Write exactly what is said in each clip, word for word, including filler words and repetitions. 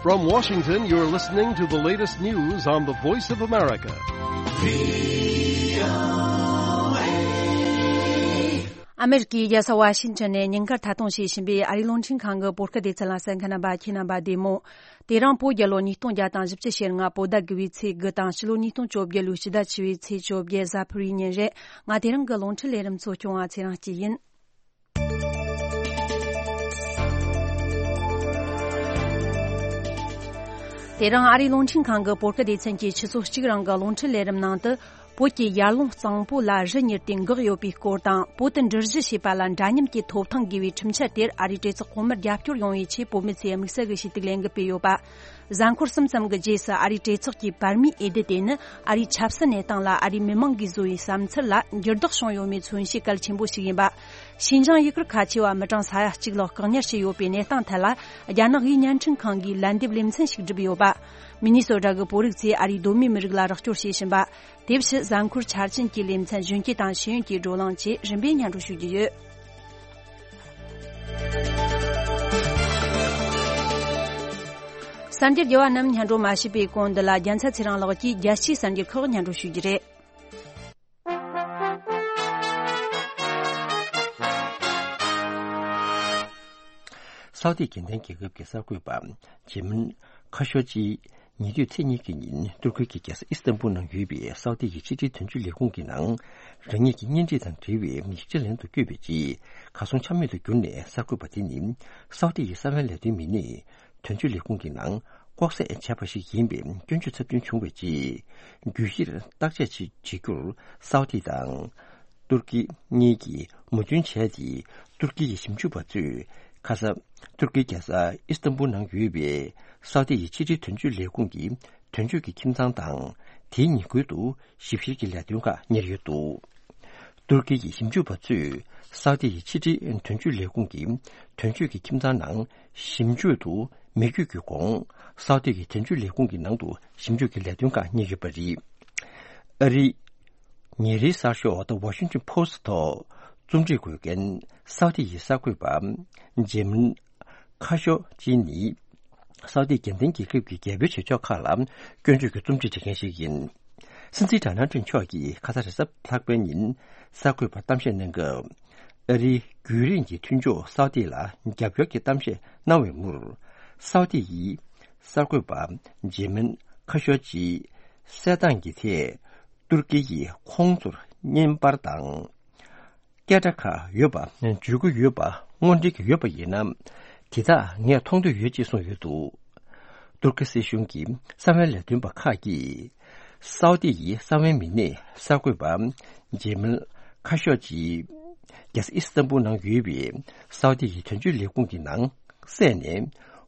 From Washington, you're listening to the latest news on the Voice of America. ཨ་མེ་རི་ཀའི་རྒྱལ་ས་ཝ་ཤིང་ཊོན་ནས་ཉིན་དཀར་མཐའ་སྟོངས་བྱེད་བཞིན་པའི་ཨ་རིའི་རླུང་འཕྲིན་ཁང་གི་བོད་སྐད་སྡེ་ཚན་ལ་གསན་མཁན་རྣམ་པ་ཁྱེད་རྣམ་པ་བདེ་མོ། དེ་རིང་བོད་རྒྱལ་ལོ་ཉིས་སྟོང་བརྒྱ་དང་བཞི་བཅུ་ཞེ་ལྔ་བོད་ཟླ་དགུ་བའི་ཚེས་དགུ་དང་ཕྱི་ལོ་ཉིས་སྟོང་བཅོ་བརྒྱད་ལོའི་ཕྱི་ཟླ་བཅུ་བའི་ཚེས་བཅོ་བརྒྱད་གཟའ་ཕུར་བུའི་ཉིན་རེད། ང་དེ་རིང་གི་རླུང་འཕྲིན་ལས་རིམ་གཙོ་སྐྱོང་བ་ཚེ་རིང་སྐྱིད་ཡིན། དེ་རིང་ཨ་རིའི་རླུང་འཕྲིན་ཁང་གི་བོད་སྐད་སྡེ་ཚན་གྱི་ཆུ་ཚོད་གཅིག་རིང་གི་རླུང་འཕྲིན་ལས་རིམ་ནང་དུ། བོད་ཀྱི་ཡར་ཀླུང་གཙང་པོ་ལ་རི་ཉིལ་ཏེ་འགག་ཡོད་པའི་སྐོར་དང་། བོད་དུ་འགྲུལ་བཞུད་བྱེད་པ་ལ་འདྲ་མཉམ་གྱི་ཐོབ་ཐང་དགོས་པའི་ཁྲིམས་འཆར་དེར་ཨ་རིའི་གྲོས་ཚོགས་གོང་མར་རྒྱབ་སྐྱོར་ཡོང་བའི་ཆེད་བོད་མི་ཚོས་དམིགས་བསལ་གྱི་ཞུ་གཏུག་ལས་འགུལ་སྤེལ་ཡོད་པ། གཟའ་འཁོར་གསུམ་ཙམ་གྱི་རྗེས་སུ་ཨ་རིའི་གྲོས་ཚོགས་ཀྱིས་བར་མིའི་འོས་བསྡུ་དེ་ནི་ཨ་རིའི་ཆབ་སྲིད་གནས་སྟངས་ལ་ཨ་རིའི་མི་མང་གིས་བཟོ་བའི་བསམ་ཚུལ་ལ་འགྱུར་ལྡོག་བྱུང་ཡོད་མེད་མཚོན་བྱེད་གལ་ཆེན་པོ་ཞིག་ཡིན་པ། ཤིན་ཅང་ཡུ་གུར་ཁ་ཆེ་བ་མི་གྲངས་ས་ཡ་གཅིག་ལྷག་བཀག་ཉར་བྱས་ཡོད་པའི་གནས་སྟངས་ཐད་ལ། རྒྱ་ནག་དབུས་བརྙན་འཕྲིན་ཁང་གིས་ལན་འདེབས་ལེ་ཚན་ཞིག་བསྒྲུབས་ཡོད་པ། མི་ནི་སོ་ཊ་གི་བོད་རིགས་ཚོས་ཨ་རིའི་གདོད་མའི་མི་རིགས་ལ་རོགས་སྐྱོར་བྱེད་བཞིན་པ། དེ་བཞིན་གཟའ་འཁོར་འཆར་ཅན་གྱི་ལེ་ཚན་གཞོན་སྐྱེས་དང་ཤེས་ཡོན་གྱི་བགྲོ་གླེང་བཅས་རིམ་པས་སྙན་སྒྲོན་ཞུ་རྒྱུ་ཡོད། གསར་འགྱུར་རྒྱས་པ་རྣམས་སྙན་སྒྲོན་མ་ཞུས་པའི་གོང་འདི་ལ་རྒྱལ་མཚན་ཚེ་རིང་ལགས་ཀྱིས་རྒྱལ་སྤྱིའི་གསར་འགྱུར་ཁག་སྙན་སྒྲོན་ཞུ་རྒྱུ་རེད། སའུ་ཏི་དགེ་ལྡན་རྒྱལ་ཁབ་ཀྱི་གསར་འགོད་པ་ཇེ་མིན་ཁ་ཤོ་ཅི་ཉེ་དུས་ཚེས་གཉིས་ཀྱི་ཉིན་ཏུར་ཀི་གི་རྒྱལ་ས་ཨི་སི་ཏན་པུལ་ནང་ཡོད་པའི་སའུ་ཏི་ཡི་ཕྱི་འབྲེལ་དོན་གཅོད་ལས་ཁུངས་ཀྱི་ནང་རང་ཉིད་ཀྱི་གཉེན་སྒྲིག་དང་འབྲེལ་བའི་ཡིག་ཆ་ལེན་དུ་བསྐྱོད་པའི་རྗེས་གར་སོང་ཆ་མེད་དུ་གྱུར་ནས། གསར་འགོད་པ་དེ་ནི་སའུ་ཏི་ཡི་གསང་བའི་ལས་དོན་མི་སྣས་དོན་གཅོད་ལས་ཁུངས་ཀྱི་ནང་ལྐོག་བསད་བྱས་པ་ཞིག་ཡིན་པའི་སྐྱོན་བརྗོད་ཚབས་ཆེན་བྱུང་བའི་རྗེས། རྒྱུ་ཡིར་བརྟག་དཔྱད་བྱེད་རྒྱུར་སའུ་ཏི་དང་ཏུར་ཀི་གཉིས་ཀྱིས་མོས་མཐུན་བྱས་ཏེ། ཏུར་ཀི་ཡི་ཞིབ་འཇུག་པ་ཚོས་ཁ་ས་ཏུར་ཀིའི་རྒྱལ་ས་ཨི་སི་ཏན་པུལ་ནང་ཡོད་པའི་སའུ་ཏི་ཡི་ཕྱི་འབྲེལ་དོན་གཅོད་ལས་ཁུངས་ཀྱི་དོན་གཅོད་ཀྱི་ཁྱིམ་ཚང་དང་། དེའི་ཉེ་ཁུལ་དུ་ཞིབ་བཤེར་གྱི་ལས་དོན་ཁག་གཉེར་ཡོད་འདུག་ཏུར་ཀི་ཡི་ཞིབ་འཇུག་པ་ཚོས་སའུ་ཏི་ཡི་ཕྱི་འབྲེལ་དོན་གཅོད་ལས་ཁུངས་ཀྱི་དོན་གཅོད་ཀྱི་ཁྱིམ་ཚང་ནང་ཞིབ་འཇུག་ཏུ་མི་བསྐྱོད་ཀྱི་གོང་། སའུ་ཏི་ཡི་དོན་གཅོད་ལས་ཁུངས་ཀྱི་ནང་དུ་ཞིབ་འཇུག་གི་ལས་དོན་ཁག་གཉེར་ཡོད་པ་རེད། ཨ་རིའི་ཉིན་རེའི་གསར་ཤོག་The Washington Post་ཐོག་རྩོམ་སྒྲིག་འགོད་མཁན་སའུ་ཏི་ཡི་གསར་འགོད་པ་ཇེ་མིན་ཁ་ཤོ་ཅི་ནི། སའུ་ཏི་དགེ་ལྡན་རྒྱལ་ཁབ་ཀྱི་རྒྱལ་པོའི་བྱེད་ཕྱོགས་ཁག་ལ་སྐྱོན་བརྗོད་ཀྱི་རྩོམ་སྒྲིག་བྱེད་མཁན་ཞིག་ཡིན། སྲིད་འཛིན་ཌོ་ནལ་ཊམ་མཆོག་གིས་ཁ་ས་རེས་གཟའ་ལྷག་པའི་ཉིན་གསར་འགོད་པར་གཏམ་བཤད་གནང་སྐབས། ཨ་རིའི་རྒྱུན་རིང་གི་མཐུན་ཕྱོགས་སའུ་ཏི་ལ་རྒྱབ་སྐྱོར་གྱི་གཏམ་བཤད་གནང་བའི་མུར། སའུ་ཏི་ཡིས་གསར་འགོད་པ་ཇེ་མིན་ཁ་ཤོ་ཅི་བསད་སྟངས་ཀྱི་ཐད་ཏུར་ཀི་ཡིས་ཁོང་ཚོར་བརྙན་པར་དང་། སྐད་སྒྲ་ཁག་ཡོད་པ་བརྗོད་ཀྱི་ཡོད་པ་དངོས་འབྲེལ་གྱི་ཡོད་པ་ཡིན་ན། དེ་དག་ངས་མཐོང་འདོད་ཡོད་ཅེས་གསུངས་ཡོད་འདུག་ཏུར་ཀི་སྲིད་གཞུང་གི་གསང་བའི་ལས་དོན་པ་ཁག་གིས། སའུ་ཏི་ཡི་གསང་བའི་མི་སྣས་གསར་འགོད་པ་ཇེ་མིལ་ཁ་ཤོ་ཅི་རྒྱལ་ས་ཨི་སི་ཏན་པུལ་ནང་ཡོད་པའི་སའུ་ཏི་ཡི་དོན་གཅོད་ལས་ཁུངས་ཀྱི་ནང་བསད་ནས།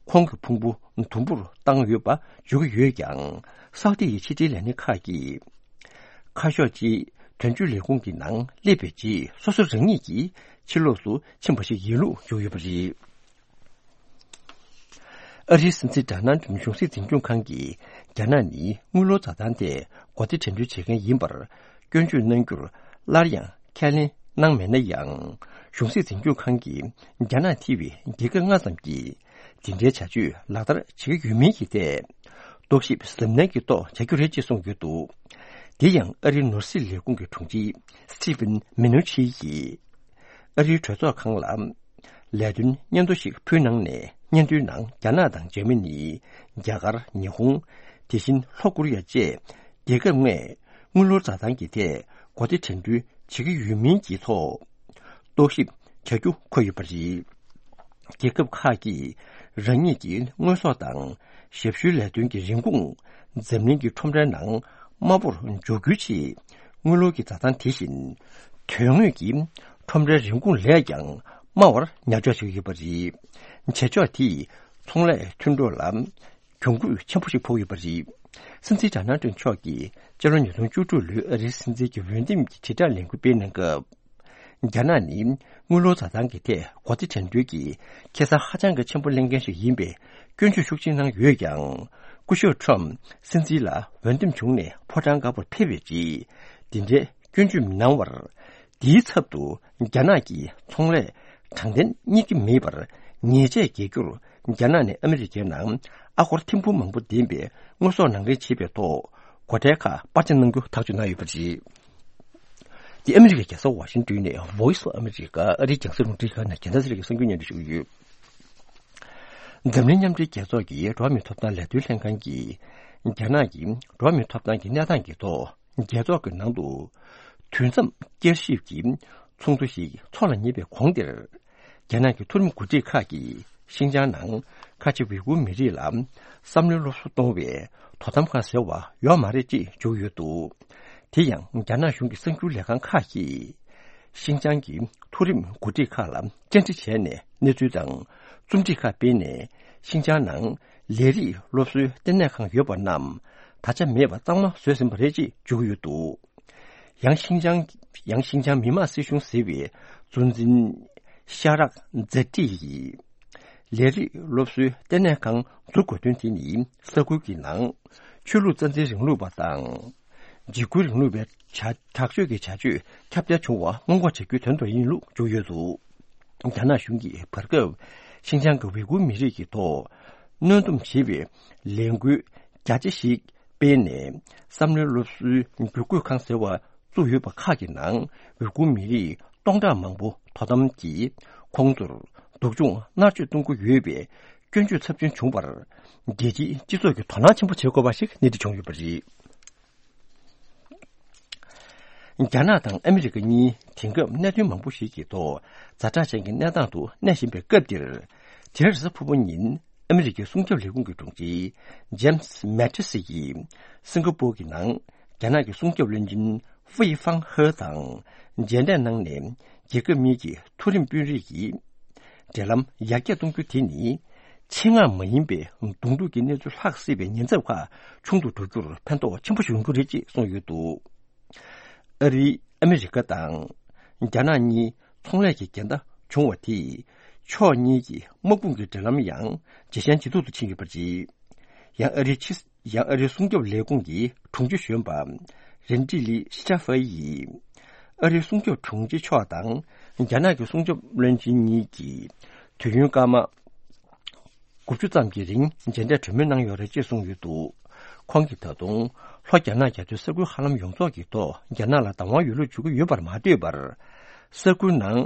ཁོང་གི་ཕུང་པོ་དུམ་བུར་བཏང་ཡོད་པ་བརྗོད་ཀྱི་ཡོད་ཀྱང་། སའུ་ཏི་ཡི་ཕྱི་དྲིལ་ལས་སྣེ་ཁག་གིས། ཁ་ཤོ་ཅི་དོན་གཅོད་ལས་ཁུངས་ཀྱི་ནང་སླེབས་པའི་རྗེས། སོ་སོ་རང་ཉིད་ཀྱིས་ཕྱི་ལོགས་སུ་ཕྱིན་པ་ཞིག་ཡིན་ལུགས་བརྗོད་ཡོད་པ་རེད། ཨ་རིའི་སྲིད་འཛིན་ཌོ་ནལ་ཏྲམ་གཞུང་སྲིད་འཛིན་སྐྱོང་ཁང་གིས་རྒྱ་ནག་ནི་དངུལ་ལོར་འཛའ་ཐང་ཐད་གོ་བརྡ་དྲན་འདུན་བྱེད་མཁན་ཡིན་པར་སྐྱོན་བརྗོད་གནང་རྒྱུར་སླར་ཡང་ཁས་ལེན་གནང་མེད་ན་ཡང་། གཞུང་སྲིད་འཛིན་སྐྱོང་ཁང་གིས་རྒྱ་ནག་ཐེ་བའི་རྒྱལ་ཁབ་ལྔ་ཙམ་གྱིས་དེ་འདྲའི་བྱ་སྤྱོད་ལག་བསྟར་བྱེད་ཀྱི་ཡོད་མིན་གྱི་ཐད་རྟོག་ཞིབ་གཟབ་ནན་གྱི་ཐོག་བྱ་རྒྱུ་རེད་ཅེས་གསུངས་ཡོད་འདུག་དེ་ཡང་ཨ་རིའི་ནོར་སྲིད་ལས་ཁུངས་ཀྱི་དྲུང་ཆེ་སི་ཊི་ཕིན་མི་ནུ་ཆི་ཡིས་ཨ་རིའི་གྲོས་ཚོགས་ཁང་ལ། ལས་དོན་སྙན་ཐོ་ཞིག་ཕུལ་གནང་ནས། སྙན་ཐོའི་ནང་རྒྱ་ནག་དང་འཇར་མ་ནི། རྒྱ་གར། ཉི་ཧོང་། དེ་བཞིན་ལྷོ་ཀོ་རི་ཡ་བཅས་རྒྱལ་ཁབ་ལྔས་དངུལ་ལོར་འཛའ་ཐང་གི་ཐད་གོ་བརྡ་དྲན་འདུན་བྱེད་ཀྱི་ཡོད་མིན་གྱི་ཐོག་རྟོག་ཞིབ་བྱ་རྒྱུ་འཁོད་ཡོད་པ་རེད། རྒྱལ་ཁབ་ཁག་གིས་རང་ཉིད་ཀྱི་དངོས་ཟོག་དང་ཞབས་ཞུའི་ལས་དོན་གྱི་རིན་གོང་འཛམ་གླིང་གི་ཁྲོམ་རའི་ནང་དམའ་བོར་འཇོག་རྒྱུའི་ཆེད། དངུལ་ལོར་གྱི་འཛའ་ཐང་དེ་བཞིན་དོན་དངོས་ཀྱི་ཁྲོམ་རའི་རིན་གོང་ལས་ཀྱང་དམའ་བར་ཉར་འཇོག་བྱེད་ཀྱི་ཡོད་པ་རེད། བྱེད་ཕྱོགས་དེས་ཚོང་ལས་མཐུན་གྲོགས་ལ་གྱོང་གུད་ཆེན་པོ་ཞིག་ཕོག་ཡོད་པ་རེད། སྲིད་འཛིན་ཌོ་ནལ་ཏྲམ་མཆོག་གིས་སྤྱི་ལོ་ཉིས་སྟོང་བཅུ་དྲུག་ལོའི་ཨ་རིའི་སྲིད་འཛིན་གྱི་འོས་འདེམས་ཀྱི་དྲིལ་བསྒྲགས་ལས་འགུལ་སྤེལ་གནང་སྐབས། རྒྱ་ནག་ནི་དངུལ་ལོར་འཛའ་ཐང་གི་ཐད་གོ་བརྡ་དྲན་འདུན་གྱི་ཁེ་བཟང་ཧ་ཅང་གི་ཆེན་པོ་ལེན་མཁན་ཞིག་ཡིན་པའི་སྐྱོན་བརྗོད་ཤུགས་ཆེ་གནང་ཡོད་ཀྱང་། སྐུ་ཞབས་ཁྲོམ་སྲིད་འཛིན་ལ་འོས་འདེམས་བྱུང་ནས་ཕོ་བྲང་དཀར་པོར་ཕེབས་པའི་རྗེས། འདི་འདྲའི་སྐྱོན་བརྗོད་མི་གནང་བར། དེའི་ཚབ་ཏུ་རྒྱ་ནག་གིས་ཚོང་ལས་དྲང་བདེན་རྙེད་ཀྱི་མེད་པར་ཉེས་ཆད་འགེལ་རྒྱུར་ རྒྱ་ནག་ནས་ཨ་མི་རི་ཀའི་ནང་ཨ་སྒོར་ཐེར་འབུམ་མང་པོ་ལྡན་པའི་དངོས་ཟོག་ནང་འདྲེན་བྱས་པའི་ཐོག་སྒོ་ཁྲལ་ཁག་སྤར་ཆ་གནང་རྒྱུ་ཐག་གཅོད་གནང་ཡོད་པ་རེད། འདི་ཨ་མི་རི་ཀའི་རྒྱལ་ས་ཝ་ཤིང་ཏོན་ནས་Voice of America ཨ་རིའི་རྒྱང་སྲིང་རླུང་འཕྲིན་ཁང་ནས་རྒྱལ་མཚན་ཚེ་རིང་གིས་གསར་འགྱུར་སྙན་སྒྲོན་ཞུ་གི་ཡོད། འཛམ་གླིང་མཉམ་འབྲེལ་རྒྱལ་ཚོགས་ཀྱི་འགྲོ་བ་མིའི་ཐོབ་ཐང་ལས་དོན་ལྷན་ཁང་གིས་རྒྱ་ནག་གིས་འགྲོ་བ་མིའི་ཐོབ་ཐང་གི་གནས་སྟངས་ཀྱི་ཐོག་རྒྱལ་ཚོགས་ཀྱི་ནང་དུ་དུས་མཚམས་བསྐྱར་ཞིབ་ཀྱི་ཚོགས་འདུ་ཞིག་འཚོགས་ལ་ཉེ་བའི་གོང་དེར། རྒྱ་ནག་གི་མཐོ་རིམ་འགོ་ཁྲིད་ཁག་གིས་ཤིན་ཅང་ནང་ཁ་ཆེ་ཝི་གུར་མི་རིགས་ལ་བསམ་བློའི་སློབ་གསོ་གཏོང་བའི་དོ་དམ་ཁང་ཟེར་བ་ཡོད་མ་རེད་ཅེས་བརྗོད་ཡོད་འདུག་དེ་ཡང་རྒྱ་ནག་གཞུང་གི་གསར་འགྱུར་ལས་ཁང་ཁག་གིས་ཤིན་ཅང་གི་མཐོ་རིམ་འགོ་ཁྲིད་ཁག་ལ་བཅར་འདྲི་བྱས་ནས་གནས་ཚུལ་དང་རྩོམ་སྒྲིག་ཁག་སྤེལ་ནས། ཤིན་ཅང་ནང་ལས་རིགས་སློབ་གསོའི་ལྟེ་གནས་ཁང་ཡོད་པ་རྣམས་ད་ཆ་མེད་པ་གཙང་མ་བཟོས་ཟིན་པ་རེད་ཅེས་བརྗོད་ཀྱི་ཡོད་འདུག་ཡང་ཤིན་ཅང་། ཡང་ཤིན་ཅང་མི་དམངས་སྲིད་གཞུང་ཟེར་བའི་གཙོ་འཛིན་ཤ་རག་ཛེ་ཏི་ཡིས། ལས་རིགས་སློབ་གསོའི་ལྟེ་གནས་ཁང་འཛུགས་དགོས་དོན་དེ་ནི་ས་ཁུལ་གྱི་ནང་ཆོས་ལུགས་རྩ་འཛིན་རིང་ལུགས་པ་དང་། འཇིགས་སྐུལ་རིང་ལུགས་པའི་བྱ་དྲག་སྤྱོད་ཀྱི་བྱ་སྤྱོད་ཁྱབ་གདལ་བྱུང་བ་སྔོན་འགོག་བྱ་རྒྱུའི་དོན་དུ་ཡིན་ལུགས་བརྗོད་ཡོད་འདུག་རྒྱ་ནག་གཞུང་གིས་བར་སྐབས་ཤིན་ཅང་གི་ཝི་གུར་མི་རིགས་ཀྱི་ཐོག་གནོན་སྡོམ་བྱེད་པའི་ལས་འགུལ་རྒྱ་ཆེ་ཞིག་སྤེལ་ནས་བསམ་བློའི་སློབ་གསོའི་བསྒྱུར་བཀོད་ཁང་ཟེར་བ་བཙུགས་ཡོད་པ་ཁག་གི་ནང་ཝི་གུར་མི་རིགས་སྟོང་ཕྲག་མང་པོ་དོ་དམ་གྱིས་ཁོང་ཚོར་སྡུག་སྦྱོང་མནར་གཅོད་གཏོང་གི་ཡོད་པའི་སྐྱོན་བརྗོད་ཚབས་ཆེན་བྱུང་བར་རྒྱལ་སྤྱིའི་སྤྱི་ཚོགས་ཀྱིས་དོ་སྣང་ཆེན་པོ་བྱེད་དགོས་པ་ཞིག་གནས་འདྲི་བྱུང་ཡོད་པ་རེད། རྒྱ་ནག་དང་ཨ་མི་རི་ཀ་གཉིས་དེང་སྐབས་གནད་དོན་མང་པོ་ཞིག་གི་ཐོག་ཛ་དྲག་ཅན་གྱི་གནས་སྟངས་སུ་གནས་བཞིན་པའི་སྐབས་འདིར། དེ་རིང་གཟའ་ཕུར་བུ་ཉིན་ཨ་མི་རི་ཀའི་སྲུང་སྐྱོབ་ལས་ཁུངས་ཀྱི་དྲུང་ཆེ་ཇེམ་སི་མེ་ཏི་སི་ཡིས་སིང་ག་པུར་གྱི་ནང་རྒྱ་ནག་གི་སྲུང་སྐྱོབ་བློན་ཆེན་ཧྥུའེ་ཧྥང་ཧེ་དང་མཇལ་འཕྲད་གནང་ནས། རྒྱལ་ཁབ་གཉིས་ཀྱི་མཐོ་རིམ་དཔོན་རིགས་ཀྱིས་འབྲེལ་ལམ་ཡར་རྒྱས་གཏོང་རྒྱུ་དེ་ནི་ཆེད་མངགས་མ་ཡིན་པའི་གདོང་ཐུག་གི་གནས་ཚུལ་ལྷག་སྲིད་པའི་ཉེན་ཚབས་ཁག་ཆུང་དུ་འགྲོ་རྒྱུར་ཕན་ཐོགས་ཆེན་པོ་ཞིག་ཡོང་རྒྱུ་རེད་ཅེས་གསུངས་ཡོད་འདུག་ཨ་རི། ཨ་མི་རི་ཀ་དང་རྒྱ་ནག་གཉིས་ཚོང་ལས་ཀྱི་འགལ་ཟླ་བྱུང་བ་དེས་ཕྱོགས་གཉིས་ཀྱི་དམག་དཔུང་གི་འབྲེལ་ལམ་ཡང་ཇེ་ཞན་ཇེ་སྡུག་ཏུ་ཕྱིན་ཡོད་པ་རེད། ཡང་ཨ་རིའི་ཕྱི། ཡང་ཨ་རིའི་སྲུང་སྐྱོབ་ལས་ཁུངས་ཀྱི་དྲུང་ཆེ་གཞོན་པ་རིན་ཀྲི་ལི་ཤི་ཅཱ་ཧྥེ་ཡིས་ཨ་རིའི་སྲུང་སྐྱོབ་དྲུང་ཆེ་མཆོག་དང་རྒྱ་ནག་གི་སྲུང་སྐྱོབ་བློན་ཆེན་གཉིས་ཀྱིས་དུས་ཡུན་སྐར་མ་དགུ་བཅུ་ཙམ་གྱི་རིང་མཇལ་འཕྲད་གྲོས་མོལ་གནང་ཡོད་རེད་ཅེས་གསུངས་ཡོད་འདུག་ཁོང་གིས་ད་དུང་ལྷོ་རྒྱ་ནག་རྒྱ་མཚོའི་ས་ཁུལ་ཧ་ལམ་ཡོངས་རྫོགས་ཀྱི་ཐོག་རྒྱ་ནག་ལ་བདག་དབང་ཡོད་ལུགས་བརྗོད་ཀྱི་ཡོད་པར་མ་ལྟོས་པར། ས་ཁུལ་ནང་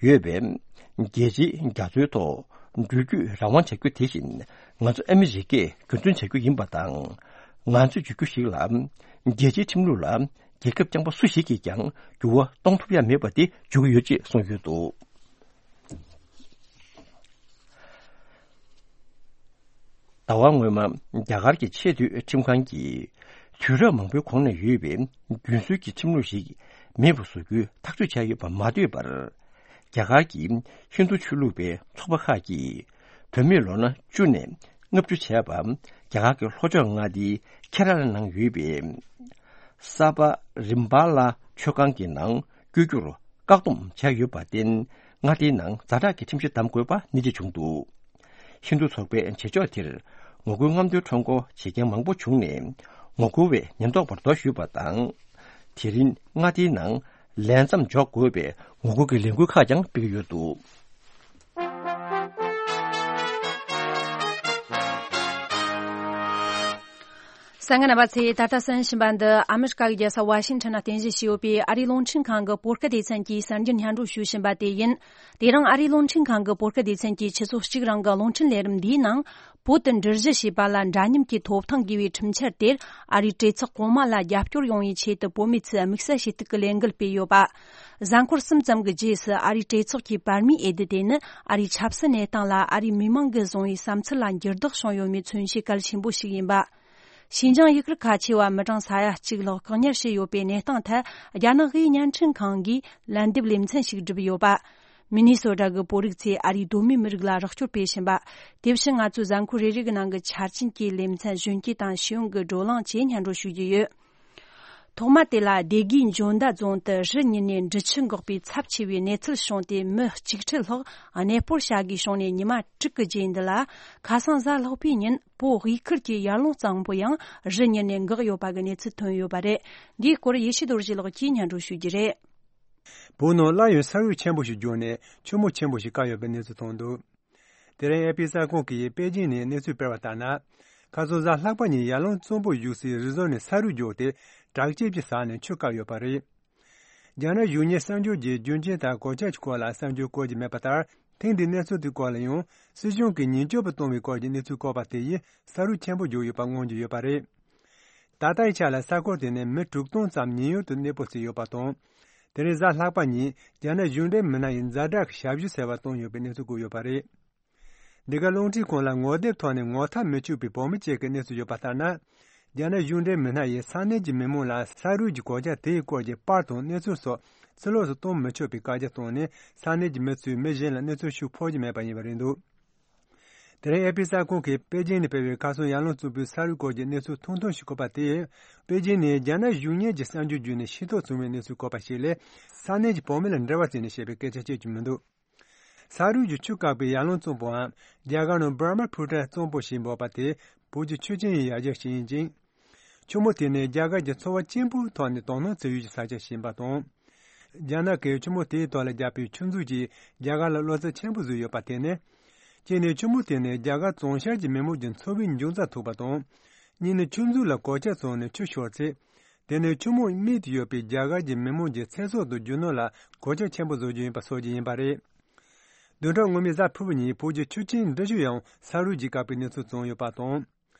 ཡོད་པའི་རྒྱལ་སྤྱིའི་རྒྱ་མཚོའི་ཐོག་འགྲུལ་སྐྱོད་རང་དབང་བྱ་རྒྱུ་དེ་བཞིན་ང་ཚོ་ཨ་མི་རི་ཀས་རྒྱུན་འཛིན་བྱ་རྒྱུ་ཡིན་པ་དང་། ང་ཚོས་བརྗོད་རྒྱུ་ཞིག་ལ། རྒྱལ་སྤྱིའི་ཁྲིམས་ལུགས་ལ་རྒྱལ་ཁབ་རྐྱང་པ་སུ་ཞིག་གིས་ཀྱང་འགྱུར་བ་གཏོང་ཐུབ་ཡ་མེད་པ་དེ་བརྗོད་ཀྱི་ཡོད་ཅེས་གསུངས་ཡོད་འདུག་ཟླ་བ་སྔོན་མ་རྒྱ་གར་གྱི་ཆེས་མཐོའི་ཁྲིམས་ཁང་གིས་དུས་རབས་མང་པོའི་གོང་ནས་ཡོད་པའི་རྒྱུན་སྲོལ་གྱི་ཁྲིམས་ལུགས་ཤིག་མེད་པར་བཟོ་རྒྱུའི་ཐག་གཅོད་བྱས་ཡོད་པར་མ་ལྟོས་པར། རྒྱ་གར་གྱི་ཧིན་རྡུ་ཆོས་ལུགས་པའི་ཚོགས་པ་ཁག་གིས་བོད་མིས་ལོ་ན་བཅུ་ནས་ལྔ་བཅུ་བྱས་པ་རྒྱ་གར་གྱི་ལྷོ་ཕྱོགས་མངའ་སྡེའི་ཁེ་ར་ལ་ནང་ཡོད་པའི་ས་པ་རིམ་པ་ལ་མཆོད་ཁང་གི་ནང་བསྐྱོད་རྒྱུར། བཀག་སྡོམ་བྱས་ཡོད་པར་བརྟེན། མངའ་སྡེའི་ནང་ཛ་དྲག་གི་ཁྲིམས་གཞི་བསྡམ་དགོས་པ་ནི་འདྲ་བྱུང་འདུག་ཧིན་རྡུ་ཚོགས་པའི་བྱེད་ཕྱོགས་དེར་ངོ་རྒོལ་རྔམ་སྟོན་ཁྲོམ་སྐོར་བྱེད་མཁན་མང་པོ་བྱུང་ནས། ངོ་རྒོལ་བས་ཉེན་རྟོག་པར་རྡོ་གཞུས་པ་དང་། དེ་རིང་མངའ་སྡེའི་ནང་ལས་མཚམས་འཇོག་དགོས་པའི་ངོ་རྒོལ་གྱི་ལས་འགུལ་ཁག་ཀྱང་སྤེལ་གྱི་ཡོད་འདུག་གསན་མཁན་རྣམ་པ་ཚོས་ད་ལྟ་གསན་བཞིན་པ་འདི་ཨ་མི་རི་ཀ་གི་རྒྱལ་ས་ཝ་ཤིང་ཊོན་ནང་རྟེན་གཞི་བྱས་ཡོད་པའི་ཨ་རིའི་རླུང་འཕྲིན་ཁང་གི་བོད་སྐད་སྡེ་ཚན་གྱི་གསར་འགྱུར་སྙན་སྒྲོན་ཞུ་བཞིན་པ་དེ་ཡིན། དེ་རིང་ཨ་རིའི་རླུང་འཕྲིན་ཁང་གི་བོད་སྐད་སྡེ་ཚན་གྱིས་ཆུ་ཚོད་གཅིག་རིང་གི་རླུང་འཕྲིན་ལས་རིམ་འདིའི་ནང་། བོད་དུ་འགྲུལ་བཞུད་བྱེད་པ་ལ་འདྲ་མཉམ་གྱི་ཐོབ་ཐང་དགོས་པའི་ཁྲིམས་འཆར་དེར་ཨ་རིའི་གྲོས་ཚོགས་གོང་མ་ལ་རྒྱབ་སྐྱོར་ཡོང་བའི་ཆེད་དུ་བོད་མི་ཚོས་དམིགས་བསལ་ཞུ་གཏུག་གི་ལས་འགུལ་སྤེལ་ཡོད་པ། གཟའ་འཁོར་གསུམ་ཙམ་གྱི་རྗེས་སུ་ཨ་རིའི་གྲོས་ཚོགས་ཀྱི་བར་མའི་འོས་བསྡུ་དེ་ནི་ཨ་རིའི་ཆབ་སྲིད་གནས་སྟངས་ལ་ཨ་རིའི་མི་མང་གིས་བཟུང་བའི་བསམ་ཚུལ་ལ་འགྱུར་ལྡོག་བྱུང་ཡོད་མེད་མཚོན་བྱེད་གལ་ཆེན་པོ་ཞིག་ཡིན་པ། ཤིན་ཅང་ཡུ་གུར་ཁ་ཆེ་བ་མི་གྲངས་ས་ཡ་གཅིག་ལྷག་བཀག་ཉར་བྱས་ཡོད་པའི་གནས་སྟངས་ཐད་རྒྱ་ནག་གི་བརྙན་འཕྲིན་ཁང་གིས་ལན་འདེབས་ལེ་ཚན་ཞིག་བསྒྲུབས་ཡོད་པ། མི་ནི་སོ་ཊ་གི་བོད་རིགས་ཚོས་ཨ་རིའི་གདོད་མའི་མི་རིགས་ལ་རོགས་སྐྱོར་སྤེལ་བཞིན་པ། དེ་བཞིན་ང་ཚོའི་གཟའ་འཁོར་རེ་རེ་གི་ནང་གི་ཆ་རྐྱེན་གྱི་ལེ་ཚན་གཞོན་སྐྱེས་དང་ཤེས་ཡོན་གྱི་བགྲོ་གླེང་བཅས་སྙན་སྒྲོན་ཞུ་རྒྱུ་ཡོད། ཐོག་མ་དེ་ལ་སྡེ་དགེའི་འཇོ་མདའ་རྫོང་དུ་རི་ཉིལ་ནས་འབྲི་ཆུ་འགག་པའི་ཚབས་ཆེ་བའི་གནས་ཚུལ་བྱུང་སྟེ། མི་གཅིག་ཁྲི་ལྷག་གནས་སྤོར་བྱ་དགོས་བྱུང་ནས། ཉི་མ་དྲུག་གི་རྗེས་འདི་ལ་ཁ་སང་གཟའ་ལྷག་པའི་ཉིན་བོད་དབུས་ཁུལ་གྱི་ཡར་ཀླུང་གཙང་པོ་ཡང་རི་ཉིལ་ནས་འགག་ཡོད་པ་གི་གནས་ཚུལ་ཐོན་ཡོད་པ་རེད། འདིའི་སྐོར་ཡེ་ཤེས་རྡོ་རྗེ་ལགས་ཀྱིས་སྙན་སྒྲོན་ཞུ་རྒྱུ་རེད། བོད་ནང་སླར་ཡང་ས་འོག་ཆེན་པོ་ཞིག་རྒྱུག་ནས་ཆུ་མོ་ཆེན་པོ་ཞིག་བཀག་ཡོད་པའི་གནས་ཚུལ་ཐོན་འདུག་དེ་རིང་ཨེ་ཕི་གསར་ཁང་གིས་པེ་ཅིང་ནས་གནས་ཚུལ་སྤེལ་བ་ལྟར་ན། ཁ་སང་གཟའ་ལྷག་པ་ཉིན་ཡར་ཀླུང་གཙང་པོ་བཞུགས་སའི་རི་བཟོ་ནས་ས་རུད་རྒྱུགས་ཏེ་དྲག་སྐྱེད་ཀྱི་ས་ནས་ཆུ་བཀག་ཡོད་པ་རེད། རྒྱ་ནག་གཞུང་གཉེར་གསར་འགྱུར་གྱིས་རྒྱུ་རྐྱེན་དང་གོད་ཆག་གི་སྐོར་ལ་གསར་འགྱུར་བཀོད་ཀྱི་མེད་པ་ལྟར། ཐེངས་འདིའི་གནས་ཚུལ་དེའི་སྐོར་ལ་ཡང་སྲིད་གཞུང་གིས་ཉེན་སྐྱོབ་པ་བཏང་བའི་སྐོར་གྱི་གནས་ཚུལ་བཀོད་པ་དེ་ཡིས་ས་རུད་ཆེན་པོ་རྒྱུགས་ཡོད་པ་མངོན་གྱི་ཡོད་པ་རེད། ད་ལྟའི་ཆ་ལ་ས་ཁུལ་དེ་ནས་མི་དྲུག་སྟོང་ཙམ་ཉེན་གཡོལ་དུ་གནས་སྤོ་བྱས་ཡོད་པ་དང་། དེ་རིང་གཟའ་ལྷག་པ་ཉིན་རྒྱ་ནག་གཞུང་འབྲེལ་མི་སྣ་ཡིས་ཛ་དྲག་གི་ཞབས་ཞུ་ཟེར་བ་བཏང་ཡོད་པའི་གནས་ཚུལ་བཀོད་ཡོད་པ་རེད། འདི་ག་རླུང་འཕྲིན་ཁང་ལ་ངོ་དེབ་ཐོག་ནས་ངོ་ཐག་མི་ཆོད་པའི་བོད་མི་གཅིག་གི་གནས་ཚུལ་ཡོད་པ་ལྟར་ན། རྒྱ་ནག་གཞུང་འབྲེལ་མི་སྣ་ཡིས་ས་གནས་ཀྱི་མི་མང་ལ་ས་རུད་ཀྱི་གོད་ཆག་དེའི་སྐོར་གྱི་པར་དང་གནས་ཚུལ་སོགས་ཕྱི་ལོགས་སུ་གཏོང་མི་ཆོག་པའི་བཀའ་རྒྱ་བཏང་ནས་ས་གནས་ཀྱི་མི་ཚོས་མི་གཞན་ལ་གནས་ཚུལ་ཤོད་ཕོད་ཀྱི་མེད་པ་ཡིན་པ་རེད་འདུག་དེ་རིང་ཨེ་ཕི་གསར་ཁང་གིས་པེ་ཅིང་ནས་སྤེལ་བའི་ཁ་སང་ཡར་ཀླུང་གཙང་པོའི་ས་རུད་སྐོར་གྱི་གནས་ཚུལ་ཐུང་ཐུང་ཞིག་བཀོད་པ་དེས། པེ་ཅིང་ནས་རྒྱ་ནག་གཞུང་གཉེར་གྱི་གསར་འགྱུར་བརྒྱུད་ནས་ཤེས་རྟོགས་བྱུང་བའི་གནས་ཚུལ་བཀོད་པ་ཞིག་ལས། ས་གནས་ཀྱི་བོད་མི་ལ་འབྲེལ་བ་བྱས་ནས་བཤད་པའི་སྐད་ཆ་བཤད་རྒྱུ་མི་འདུག་ས་རུད་ཀྱི་ཆུ་བཀག་པའི་ཡར་ཀླུང་གཙང་པོའམ་རྒྱ་གར་ནང་Brahmaputra་གཙང་པོ་ཞེས་འབོད་པ་དེ་བོད་ཀྱི་ཆུ་ཆེན་ཡི་ཡ་གྱལ་ཞིག་ཡིན་ཅིང་། ཆུ་མོ་དེ་ནི་རྒྱ་གར་གྱི་ཚོ་བ་ཆེན་པོའི་ཐོག་ནས་དོ་སྣང་བྱེད་ཡུལ་གྱི་ས་ཆ་ཞིག་ཡིན་པ་དང་། རྒྱ་ནག་གིས་ཆུ་མོ་དེའི་ཐོག་ལ་བརྒྱབ་པའི་ཆུ་མཛོད་ཀྱིས་རྒྱ་གར་ལ་བློ་འཚབ་ཆེན་པོ་བཟོས་ཡོད་པ་དེ་ནི། གཅིག་ནས་ཆུ་མོ་དེ་ནི་རྒྱ་གར་བྱང་ཤར་གྱི་མི་མང་གྱི་འཚོ་བའི་འབྱུང་རྩ་ཐུག་པ་དང་། གཉིས་ནི་ཆུ་མཛོད་ལ་གོད་ཆག་བྱུང་ནས་ཆུ་ཤོར་ཚེ། དེ་ནི་ཆུ་མོ་རྨིས་ཏེ་ཡོད་པའི་རྒྱ་གར་གྱི་མི་མང་གི་ཚེ་སྲོག་དང་རྒྱུ་ནོར་ལ་གོད་ཆག་ཆེན་པོ་བཟོ་རྒྱུ་ཡིན་པ་སོགས་ཀྱི་ཡིན་པ་རེད། བདུན་ཕྲག་སྔོན་མའི་གཟའ་ཕུར་བུ་ཉིན་བོད་ཀྱི་ཆུ་ཆེན་འབྲི་ཆུ་ཡང་ས་རུད་ཀྱིས་བཀག་པའི་གནས་ཚུལ་བྱུང་ཡོད་པ་དང་།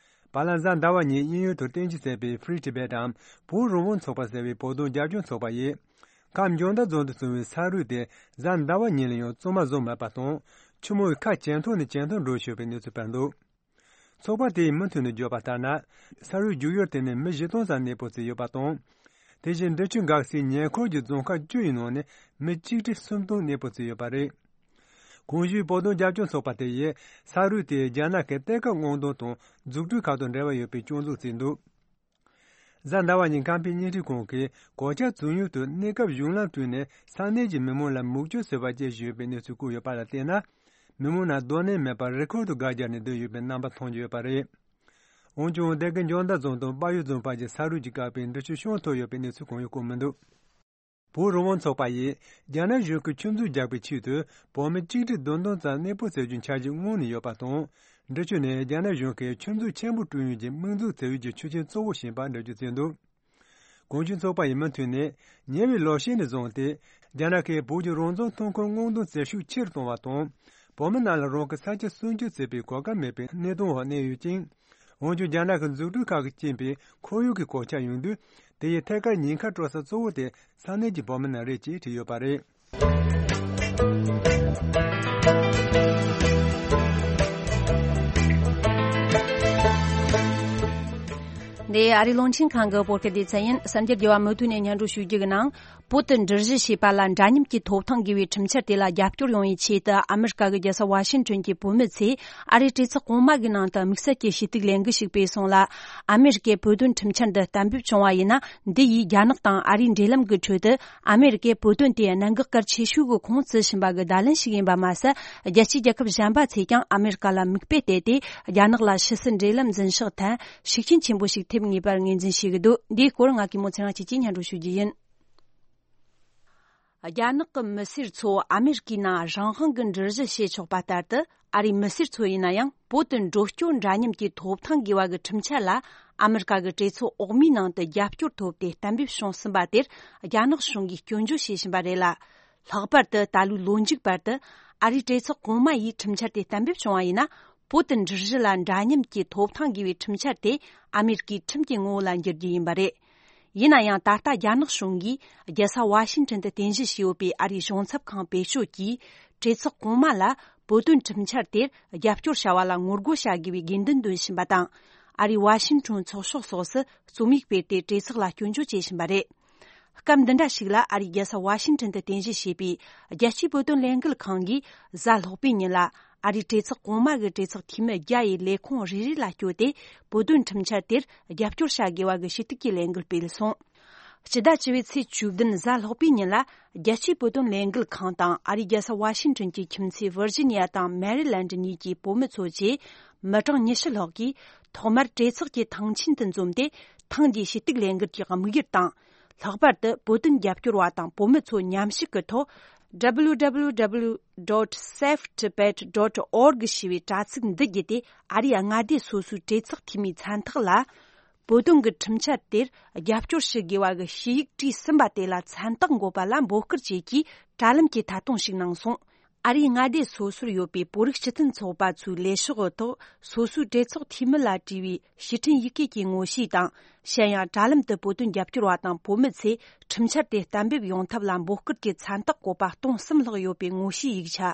བར་ལ་གཟའ་ཟླ་བ་ཉིན་དབྱིན་ཡུལ་དུ་རྟེན་གཞི་བྱས་པའི་Free Tibet་འམ་བོད་རང་དབང་ཚོགས་པ་ཟེར་བའི་བོད་དོན་རྒྱབ་སྐྱོར་ཚོགས་པ་ཡིས། ཁམས་འཇང་ཐང་རྫོང་དུ་བྱུང་བའི་ས་རུད་དེ་གཟའ་ཟླ་བ་ཉིན་ལ་ཡང་གཙང་མ་བཟོ་མེད་པ་དང་། ཆུ་མོའི་ཁ་ཇེ་མཐོ་ནས་ཇེ་མཐོར་འགྲོ་བཞིན་པའི་གནས་ཚུལ་སྤེལ་འདུག་ཚོགས་པ་དེའི་མུ་མཐུད་ནས་བརྗོད་པ་ལྟར་ན། ས་རུད་རྒྱུག་ཡུལ་དེ་ནས་མི་བཞི་སྟོང་ཙམ་གནས་སྤོ་བྱས་ཡོད་པ་དང་། དེ་བཞིན་འབྲི་ཆུ་འགག་སའི་ཉེ་འཁོར་གྱི་རྫོང་ཁག་བཅུ་ཡི་ནང་ནས་མི་གཅིག་ཁྲི་སུམ་སྟོང་གནས་སྤོ་བྱས་ཡོད་པ་རེད། གོང་ཞུས་བོད་དོན་རྒྱབ་སྐྱོར་ཚོགས་པ་དེ་ཡིས་ས་རུད་དེ་རྒྱ་ནག་གི་གཏེར་ཁ་སྔོག་འདོན་དང་འཛུགས་སྐྲུན་ཁག་དང་འབྲེལ་བ་ཡོད་པའི་སྐྱོན་འཛུགས་བྱས་འདུག་གཟའ་ཟླ་བ་ཉིན་ཁམས་པའི་བརྙན་འཕྲིན་ཁང་གིས་གོད་ཆག་བྱུང་ཡུལ་དུ་གནས་སྐབས་གཞུང་ལམ་བསྐྲུན་ནས་ས་གནས་ཀྱི་མི་མང་ལ་མུག་ཆུ་ཟེར་བ་སྐྱེལ་བཞིན་ཡོད་པའི་གནས་ཚུལ་བཀོད་ཡོད་པ་ལ་བལྟས་ན། མི་མང་རྣམས་སྡོད་གནས་མེད་པར་རི་ཁུལ་དུ་སྒར་རྒྱག་ནས་སྡོད་ཡོད་པའི་རྣམ་པ་མཐོང་རྒྱུ་ཡོད་པ་རེད། འོན་ཀྱང་སྡེ་དགེ་འཇང་ཐང་རྫོང་དང་དཔལ་ཡུལ་རྫོང་བར་གྱི་ས་རུད་ཀྱིས་བཀག་པའི་འབྲི་ཆུ་བཤམས་ཐུབ་ཡོད་པའི་གནས་ཚུལ་གང་ཡང་བཀོད་མི་འདུག་བོད་རང་དབང་ཚོགས་པ་ཡིས་རྒྱ་ནག་གཞུང་གིས་ཆུ་མཛོད་རྒྱག་པའི་ཆེད་དུ་བོད་མི་གཅིག་ཁྲི་བདུན་སྟོང་ཙམ་གནས་སྤོ་བྱ་རྒྱུའི་འཆར་གཞི་སྔོན་ནས་ཡོད་པ་དང་། འབྲི་ཆུ་ནི་རྒྱ་ནག་གཞུང་གིས་ཆུ་མཛོད་ཆེན་པོ་བསྐྲུན་ཡུལ་གྱི་དམིགས་འཛུགས་བྱ་ཡུལ་གྱི་ཆུ་ཆེན་གཙོ་བོ་ཞིག་ཡིན་པ་འགྲེལ་བརྗོད་བྱས་འདུག་གངས་ཅན་ཚོགས་པ་ཡིས་མུ་མཐུད་ནས་ཉེ་བའི་ལོ་ཤས་ནས་བཟུང་སྟེ། རྒྱ་ནག་གིས་བོད་ཀྱི་རང་བཙན་ཐོན་ཁུངས་སྔོག་འདོན་བྱེད་ཤུགས་ཆེ་རུ་གཏོང་བ་དང་། བོད་མི་རྣམས་ལ་རང་གི་ས་ཆ་སྲུང་སྐྱོབ་བྱེད་པའི་གོ་སྐབས་མེད་པའི་གནས་སྟངས་འོག་གནས་ཡོད་ཅིང་། འོན་ཀྱང་རྒྱ་ནག་གི་འཛུགས་སྐྲུན་ཁག་གིས་རྐྱེན་པས་ཁོར་ཡུག་གི་གོད་ཆག་ཡོང་དུས། དེ་ཡི་ཐད་ཀར་ཉེན་ཁ་སྤྲོད་ས་གཙོ་བོ་དེ་ས་གནས་ཀྱི་བོད་མི་རྣམས་རེད་ཅེས་བྲིས་ཡོད་པ་རེད། འདི་ཨ་རིའི་རླུང་འཕྲིན་ཁང་གི་བོད་སྐད་སྡེ་ཚན་ཡིན། གསར་འགྱུར་རྒྱས་པ་མུ་མཐུད་ནས་སྙན་སྒྲོན་ཞུ་རྒྱུ་གི་ནང་། བོད་དུ་འགྲུལ་བཞུད་བྱེད་པ་ལ་འདྲ་མཉམ་གྱི་ཐོབ་ཐང་དགོས་པའི་ཁྲིམས་འཆར་དེ་ལ་རྒྱབ་སྐྱོར་ཡོང་བའི་ཆེད་དུ། ཨ་མེ་རི་ཀ་གི་རྒྱལ་ས་ཝ་ཤིང་ཊོན་གྱི་བོད་མི་ཚོས་ཨ་རིའི་གྲོས་ཚོགས་གོང་མ་གི་ནང་དུ་དམིགས་བསལ་གྱི་ཞུ་གཏུག་ལས་འགུལ་ཞིག་སྤེལ་སོང་ལ། ཨ་མེ་རི་ཀས་བོད་དོན་ཁྲིམས་འཆར་འདི་གཏན་འབེབས་བྱུང་བ་ཡིན་ན། འདི་ཡིས་རྒྱ་ནག་དང་ཨ་རིའི་འབྲེལ་ལམ་གྱི་ཁྲོད་དུ། ཨ་མེ་རི་ཀས་བོད་དོན་དེ་གནད་འགག་གལ་ཆེ་ཤོས་ཀྱི་ཁོངས་བརྩི་བཞིན་པ་གི་བརྡ་ལན་ཞིག་ཡིན་པ་མ་ཟད། རྒྱལ་སྤྱིའི་རྒྱལ་ཁབ་གཞན་པ་ཚོས་ཀྱང་ཨ་མེ་རི་ཀ་ལ་མིག་དཔེ་བལྟས་ཏེ། རྒྱ་ནག་ལ་ཕྱི་སྲིད་འབྲེལ་ལམ་འཛིན་ཕྱོགས་ཐད་ཤུགས་རྐྱེན་ཆེན་པོ་ཞིག་ཐེབས་ངེས་པར་ངོས་འཛིན་བྱེད་ཀྱི་འདུག་འདིའི་སྐོར་ང་གིས་མོ་ཚེ་རིང་སྐྱིད་ཀྱིས་སྙན་སྒྲོན་ཞུ་རྒྱུ་ཡིན། རྒྱ་ནག་གི་མི་སེར་ཚོ་ཨ་མེ་རི་ཀའི་ནང་རང་དབང་གི་འགྲུལ་བཞུད་བྱེད་ཆོག་པ་ལྟར་དུ། ཨ་རིའི་མི་སེར་ཚོ་ཡིན་ན་ཡང་བོད་དུ་འགྲོ་སྐྱོད་འདྲ་མཉམ་གྱི་ཐོབ་ཐང་དགོས་པ་གི་ཁྲིམས་འཆར་ལ། ཨ་མེ་རི་ཀ་གི་གྲོས་ཚོགས་འོག་མའི་ནང་དུ་རྒྱབ་སྐྱོར་ཐོབ་སྟེ་གཏན་འབེབས་བྱུང་ཟིན་པ་དེར། རྒྱ་ནག་གཞུང་གིས་སྐྱོན་བརྗོད་བྱེད་བཞིན་པ་རེད་ལ། ལྷག་པར་དུ་ད་ལོའི་ལོ་མཇུག་བར་དུ། ཨ་རིའི་གྲོས་ཚོགས་གོང་མ་ཡིས་ཁྲིམས་འཆར་དེ་གཏན་འབེབས་བྱུང་བ་ཡིན་ན། བོད་དུ་འགྲུལ་བཞུད་ལ་འདྲ་མཉམ་གྱི་ཐོབ་ཐང་དགོས་པའི་ཁྲིམས་འཆར་དེ་ཨ་མེ་རི་ཀའི་ཁྲིམས་ཀྱི་ངོ་བོ་ལ་འགྱུར་རྒྱུ་ཡིན་པ་རེད། ཡིན་ན་ཡང་ད་ལྟ་རྒྱ་ནག་གཞུང་གིས་རྒྱལ་ས་ཝ་ཤིང་ཊོན་དུ་རྟེན་གཞི་བྱས་ཡོད་པའི་ཨ་རིའི་གཞུང་ཚབ་ཁང་བེད་སྤྱོད་ཀྱིས། གྲོས་ཚོགས་གོང་མ་ལ་བོད་དོན་ཁྲིམས་འཆར་དེར་རྒྱབ་སྐྱོར་བྱ་བ་ལ་ངོ་རྒོལ་བྱ་དགོས་པའི་དགོས་འདུན་འདོན་བཞིན་པ་དང་། ཨ་རིའི་ཝ་ཤིང་ཊོན་ཚོགས་ཤོག་སོགས་སུ་རྩོམ་ཡིག་སྤེལ་ཏེ་གྲོས་ཚོགས་ལ་སྐྱོན་བརྗོད་བྱེད་བཞིན་པ་རེད། སྐབས་འདི་འདྲ་ཞིག་ལ་ཨ་རིའི་རྒྱལ་ས་ཝ་ཤིང་ཊོན་དུ་རྟེན་གཞི་བྱས་པའི་རྒྱལ་སྤྱིའི་བོད་དོན་ལས་འགུལ་ཁང་གིས་གཟའ་ལྷག་པའི་ཉིན་ལ། ཨ་རིའི་གྲོས་ཚོགས་གོང་མ་གི་གྲོས་ཚོགས་འཐུས་མི་བརྒྱ་ཡི་ལས་ཁུངས་རེ་རེ་ལ་བསྐྱོད་དེ། བོད་དོན་ཁྲིམས་འཆར་དེར་རྒྱབ་སྐྱོར་བྱ་དགོས་པ་གི་ཞུ་གཏུག་གི་ལས་འགུལ་སྤེལ་སོང་། སྤྱི་ཟླ་བཅུ་པའི་ཚེས་བཅུ་བདུན་གཟའ་ལྷག་པའི་ཉིན་ལ། རྒྱལ་སྤྱིའི་བོད་དོན་ལས་འགུལ་ཁང་དང་ཨ་རིའི་རྒྱལ་ས་ཝ་ཤིང་ཊོན་གྱི་ཁྱིམ་མཚེས་ཝིར་ཇི་ནི་ཡ་དང་མེ་རི་ལན་ཌི་གཉིས་ཀྱི་བོད་མི་ཚོ་བཅས་མི་གྲངས་ཉི་ཤུ་ལྷག་གིས། ཐོག་མར་གྲོས་ཚོགས་ཀྱི་ཐང་ཆེན་དུ་འཛོམས་ཏེ། ཐེངས་འདིའི་ཞུ་གཏུག་ལས་འགུལ་གྱི་དམིགས་ཡུལ་དང་། ལྷག་པར་དུ་བོད་དོན་རྒྱབ་སྐྱོར་བ་དང་བོད་མི་ཚོ་མཉམ་ཞུགས་ཀྱི་ཐོག W W W dot save Tibet dot org ཞེས་པའི་དྲ་ཚིགས་འདི་བརྒྱུད་དེ། ཨ་རིའི་མངའ་སྡེ་སོ་སོའི་གྲོས་ཚོགས་འཐུས་མིའི་མཚན་རྟགས་ལ། བོད་དོན་གྱི་ཁྲིམས་འཆར་དེར་རྒྱབ་སྐྱོར་ཞུ་དགོས་པ་གི་ཞུ་ཡིག་བྲིས་ཟིན་པ་དེ་ལ་མཚན་རྟགས་འགོད་པ་ལ་འབོད་སྐུལ་བཅས་ཀྱི་དྲ་ལམ་གྱི་ཐད་གཏོང་ཞིག་གནང་སོང་། ཨ་རིའི་མངའ་སྡེ་སོ་སོར་ཡོད་པའི་བོད་རིགས་སྤྱི་མཐུན་ཚོགས་པ་ཚོའི་ལས་ཤོག་གི་ཐོག་སོ་སོའི་གྲོས་ཚོགས་འཐུས་མི་ལ་བྲིས་པའི་ཞུ་འཕྲིན་ཡི་གེ་གི་ངོ་བཤུས་དང་། གཞན་ཡང་། དྲ་ལམ་དུ་བོད་དོན་རྒྱབ་སྐྱོར་བ་དང་བོད་མི་ཚོས་ཁྲིམས་འཆར་དེ་གཏན་འབེབས་ཡོང་ཐབས་ལ་འབོད་སྐུལ་གྱི་མཚན་རྟགས་བཀོད་པ་སྟོང་གསུམ་ལྷག་ཡོད་པའི་ངོ་བཤུས་ཡིག་ཆ།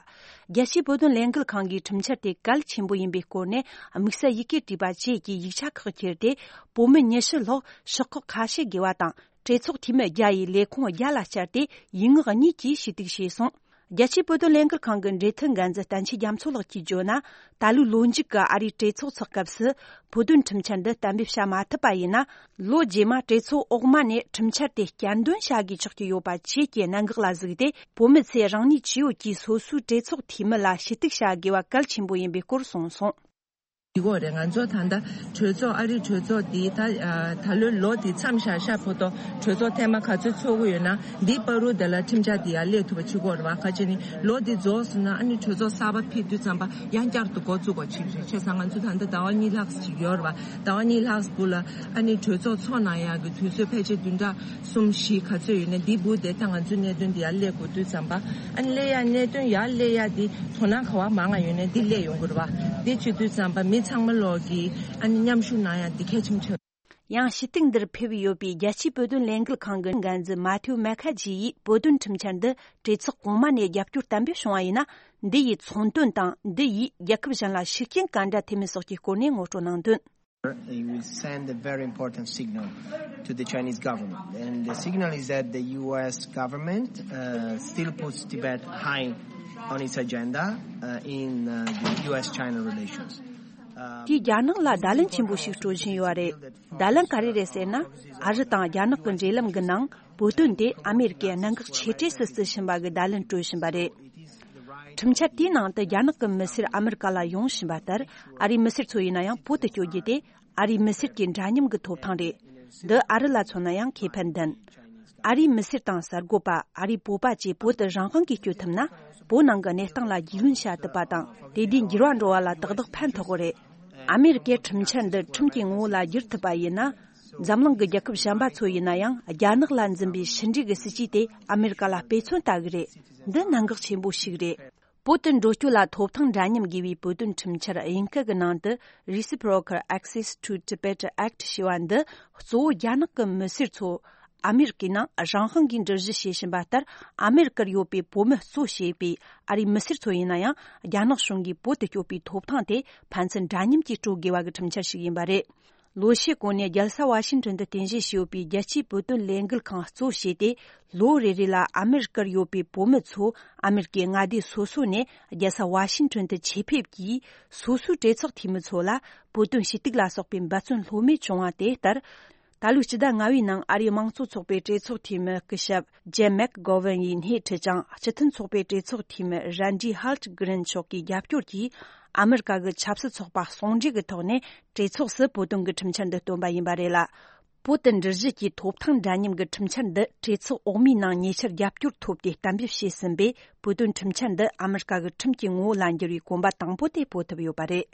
རྒྱལ་སྤྱིའི་བོད་དོན་ལས་འགུལ་ཁང་གིས་ཁྲིམས་འཆར་དེ་གལ་ཆེན་པོ་ཡིན་པའི་སྐོར་ནས་དམིགས་བསལ་ཡི་གེ་བྲིས་པ་བཅས་ཀྱི་ཡིག་ཆ་ཁག་ཁྱེར་ཏེ། བོད་མི་ཉི་ཤུ་ལྷག་ཤོག་ཁག་ཁ་ཤས་བརྒལ་བ་དང་། གྲོས་ཚོགས་འཐུས་མི་བརྒྱ་ཡི་ལས་ཁུངས་བརྒྱ་ལ་བཅར་ཏེ། ཡིག་ངག་གཉིས་ཀྱིས་ཞུ་གཏུག་བྱས་སོང་། རྒྱལ་སྤྱིའི་བོད་དོན་ལས་འགུལ་ཁང་གི་འབྲེལ་མཐུད་འགན་འཛིན་བསྟན་ཆོས་རྒྱ་མཚོ་ལགས་ཀྱིས་བརྗོད་ན། ད་ལོའི་ལོ་མཇུག་གི་ཨ་རིའི་གྲོས་ཚོགས་ཚོགས་སྐབས་སུ་བོད་དོན་ཁྲིམས་འཆར་འདི་གཏན་འབེབས་བྱ་མ་ཐུབ་པ་ཡིན་ན། ལོ་རྗེས་མ་གྲོས་ཚོགས་འོག་མ་ནས་ཁྲིམས་འཆར་དེ་བསྐྱར་འདོན་བྱ་དགོས་ཆགས་ཀྱི་ཡོད་པ་བཅས་ཀྱི་གནད་འགག་ལ་གཟིགས་ཏེ། བོད་མི་ཚོས་རང་ཉིད་ཇི་ཡོད་ཀྱིས་སོ་སོའི་གྲོས་ཚོགས་འཐུས་མི་ལ་ཞུ་གཏུག་བྱ་དགོས་པ་གལ་ཆེན་པོ་ཡིན་པའི་སྐོར་གསུངས་སོང་། ཡིན་གྱི་རེད། ང་ཚོ་ད་ལྟ་གྲོས་ཚོགས། ཨ་རིའི་གྲོས་ཚོགས་འདི་ད་ཨ་ད་ལོའི་ལོ་འདི་མཚམས་བཞག་ཤག་བར་དུ་གྲོས་ཚོགས་ཐེངས་མ་ག་ཚོད་ཚོགས་ཀྱི་ཡོད་ན། འདིའི་བར་དུ་དེ་ལ་ཁྲིམས་འཆར་འདི་ཡར་སླེབས་ཐུབ་པ་བྱེད་དགོས་རེད་བ། ག་ཅི་ནི་ལོ་འདི་རྫོགས་སོང་ན། ཨ་ནི་གྲོས་ཚོགས་གསར་པ་ཕེབས་དུས་ཙམ་པ་ཡང་བསྐྱར་དུ་འགོ་བཙུགས་དགོས་ཅིག་རེད། བྱས་ཙང་ང་ཚོ་ད་ལྟ་ཟླ་བ་གཉིས་ལྷག་ཅིག་ཡོད་རེད་བ། ཟླ་བ་གཉིས་ལྷག་སྦུག་ལ་ཨ་ནི་གྲོས་ཚོགས་ཚོགས་གནང་ཡག་གི་དུས་ཚོད་ཕལ་ཆེར་བདུན་ཕྲག་གསུམ་བཞི་ག་ཚོད་ཡོད་ན། འདི་བུ་དེ་ད་ང་ཚོའི་གནད་དོན་འདི་ཡར་སླེབས་དགོས་དུས་ཙམ་པ། ཨ་ནི་སླེབས་ཡ། གནད་དོན་ཡར་སླེབས་ཡ་འདི་དོ་སྣང་ག་བ་མང་ང་ཡོད་ན་འདི་སླེབས་ཡོང་གི་རེད་བ། འདི་བྱེད་དུས་ཙམ་པ་མི་ཚང་མ་ལོག་གིས་ཨ་ནི་མཉམ་ཞུགས་གནང་ཡ་འདི་གལ་ཆེན་པོ་ཆགས། ཡང་ཞུ་གཏུག་འདིར་ཕེབས་ཡོད་པའི་རྒྱལ་སྤྱིའི་བོད་དོན་ལས་འགུལ་ཁང་གི་འགན་འཛིན་མ་ཐེའུ་མེ་ཁ་ཇི་ཡིས། བོད་དོན་ཁྲིམས་འཆར་འདི་གྲོས་ཚོགས་གོང་མ་ནས་རྒྱབ་སྐྱོར་གཏན་འབེབས་བྱུང་བ་ཡིན་ན། འདི་ཡིས་ཚོང་དོན་དང་། འདི་ཡིས་རྒྱལ་ཁབ་གཞན་ལ་ཤུགས་རྐྱེན་ག་འདྲ་ཐེབས་མིན་སོགས་ཀྱི་སྐོར་ནས་ངོ་སྤྲོད་གནང་དོན། It will send a very important signal to the Chinese government. And the signal is that the U S government uh, still puts Tibet high on its agenda uh, in uh, the U S China relations. Um, དེས་རྒྱ་ནག་ལ་བརྡ་ལན་ཆེན་པོ་ཞིག་སྤྲོད་བཞིན་ཡོད་རེད། བརྡ་ལན་ག་རེ་རེད་ཟེར་ན། ཨ་རི་དང་རྒྱ་ནག་གི་འབྲེལ་ལམ་གྱི་ནང་བོད་དོན་དེ་ཨ་མེ་རི་ཀས་གནད་འགག་ཆེ་གྲས་སུ་བརྩི་བཞིན་པ་གི་བརྡ་ལན་སྤྲོད་བཞིན་པ་རེད། ཁྲིམས་འཆར་དེའི་ནང་དུ་རྒྱ་ནག་གི་མི་སེར་ཨ་མེ་རི་ཀ་ལ་ཡོང་བཞིན་པ་ལྟར། ཨ་རིའི་མི་སེར་ཚོ་ཡིན་ན་ཡང་བོད་དུ་བསྐྱོད་རྒྱུ་དེ་ཨ་རིའི་མི་སེར་གྱི་འདྲ་མཉམ་གྱི་ཐོབ་ཐང་རེད། འདི་ཨ་རི་ལ་མཚོན་ན་ཡང་ཁེ་ཕན་ལྡན། ཨ་རིའི་མི་སེར་དང་གསར་འགོད་པ། ཨ་རིའི་བོད་པ་བཅས་བོད་དུ་རང་དབང་གིས་བསྐྱོད་ཐུབ་ན། བོད་ནང་གི་གནས་སྟངས་ལ་རྒྱུས་ལོན་བྱ་ཐུབ་པ་དང་། དེ་དུས་འགྱུར་བ་འགྲོ་བ་ལ་ཏག་ཏག་ཕན་ཐོགས་ཀྱི་རེད། ཨ་མེ་རི་ཀས་ཁྲིམས་འཆར་འདི་ཁྲིམས་ཀྱི་ངོ་བོ་ལ་བསྒྱུར་ཐུབ་པ་ཡིན་ན། འཛམ་གླིང་གི་རྒྱལ་ཁབ་གཞན་པ་ཚོ་ཡིན་ན་ཡང་། རྒྱ་ནག་ལ་འཛིན་པའི་ཕྱི་འབྲེལ་གྱི་སྲིད་ཇུས་དེ་ཨ་མེ་རི་ཀ་ལ་དཔེ་མཚོན་ལྟ་གི་རེད། འདི་གནད་འགག་ཆེན་པོ་ཞིག་རེད། བོད་དུ་འགྲོ་སྐྱོད་ལ་ཐོབ་ཐང་འདྲ་མཉམ་དགོས་པའི་བོད་དོན་ཁྲིམས་འཆར་དབྱིན་སྐད་ཀྱི་ནང་དུ། Reciprocal Access to Tibet Act ཞེས་པ་འདི་གཙོ་བོ་རྒྱ་ནག་གི་མི་སེར་ཚོ་ཨ་མེ་རི་ཀའི་ནང་རང་དབང་གིས་འགྲུལ་བཞུད་བྱེད་བཞིན་པ་ལྟར། ཨ་མེ་རི་ཀར་ཡོད་པའི་བོད་མི་གཙོ་བྱས་པའི་ཨ་རིའི་མི་སེར་ཚོ་ཡིན་ན་ཡང་། རྒྱ་ནག་གཞུང་གིས་བོད་དུ་སྐྱོད་པའི་ཐོབ་ཐང་དེ་ཕན་ཚུན་འདྲ་མཉམ་གྱིས་སྤྲོད་དགོས་པ་གི་ཁྲིམས་འཆར་ཞིག་ཡིན་པ་རེད། ལོ་ཤས་གོང་ནས་རྒྱལ་ས་ཝ་ཤིང་ཊོན་དུ་རྟེན་གཞི་བྱས་ཡོད་པའི་རྒྱལ་སྤྱིའི་བོད་དོན་ལས་འགུལ་ཁང་གཙོ་བྱས་ཏེ། ལོ་རེ་རེ་ལ་ཨ་མེ་རི་ཀར་ཡོད་པའི་བོད་མི་ཚོ་ཨ་མེ་རི་ཀའི་མངའ་སྡེ་སོ་སོ་ནས་རྒྱལ་ས་ཝ་ཤིང་ཊོན་དུ་ཆེད་ཕེབས་ཀྱིས། སོ་སོའི་གྲོས་ཚོགས་འཐུས་མི་ཚོ་ལ་བོད་དོན་ཞུ་གཏུག་ལ་སོགས་པའི་འབད་བརྩོན་ལྷོད་མེད་བྱུང་བ་དེ་ལྟར། ད་ལོའི་སྤྱི་ཟླ་ལྔ་པའི་ནང་ཨ་རིའི་དམངས་གཙོ་ཚོགས་པའི་གྲོས་ཚོགས་འཐུས་མི་སྐུ་ཞབས་ཇེམ་མེག་གོ་ཝན་ཡིས་སྣེ་ཁྲིད་ཅིང་། སྤྱི་མཐུན་ཚོགས་པའི་གྲོས་ཚོགས་འཐུས་མི་རན་ཌི་ཧལ་ཊི་གྷི་རིན་མཆོག་གིས་རྒྱབ་སྐྱོར་གྱིས། ཨ་མེ་རི་ཀ་གི་ཆབ་སྲིད་ཚོགས་པ་ཟུང་འབྲེལ་གྱི་ཐོག་ནས་གྲོས་ཚོགས་སུ་བོད་དོན་གྱི་ཁྲིམས་འཆར་འདི་བཏོན་པ་ཡིན་པ་རེད་ལ། བོད་དུ་འགྲུལ་བཞུད་ཀྱི་ཐོབ་ཐང་འདྲ་མཉམ་གྱི་ཁྲིམས་འཆར་འདི་གྲོས་ཚོགས་འོག་མའི་ནང་ཉེ་ཆར་རྒྱབ་སྐྱོར་ཐོབ་སྟེ་གཏན་འབེབས་བྱས་ཟིན་པས། བོད་དོན་ཁྲིམས་འཆར་འདི་ཨ་མེ་རི་ཀ་གི་ཁྲིམས་ཀྱི་ངོ་བོ་ལ་འགྱུར་བའི་གོམ་པ་དང་པོ་དེ་སྤོ་ཐུབ་ཡོད་པ་རེད།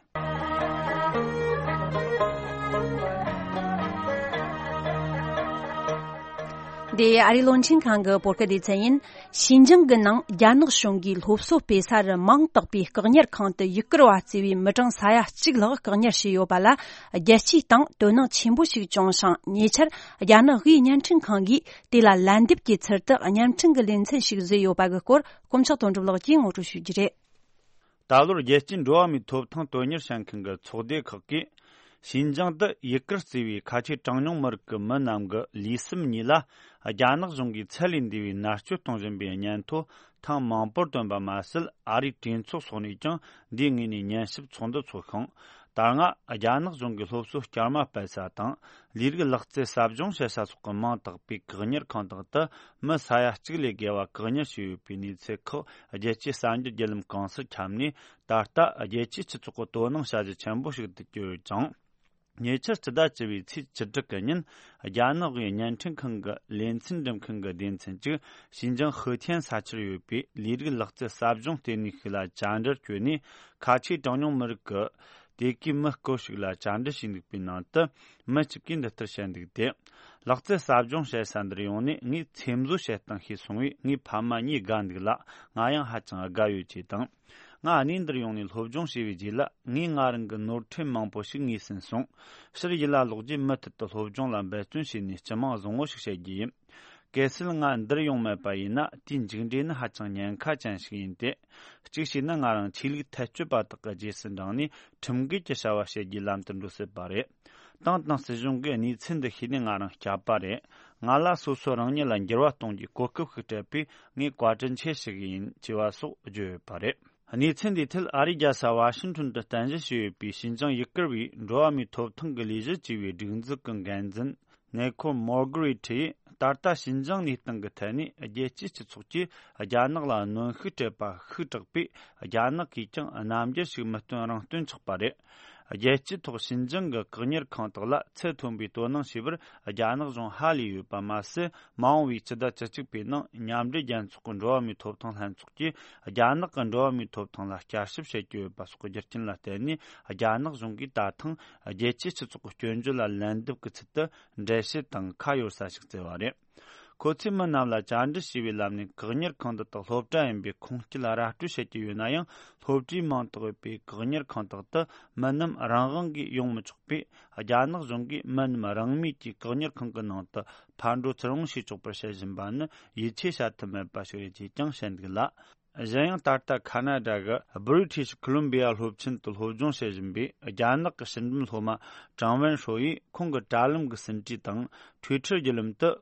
འདི་ཨ་རིའི་རླུང་འཕྲིན་ཁང་གི་བོད་སྐད་སྡེ་ཚན་ཡིན། ཞིན་ཅང་གི་ནང་རྒྱ་ནག་གཞུང་གིས་སློབ་གསོ་སྤེལ་ས་རུ་མིང་བཏགས་པའི་བཀག་ཉར་ཁང་དུ་ཡུ་གུར་བ་བརྩི་བའི་མི་གྲངས་ས་ཡ་གཅིག་ལྷག་བཀག་ཉར་བྱས་ཡོད་པ་ལ། རྒྱལ་སྤྱིའི་སྟེང་དོ་སྣང་ཆེན་པོ་ཞིག་བྱུང་ཞིང་། ཉེ་ཆར་རྒྱ་ནག་དབུས་བརྙན་འཕྲིན་ཁང་གིས་དེ་ལ་ལན་འདེབས་ཀྱི་ཚུལ་དུ་བརྙན་འཕྲིན་གྱི་ལེ་ཚན་ཞིག་བཟོས་ཡོད་པ་གི་སྐོར། དཀོན་མཆོག་དོན་གྲུབ་ལགས་ཀྱིས་ངོ་སྤྲོད་ཞུ་རྒྱུ་རེད། ད་ལོར་རྒྱལ་སྤྱིའི་འགྲོ་བ་མིའི་ཐོབ་ཐང་དོན་གཉེར་བྱེད་མཁན་གྱི་ཚོགས་སྡེ་ཁག་གིས། ཞིན་ཅང་དུ་ཡུ་གུར་བརྩི་བའི་ཁ་ཆེ་གྲངས་ཉུང་མི་རིགས་ཀྱི་མི་རྣམས་ཀྱི་ལུས་སེམས་གཉིས་ལ་རྒྱ་ནག་གཞུང་གིས་ཚད་ལས་འདས་པའི་མནར་གཅོད་གཏོང་བཞིན་པའི་སྙན་ཐོ་ཐེངས་མང་པོར་བཏོན་པ་མ་ཟད། ཨ་རིའི་གྲོས་ཚོགས་སོགས་ནས་ཀྱང་འདིའི་ངོས་ནས་ཉན་ཞིབ་ཚོགས་འདུ་འཚོགས་ཤིང་། ད་སྔ་རྒྱ་ནག་གཞུང་གིས་སློབ་གསོ་བསྐྱར་མ་སྤེལ་ས་དང་། ལས་རིགས་ལག་རྩལ་ཟབ་སྦྱོང་བྱེད་ས་སོགས་ཀྱི་མིང་བཏགས་པའི་བཀག་ཉར་ཁང་དག་ཏུ་མི་ས་ཡ་གཅིག་ལས་བརྒལ་བ་བཀག་ཉར་བྱས་ཡོད་པའི་གནས་ཚུལ་ཁག་རྒྱལ་སྤྱིའི་གསར་འགྱུར་བརྒྱུད་ལམ་གང་སར་ཁྱབ་ནས། ད་ལྟ་རྒྱལ་སྤྱིའི་སྤྱི་ཚོགས་ཀྱི་དོ་སྣང་བྱ་གཞི་ཆེན་པོ་ཞིག་ཏུ་གྱུར་ཡོད་ཅིང་། ཉེ་ཆར་སྤྱི་ཟླ་བཅུ་བའི་ཚེས་བཅུ་དྲུག་གི་ཉིན། རྒྱ་ནག་གི་བརྙན་འཕྲིན་ཁང་གི་ལེ་ཚན་འགྲེམས་མཁན་གྱི་སྡེ་ཚན་གཅིག་ཞིན་ཅང་ཧུའུ་ཐན་ས་ཆར་ཡོད་པའི་ལས་རིགས་ལག་རྩལ་ཟབ་སྦྱོང་ལྟེ་གནས་ཤིག་ལ་བཅར་འདྲིར་བསྐྱོད་ནས། ཁ་ཆེའི་གྲངས་ཉུང་མི་རིགས་ཀྱི་དེ་གའི་མི་སྐོར་ཞིག་ལ་བཅར་འདྲི་བྱས་འདུག་པའི་ནང་དུ། མི་གཅིག་གིས་འདི་ལྟར་བཤད་འདུག་སྟེ། ལག་རྩལ་ཟབ་སྦྱོང་བྱེད་ས་འདིར་ཡོང་ནས་ངས་ཚེམ་བཟོ་བྱེད་སྟངས་ཤེས་སོང་བས། ངའི་ཕ་མ་གཉིས་དགའ་འདུག་ལ། ང་ཡང་ཧ་ཅང་དགའ་ཡོད་ཅེས་དང་། ང་གནས་འདིར་ཡོང་ནས་སློབ་སྦྱོང་བྱས་པའི་རྗེས་ལ། ངས་ང་རང་གི་ནོར་འཁྲུལ་མང་པོ་ཞིག་ངོས་ཟིན་སོང་། ཕྱིར་ཡུལ་ལ་ལོག་རྗེས་མུ་མཐུད་དུ་སློབ་སྦྱོང་ལ་འབད་བརྩོན་བྱས་ནས་སྤྱི་དམངས་བཟང་བོ་ཞིག་བྱེད་རྒྱུ་ཡིན། གལ་སྲིད་ང་འདིར་ཡོང་མེད་པ་ཡིན་ན། དེའི་མཇུག་འབྲས་ནི་ཧ་ཅང་ཉེན་ཁ་ཅན་ཞིག་ཡིན་ཏེ། གཅིག་བྱས་ན། ང་རང་ཆོས་ལུགས་ཐལ་སྤྱོད་པ་དག་གི་རྗེས་སུ་འབྲངས་ནས་ཁྲིམས་འགལ་གྱི་བྱ་བ་བྱེད་རྒྱུའི་ལམ་དུ་འགྲོ་སྲིད་པ་རེད། ཏང་དང་སྲིད་གཞུང་གིས་གནས་ཚུལ་འདི་ཤེས་ནས་ང་རང་བསྐྱབས་པ་རེད། ང་ལ་སོ་སོ་རང་ཉིད་ལ་འགྱུར་བ་གཏོང་རྒྱུའི་གོ་སྐབས་ཤིག་སྤྲད་པས། ངས་བཀའ་དྲིན་ཆེ་ཞུ་གི་ཡིན། ཅེས་པ་སོགས་བརྗོད་ཡོད་པ་རེད། གནས་ཚུལ་འདིའི་ཐད། ཨ་རིའི་རྒྱལ་ས་ཝ་ཤིང་ཊོན་དུ་རྟེན་གཞི་བྱས་ཡོད་པའི་ཞིན་ཅང་ཡུ་གུར་བའི་འགྲོ་བ་མིའི་ཐོབ་ཐང་གི་ལས་གཞི་ཅེས་པའི་སྒྲིག་འཛུགས་ཀྱི་འགན་འཛིན་ནེ་ཁོ་མོར་གྷི་རེ་ཐི་ཡིས། ད་ལྟ་ཞིན་ཅང་གནས་སྟངས་ཀྱི་ཐད་ནས་རྒྱལ་སྤྱིའི་སྤྱི་ཚོགས་ཀྱིས་རྒྱ་ནག་ལ་གནོན་ཤུགས་སྤྲད་པ་ཤུགས་དྲག་པས། རྒྱ་ནག་གིས་ཀྱང་རྣམ་འགྱུར་ཞིག་མི་སྟོན་རང་སྟོན་ཆགས་པ་རེད། རྒྱལ་སྤྱིའི་ཐོག་ཞིན་ཅང་གི་བཀག་ཉར་ཁང་དག་ལ་ཚད་མཐོན་པོའི་དོ་སྣང་བྱས་པར་རྒྱ་ནག་གཞུང་ཧ་ལས་ཡོད་པ་མ་ཟད། མ་འོངས་པའི་སྤྱི་ཟླ་བཅུ་གཅིག་པའི་ནང་མཉམ་འབྲེལ་རྒྱལ་ཚོགས་ཀྱི་འགྲོ་བ་མིའི་ཐོབ་ཐང་ལྷན་ཚོགས་ཀྱིས་རྒྱ་ནག་གི་འགྲོ་བ་མིའི་ཐོབ་ཐང་ལ་བསྐྱར་ཞིབ་བྱེད་ཀྱི་ཡོད་པ་སོགས་ཀྱི་རྒྱུ་རྐྱེན་ལ་བརྟེན་ནས། རྒྱ་ནག་གཞུང་གིས་ད་ཐེངས་རྒྱལ་སྤྱིའི་སྤྱི་ཚོགས་ཀྱི་སྐྱོན་བརྗོད་ལ་ལན་འདེབས་ཀྱི་ཚུལ་དུ་འགྲེལ་བཤད་དང་ཁ་གཡར་ས་ཞིག་བཙལ་བ་རེད། ཁོ་ཚོས་མི་རྣམས་ལ་བཅར་འདྲི་བྱས་པའི་ལམ་ནས་བཀག་ཉར་ཁང་འདི་དག་སློབ་གྲྭ་ཡིན་པའི་ཁུངས་སྐྱེལ་ར་སྤྲོད་བྱེད་ཀྱི་ཡོད་ན་ཡང་། སློབ་གྲྭའི་མིང་ཐོགས་ཡོད་པའི་བཀག་ཉར་ཁང་དག་ཏུ་མི་རྣམས་རང་དབང་གིས་ཡོང་མི་ཆོག་པས། རྒྱ་ནག་གཞུང་གིས་མི་རྣམས་རང་མོས་ཀྱིས་བཀག་ཉར་ཁང་གི་ནང་དུ་ཕར་འགྲོ་ཚུར་འོང་བྱེད་ཆོག་པར་བྱེད་བཞིན་པ་ནི་ཡིད་ཆེས་བྱ་ཐུབ་མེད་པ་ཞིག་རེད་ཅེས་ཀྱང་བཤད་འདུག་ལ། གཞན་ཡང་། ད་ལྟ་ཁ་ན་ཌ་གི་British Columbia སློབ་ཆེན་དུ་སློབ་སྦྱོང་བྱེད་བཞིན་པའི་རྒྱ་ནག་གི་ཕྱི་འབྲེལ་སློབ་མ་ཀྲང་ཝན་ཧྲོ་ཡིས་ཁོང་གི་དྲ་ལམ་གྱི་ཟིན་བྲིས་དང་། Twitter བརྒྱུད་ལམ་དུ།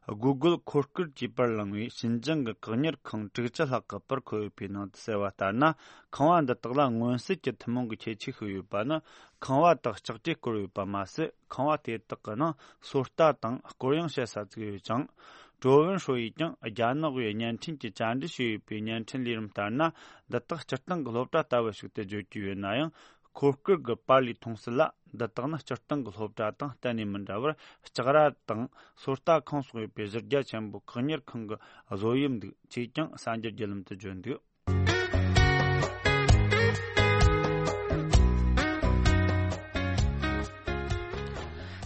Google འཁོར་སྐར་གྱིས་པར་བླངས་པའི་ཞིན་ཅང་གི་བཀག་ཉར་ཁང་དྲུག་ཅུ་ལྷག་གི་པར་འཁོད་ཡོད་པའི་ནང་དུ་གསལ་བ་ལྟར་ན། ཁང་བ་འདི་དག་ལ་མངོན་གསལ་གྱི་ཐུན་མོང་གི་ཁྱད་ཆོས་ཤིག་ཡོད་པ་ནི། ཁང་བ་དག་ལྕགས་དྲས་བསྐོར་ཡོད་པ་མ་ཟད། ཁང་བ་དེ་དག་གི་ནང་སོ་ལྟ་དང་སྐོར་གཡེང་བྱེད་ས་བཙུགས་ཡོད་ཅིང་། ཀྲོ་ཝུན་ཧྲོ་ཡིས་ཀྱང་རྒྱ་ནག་པའི་བརྙན་འཕྲིན་གྱི་བཅར་འདྲི་བྱས་ཡོད་པའི་བརྙན་འཕྲིན་ལས་རིམ་ལྟར་ན། འདི་དག་སྤྱིར་བཏང་གི་སློབ་གྲྭ་ལྟ་བུ་ཞིག་ཏུ་བརྗོད་ཀྱི་ཡོད་ན་ཡང་། འཁོར་སྐར་གྱི་པར་ལས་མཐོང་སྲིད་ལ། འདི་དག་ནི་སྤྱིར་བཏང་གི་སློབ་གྲྭ་དང་གཏན་ནས་མི་འདྲ་བར། ལྕགས་ར་དང་སོ་ལྟ་ཁང་སོགས་ཡོད་པའི་གཞི་རྒྱ་ཆེན་པོའི་བཀག་ཉར་ཁང་གི་བཟོ་དབྱིབས་འདུག་ཅེས་ཀྱང་གསར་འགྱུར་བརྒྱུད་ལམ་དུ་བརྗོད་འདུག།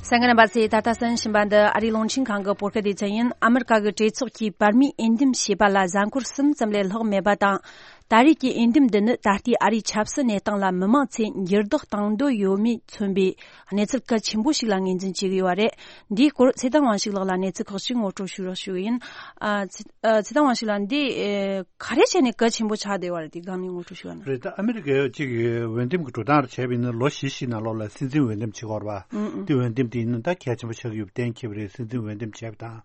གསན་མཁན་རྣམ་པ་ཚོས་ད་ལྟ་གསན་བཞིན་པ་འདི་ཨ་རིའི་རླུང་འཕྲིན་ཁང་གི་བོད་སྐད་སྡེ་ཚན་ཡིན། ཨ་མི་རི་ཀ་གི་གྲོས་ཚོགས་ཀྱིས་བར་མིའི་འོས་འདེམས་བྱས་པ་ལ་གཟའ་འཁོར་གསུམ་ཙམ་ལས་ལྷག་མེད་པ་དང་། ད་རེས་ཀྱི་འོས་འདེམས་འདི་ནི་ད་ལྟའི་ཨ་རིའི་ཆབ་སྲིད་གནས་སྟངས་ལ་མི་མང་ཚོས་འགྱུར་ལྡོག་གཏོང་འདོད་ཡོད་མེད་མཚོན་པའི་གནས་ཚུལ་གལ་ཆེན་པོ་ཞིག་ལ་ངོས་འཛིན་བྱེད་ཀྱི་ཡོད་པ་རེད། འདིའི་སྐོར་ཚེ་བརྟན་དབང་ཕྱུག་ལགས་ལ་གནས་ཚུལ་ཁག་ཅིག་ངོ་སྤྲོད་ཞུ་རོགས་ཞུ་གི་ཡིན། ཨ། ཚེ་ཨ། ཚེ་བརྟན་དབང་ཕྱུག་ལགས། འདི་ཨེ། ག་རེ་བྱས་ནས་གལ་ཆེན་པོ་ཆགས་བསྡད་པ་རེད། དེ་སྒང་ནས་ངོ་སྤྲོད་ཞུ་ཡ་ན། རེད། ད་ཨ་མི་རི་ཀའི་གཅིག་གི་འོས་འདེམས་ཀྱི་འགྲོ་སྟངས་རེ་བྱས་པ་ཡིན་ན། ལོ་བཞི་བཞིའི་ནང་ལོགས་ལ་སྲིད་འཛིན་འོས་འདེམས་བྱེད་ཀྱི་ཡོད་རེད་པ། ཨུ་ཨུ། དེ་འོས་འདེམས་དེ་ཡིན་ན་ད་གལ་ཆེན་པོ་ཆགས་ཀྱི་ཡོད་པ་གཏན་འཁེལ་བ་རེད། སྲིད་འཛིན་འོས་འདེམས་བྱས་པ་དང་།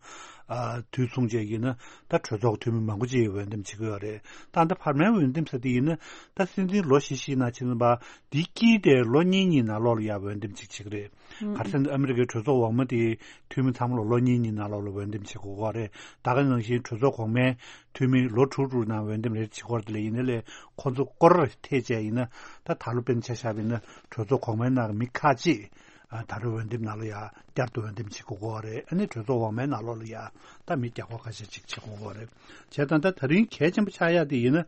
ཨ། དུས་མཚུངས་བྱས་ཡིན་ན་ད་གྲོས་ཚོགས་འཐུས་མི་མང་པོ་ཅིག་འོས་འདེམས་བྱེད་ཀྱི་ཡོད་རེད། ད་ད་བར་མའི་འོས་འདེམས་ཟེར་དེ་ཡིན་ན། ད་སྲིད་འཛིན་ལོ་བཞི་བཞིའི་ནང་ཕྱིན་པ་འདི་དཀྱིལ་དེ་ལོ་གཉིས་གཉིས་ནང་ལོགས་ལ་ཡ་འོས་འདེམས་ཅིག་བྱེད་ཀྱི་རེད། ཨུ་ཨུ། ག་རེ་ཟེར་ན་ཨ་མི་རི་ཀའི་གྲོས་ཚོགས་འོག་མ་དེའི་འཐུས་མི་ཚང་མ་ལ་ལོ་གཉིས་གཉིས་ནང་ལོགས་ལ་འོས་འདེམས་བྱེད་དགོས་ཀྱི་རེད། ད་ག་ནང་བཞིན་གྲོས་ཚོགས་གོང་མའི་འཐུས་མི་ལོ་དྲུག་དྲུག་ནང་འོས་འདེམས་རེ་བྱེད་ཀྱི་རེད། དེ་ལས་ཡིན་ན་ལས་ཁོ་ཚོ་སྐོར་རེ་ཐེབས་བྱས་ཡིན་ན། ད་ད་ལོ་དཔེར་ན་ཆ་བཞག་པ་ཡིན་ན་གྲོས་ཚོགས་གོང་མའི་ནང་གི་མི་ཁག་ཅིག་ཨ། ད་རེས་འོས་འདེམས་ནང་ལ་ཡ་བསྐྱར་དུ་འོས་འདེམས་བྱེད་དགོས་ཀྱི་རེད། ཨ་ནི་གྲོས་ཚོགས་འོག་མའི་ནང་ལོགས་ལ་ཡ་ད་མི་བརྒྱ་སྐོར་ཁ་ཤས་ཅིག་བྱེད་དགོས་ཀྱི་རེད། བྱས་ཙང་ད་ད་རིང་གལ་ཆེན་པོ་ཆགས་ཡ་དེ་ཡིན་ན།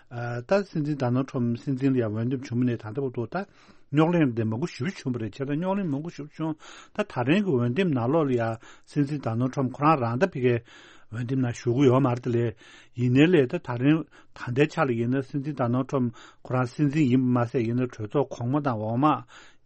ཨ། ད་སྲིད་འཛིན་ཌོ་ནལ་ཊམ་སྲིད་འཛིན་ལ་ཡ་འོས་འདེམས་བྱུང་བ་ནས་ད་ལྟ་བར་དུ་ད་རྙོག་གླེང་དེ་མང་པོ་ཞེ་པོ་བྱུང་བ་རེད། བྱས་ཙང་རྙོག་གླེང་མང་པོ་ཞེ་པོ་བྱུང་། ད་ད་རིང་གི་འོས་འདེམས་ནང་ལོགས་ལ་ཡ་སྲིད་འཛིན་ཌོ་ནལ་ཊམ་ཁོ་རང་རང་ད་ཕ་གིའི་འོས་འདེམས་ནང་ཞུགས་ཀྱི་ཡོད་མ་རེད། དེ་ལས་ཡིན་ནའི་ལས་ད་ད་རིང་ད་ལྟའི་ཆ་ལ་ཡིན་ན་སྲིད་འཛིན་ཌོ་ནལ་ཊམ་ཁོ་རང་སྲིད་འཛིན་ཡིན་པ་མ་ཟད། ཡིན་ན་གྲོས་ཚོགས་གོང་མ་དང་འོག་མ་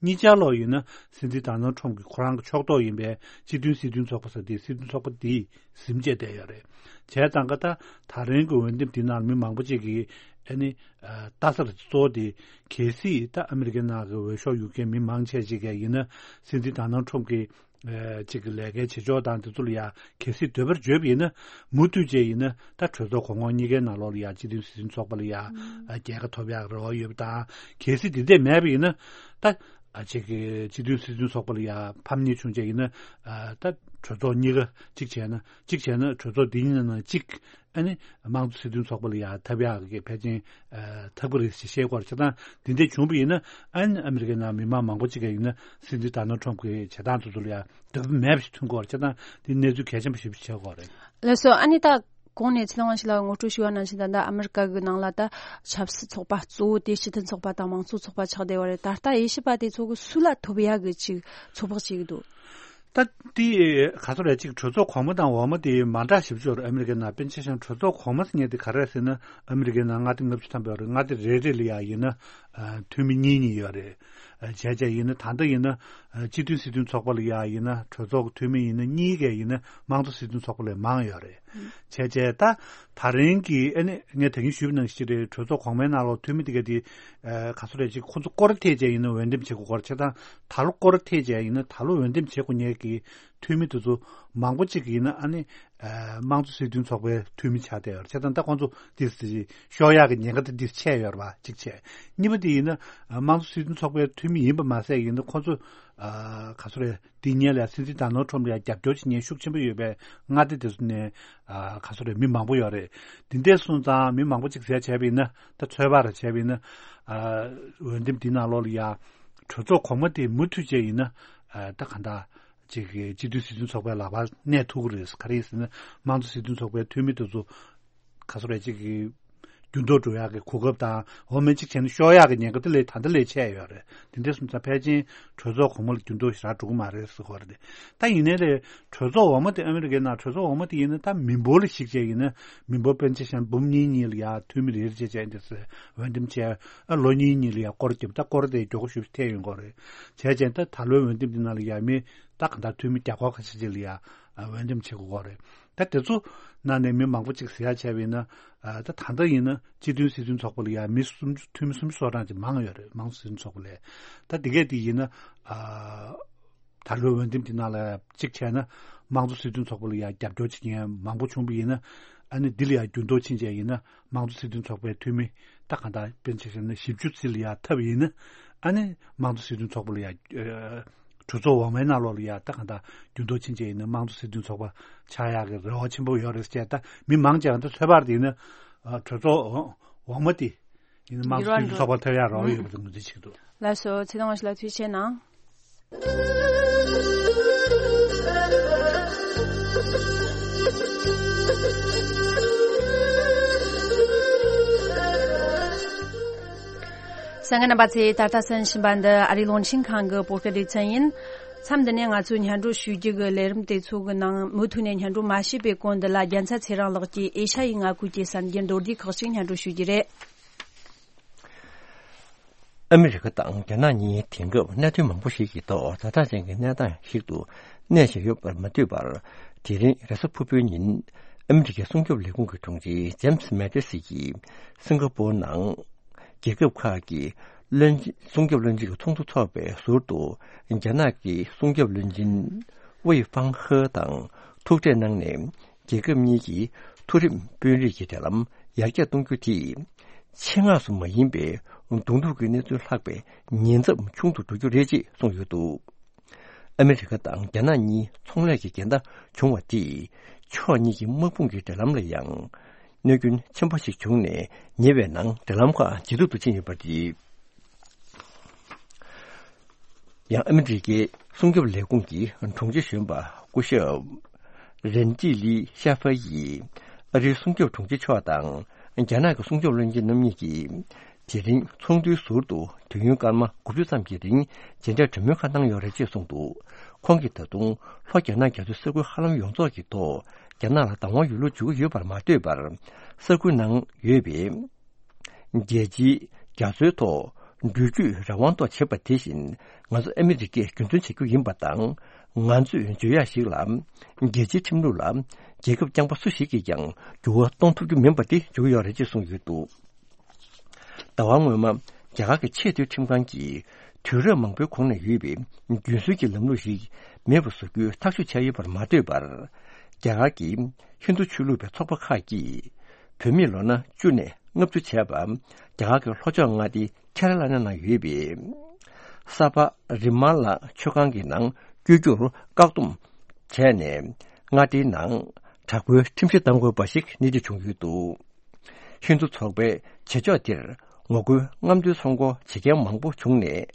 གཉིས་ཆ་ལོག་ཡིན་ན་སྲིད་འཛིན་ཌོ་ནལ་ཊམ་གྱི་ཁོ་རང་གི་ཕྱོགས་གཏོགས་ཡིན་པའི་སྤྱི་མཐུན་སྲིད་དོན་ཚོགས་པ་ཟེར་དེའི་སྲིད་དོན་ཚོགས་པ་དེས་ཟིན་བྱས་བསྡད་ཡོད་རེད། བྱས་ཙང་ཀ་ད་ད་རིང་གི་འོས་འདེམས་འདི་ནང་མི་མང་པོ་ཅིག་གིས་ཨ་ནི་ཨ། ལྟ་ས་ལ་གཙོ་བོ་དེ་གལ་སྲིད་ད་ཨ་མི་རི་ཀའི་ནང་གི་འོས་ཤོག་ཡུལ་གྱི་མི་མང་ཆེ་ཅིག་གིས་ཡིན་ན་སྲིད་འཛིན་ཌོ་ནལ་ཊམ་གྱི་ཨ། ཅིག་གི་ལས་ཀའི་བྱེད་ཕྱོགས་དང་དེ་ཚོ་ལ་ཡ་གལ་སྲིད་འདོད་པར་བརྗོད་པ་ཡིན་ན། མུ་མཐུད་བྱས་ཡིན་ན་ད་གྲོས་ཚོགས་གོང་འོག་གཉིས་ཀའི་ནང་ལོགས་ལ་ཡ་སྤྱི་མཐུན་སྲིད་དོན་ཚོགས་པ་ལ་ཡ་ཨ། རྒྱལ་ཁ་ཐོབ་ཡག་རེ་བ་ཡོད་པ་དང་། གལ་སྲིད་དེ་འདྲས་མེད་པ་ཡིན་ན་ད་ ཅིག་གི་སྤྱི་མཐུན་སྲིད་དོན་ཚོགས་པ་ལ་ཡ་ཕམ་ཉེས་བྱུང་བྱས་ཡིན་ན། ད་གྲོས་ཚོགས་གཉིས་ཀ་གཅིག་བྱས་ན་གཅིག་བྱས་ན་གྲོས་ཚོགས་འདི་གཉིས་ནང་གཅིག་ཨ་ནི་དམངས་གཙོ་སྲིད་དོན་ཚོགས་པ་ལ་ཡ་ཐབས་ཡག་གི་ཕལ་ཆེར་ཐག་པ་རེད་ཞེས་བཤད་ཀྱི་ཡོད་རེད། བྱས་ཙང་འདི་འདྲ་བྱུང་བ་ཡིན་ན་ཨ་ནི་ཨ་མི་རི་ཀའི་ནང་མི་མང་མང་པོ་ཅིག་གིས་ཡིན་ན་སྲིད་འཛིན་ཌོ་ནལ་ཊམ་གྱི་བྱེད་སྟངས་དེ་ཚོ་ལ་ཡ་འདོད་པ་མེད་པ་ཞིག་ཐོན་གྱི་ཡོད་རེད། བྱས་ཙང་འདི་གནས་ཚུལ་གལ་ཆེན་པོ་ཞིག་ཆགས་ཀྱི་ཡོད་རེད། ལགས་སོ། ཨ་ནི་ད་གོང་ནས་ཚེ་རིང་དབང་ཕྱུག་ལགས་ངོ་སྤྲོད་ཞུས་པ་ནང་བཞིན་ད་ལྟ་ཨ་མི་རི་ཀ་གི་ནང་ལ་ད་ཆབ་སྲིད་ཚོགས་པ་གཙོ་བོ་དེ་སྤྱི་མཐུན་ཚོགས་པ་དང་མང་གཙོ་ཚོགས་པ་ཆགས་བསྡད་པ་རེད། ད་ལྟ་དབྱེ་ཞིབ་པ་དེ་ཚོ་གི་སུ་ལ་ཐོབ་ཡག་གི་ཅིག་ཚོད་དཔག་བྱེད་ཀྱི་འདུག་ད་དེ་ག་ཚོད་རེད། ཅིག་གྲོས་ཚོགས་གོང་མ་དང་འོག་མ་དེ་མ་འདྲ་ཞིབ་ཅོར་ཨ་མི་རི་ཀའི་ནང་། དཔེར་ན་ཆ་བཞག་ན་གྲོས་ཚོགས་གོང་མ་ཟེར་མཁན་དེ་ག་རེ་རེད་ཟེར་ན། ཨ་མི་རི་ཀའི་ནང་མངའ་སྡེ་ལྔ་བཅུ་ཐམ་པ་ཡོད་རེད། མངའ་སྡེ་རེ་རེ་ལ་ཡ་ཡིན་ན་འཐུས་མི་གཉིས་གཉིས་ཡོད་རེད། བྱས་བྱས་ཡིན་ན་ད་ལྟ་ཡིན་ན་སྤྱི་མཐུན་སྲིད་དོན་ཚོགས་པ་ལ་ཡ་ཡིན་ན་གྲོས་ཚོགས་ཀྱི་འཐུས་མི་ཡིན་ན་གཉིས་ཀ་ཡིན་ན་དམངས་གཙོ་སྲིད་དོན་ཚོགས་པ་ལས་མང་ཡོད་རེད། བྱས་བྱས་ད་ད་རིང་གི་ཨ་ནི་ངས་ད་གིན་ཞུས་པ་ནང་བཞིན་རེད། གྲོས་ཚོགས་གོང་མའི་ནང་ལོགས་འཐུས་མི་དེ་ག་དེ་ག་ཚོད་རེད། ཅིག་ཁོ་ཚོ་སྐོར་ཐད་བྱས་ཡིན་ན་འོས་འདེམས་བྱེད་དགོས་ཀྱི་ཡོད་རེད། བྱས་ཙང་ད་ལོ་སྐོར་ཐད་བྱས་ཡིན་ན་ད་ལོ་འོས་འདེམས་བྱེད་དགོས་མཁན་གྱི་འཐུས་མི་དེ་ཚོ་མང་པོ་ཅིག་ཡིན་ན་ཨ་ནི་དམངས་གཙོ་སྲིད་དོན་ཚོགས་པའི་འཐུས་མི་ཆགས་བསྡད་ཡོད་རེད། བྱས་ཙང་ད་ཁོ་ཚོ་དེ་ཤོར་ཡག་གི་ཉེན་ཁ་དེ་འདིར་ཆད་ཡོད་རེད་པ། གཅིག་བྱས། གཉིས་པ་དེ་ཡིན་ན་དམངས་གཙོ་སྲིད་དོན་ཚོགས་པའི་འཐུས་མི་ཡིན་པ་མ་ཟད་ཡིན་ན་ཁོ་ཚོ་ག་ཚོད་རེད། དེ་སྔོན་ལ་སྲིད་འཛིན་ཌོ་ནལ་ཊམ་ལ་ཡང་རྒྱབ་སྐྱོར་བྱེད་མཁན་ཤུགས་ཆེན་པོ་ཡོད་པའི་མངའ་སྡེ་དེ་ཚོ་ནས་ག་ཚོད་རེད། མི་མང་པོ་ཡོད་རེད། དེ་འདྲ་སོང་ཙང་མི་མང་པོ་ཅིག་ཟེར་བྱས་པ་ཡིན་ན། ད་ཚོད་དཔག་རེ་བྱས་པ་ཡིན་ན་འོས་འདེམས་འདི་ནང་ལོགས་ལ་ཡང་གྲོས་ཚོགས་གོང་མ་དེ་མུ་མཐུད་བྱས་ཡིན་ན་ད་གང་ལྟར་ཅིག་གི་སྤྱི་མཐུན་སྲིད་དོན་ཚོགས་པའི་ལག་པར་གནས་ཐུབ་ཀྱི་རེད། ག་རེ་ཡིན་ཟེར་ན་དམངས་གཙོ་སྲིད་དོན་ཚོགས་པའི་འཐུས་མི་དེ་ཚོ་ག་ཚོད་རེད། ཅིག་གི་འགྱུར་ལྡོག་འགྲོ་ཡག་གི་གོ་སྐབས་དང་འོ་མ་གཅིག་བྱས་ན་ཤོར་ཡག་གི་ཉེན་ཁ་དེ་ལས་ད་ལྟ་ལས་ཆེ་ཡོད་རེད། དེ་འདྲ་སོང་ཙང་ཕལ་ཆེར་གྲོས་ཚོགས་གོང་མ་ལ་འགྱུར་ལྡོག་ཞེ་དྲག་འགྲོ་གི་མ་རེད་ཟེར་གྱི་ཡོད་རེད། ད་ཡིན་ནའི་ལས་གྲོས་ཚོགས་འོག་མ་དེ་ཨ་མི་རི་ཀའི་ནང་གྲོས་ཚོགས་འོག་མ་དེ་ཡིན་ན་ད་མི་འབོར་ལ་གཞིགས་བྱས་ཡིན་ན་མི་འབོར་དཔེར་ན་ཆ་བཞག་ན་འབུམ་གཉིས་གཉིས་ལ་ཡ་འཐུས་མི་རེ་རེ་བྱས་བྱས་འདི་ཚོ་འོས་འདེམས་བྱས། ཨ་ལོ་གཉིས་གཉིས་ལ་ཡ་སྐོར་བརྒྱབ། ད་སྐོར་དེ་མགྱོགས་པོ་ཞེ་པོ་ཐེབས་ཡོང་གི་རེད། བྱས་བྱས་ད་ད་ལོའི་འོས་འདེམས་འདི་ནང་ལ་ཡ་མི་ད་གང་ལྟར་འཐུས་མི་བརྒྱ་སྐོར་ཁ་ཤས་ཅིག་ལ་ཡ་འོས་འདེམས་བྱེད་དགོས་ཀྱི་རེད། ད་དེ་ཚོ་ནང་ནས་མི་མང་པོ་ཅིག་ཟེར་ཡག་བྱས་པ་ཡིན་ན། ཨ་ད་ད་ལྟ་ཡིན་ན་སྤྱི་མཐུན་སྲིད་དོན་ཚོགས་པ་ལ་ཡང་མི་སུམ་ཅུ་འཐུས་མི་སུམ་ཅུ་སོ་གྲངས་ཅིག་མང་ཡོད་རེད། དམངས་གཙོ་སྲིད་དོན་ཚོགས་པ་ལས། ད་དེ་གས་དེ་ཡིན་ན་ཨ་ད་ལོའི་འོས་འདེམས་དེ་ནང་ལ་གཅིག་བྱས་ན་དམངས་གཙོ་སྲིད་དོན་ཚོགས་པ་ལ་ཡང་རྒྱབ་སྐྱོར་བྱེད་མཁན་མང་པོ་བྱུང་བ་ཡིན་ན། ཨ་ནི་འདི་ལ་ཡང་འགྱུར་ལྡོག་ཕྱིན་བྱས་ཡིན་ན་དམངས་གཙོ་སྲིད་དོན་ཚོགས་པའི་འཐུས་མི་ད་གང་ལྟར་དཔེར་ན་ཆ་བཞག་ན་བཞི་བཅུ་ཙམ་ལ་ཡང་ཐེབས་ཡིན་ན། ཨ་ནི་དམངས་གཙོ་སྲིད་དོན་ཚོགས་པ་ལ་ཡང་། གྲོས་ཚོགས་འོག་མའི་ནང་ལོགས་ལ་ཡ་ད་གང་ལྟར་འགྱུར་ལྡོག་ཕྱིན་བྱས་ཡིན་ན་དམངས་གཙོ་སྲིད་དོན་ཚོགས་པ་ཆགས་ཡག་གི་རེ་བ་ཆེན་པོ་ཡོད་རེད་ཟེར། ད་མི་མང་ཆེ་བ་ད་ཚོད་དཔག་དེ་ཡིན་ན་གྲོས་ཚོགས་འོག་མ་དེ་ཡིན་ན་དམངས་གཙོ་སྲིད་དོན་ཚོགས་པ་ཐོབ་ཡག་རེ་བ་ཡོད་པ་ངོས་འཛིན་བྱེད་ཀྱི་འདུག་ལགས་སོ། ཚེ་རིང་དབང་ཕྱུག་ལགས་ཐུགས་རྗེ་གནང་། གསན་མཁན་རྣམ་པ་ཚོས་ད་ལྟ་གསན་བཞིན་པ་འདི་ཨ་རིའི་རླུང་འཕྲིན་ཁང་གི་བོད་སྐད་སྡེ་ཚན་ཡིན། མཚམས་འདི་ནས་ང་ཚོས་སྙན་སྒྲོན་ཞུ་རྒྱུ་གི་ལས་རིམ་དེ་ཚོ་གི་ནང་མུ་མཐུད་ནས་སྙན་སྒྲོན་མ་ཞུས་པའི་གོང་འདི་ལ་རྒྱལ་མཚན་ཚེ་རིང་ལགས་ཀྱིས་ཨེ་ཤ་ཡའི་མངའ་ཁུལ་གྱི་གསར་འགྱུར་མདོར་བསྡུས་ཁག་ཅིག་སྙན་སྒྲོན་ཞུ་རྒྱུ་རེད། ཨ་མི་རི་ཀ་དང་རྒྱ་ནག་གཉིས་དེང་སྐབས་གནད་དོན་མང་པོ་ཞིག་གི་ཐོག་ཛ་དྲག་ཅན་གྱི་གནས་སྟངས་ཤིག་ཏུ་གནས་བཞིན་ཡོད་པར་མ་ལྟོས་པར། དེ་རིང་རེས་གཟའ་ཕུར་བུའི་ཉིན་ཨ་མི་རི་ཀའི་སྲུང་སྐྱོབ་ལས་ཁུངས་ཀྱི་དྲུང་ཆེ་ཇེམ་སི་མེ་ཏི་སི་ཡིས་སིང་ག་པོར་ནང་རྒྱལ་ཁབ་ཁག་གི་བློན་སྲུང་སྐྱོབ་བློན་ཆེན་གྱི་ཚོགས་འདུ་འཚོགས་པའི་ཟུར་དུ་རྒྱ་ནག་གི་སྲུང་སྐྱོབ་བློན་ཆེན་ཝེ་ཧྥང་ཧེ་དང་ཐུག་འཕྲད་གནང་ནས། རྒྱལ་ཁབ་གཉིས་ཀྱི་མཐོ་རིམ་དཔོན་རིགས་ཀྱི་འབྲེལ་ལམ་ཡར་རྒྱས་གཏོང་རྒྱུ་དེས་ཆེད་མངགས་སུ་མ་ཡིན་པའི་གདོང་ཐུག་གི་གནས་ཚུལ་ལྷག་པའི་ཉེན་ཚབས་ཆུང་དུ་འགྲོ་རྒྱུ་རེད་ཅེས་གསུངས་ཡོད་འདུག་ཨ་མི་རི་ཀ་དང་རྒྱ་ནག་གཉིས་ཚོང་ལས་ཀྱི་འགལ་ཟླ་བྱུང་བ་དེས་ཕྱོགས་གཉིས་ཀྱི་དམག་དཔུང་གི་འབྲེལ་ལམ་ལ་ཡང་གནོད་སྐྱོན་ཆེན་པོ་ཞིག་བྱུང་ནས། ཉེ་བའི་ནང་འབྲེལ་ལམ་ཁག་ཇེ་སྡུག་ཏུ་ཕྱིན་ཡོད་པ་རེད། ཡང་ཨ་མི་རི་ཀའི་སྲུང་སྐྱོབ་ལས་ཁུངས་ཀྱི་དྲུང་ཆེ་གཞོན་པ་སྐུ་ཞབས་རན་ཏི་ལི་ཤ་ཧྥ་ཡིས་ཨ་རིའི་སྲུང་སྐྱོབ་དྲུང་ཆེ་མཆོག་དང་རྒྱ་ནག་གི་སྲུང་སྐྱོབ་བློན་ཆེན་རྣམ་གཉིས་ཀྱིས་དེ་རིང་ཚོགས་འདུའི་ཟུར་དུ་དུས་ཡུན་སྐར་མ་དགུ་བཅུ་ཙམ་གྱི་རིང་མཇལ་འཕྲད་གྲོས་མོལ་ཁག་གནང་ཡོད་རེད་ཅེས་གསུངས་འདུག་ཁོང་གིས་ད་དུང་ལྷོ་རྒྱ་ནག་རྒྱ་མཚོའི་ས་ཁུལ་ཧ་ལམ་ཡོངས་རྫོགས་ཀྱི་ཐོག་རྒྱ་ནག་ལ་བདག་དབང་ཡོད་ལུགས་བརྗོད་ཀྱི་ཡོད་པར་མ་ལྟོས་པར། ས་ཁུལ་ནང་ཡོད་པའི་རྒྱལ་སྤྱིའི་རྒྱ་མཚོའི་ཐོག་འགྲུལ་སྐྱོད་རང་དབང་ཐོག་བྱེད་པ་དེ་བཞིན་ང་ཚོ་ཨ་མི་རི་ཀས་རྒྱུན་འཛིན་བྱེད་རྒྱུ་ཡིན་པ་དང་། ང་ཚོས་བརྗོད་ཡག་ཞིག་ལ་རྒྱལ་སྤྱིའི་ཁྲིམས་ལུགས་ལ་རྒྱལ་ཁབ་རྐྱང་པ་སུ་ཞིག་གིས་ཀྱང་འགྱུར་བ་གཏོང་ཐུབ་རྒྱུ་མིན་པ་དེ་བརྗོད་ཀྱི་ཡོད་རེད་ཅེས་གསུངས་ཡོད་འདུག་ཟླ་བ་སྔོན་མ་རྒྱ་གར་གྱི་ཆེས་མཐོའི་ཁྲིམས་ཁང་གིས་དུས་རབས་མང་པོའི་གོང་ནས་ཡོད་པའི་རྒྱུན་སྲོལ་གྱི་ལམ་ལུགས་ཤིག་མེད་པར་བཟོ་རྒྱུའི་ཐག་གཅོད་བྱས་ཡོད་པར་མ་ལྟོས་པར། རྒྱ་གར་གྱི་ཧིན་རྡུ་ཆོས་ལུགས་པའི་ཚོགས་པ་ཁག་གིས་བོད་མིས་ལོ་ན་བཅུ་ནས་ལྔ་བཅུ་བྱས་པ་རྒྱ་གར་གྱི་ལྷོ་ཕྱོགས་མངའ་སྡེ་ཁེ་ར་ལ་ན་ནང་ཡོད་པའི་ ས་ཕ་རི་མ་ལ་མཆོད་ཁང་གི་ནང་བསྐྱོད་རྒྱུར་བཀག་སྡོམ་བྱས་ནས། མངའ་སྡེའི་ནང་དྲག་པོའི་ཁྲིམས་གཞི་གཏང་དགོས་པ་ཞིག་སྣེ་ཁྲིད་བྱུང་ཡོད་འདུག་ཧིན་རྡུ་ཚོགས་པའི་བྱེད་ཕྱོགས་འདིར་ངོ་རྒོལ་རྔམ་སྟོན་ཚོགས་འཁོར་བྱེད་མཁན་མང་པོ་བྱུང་ནས།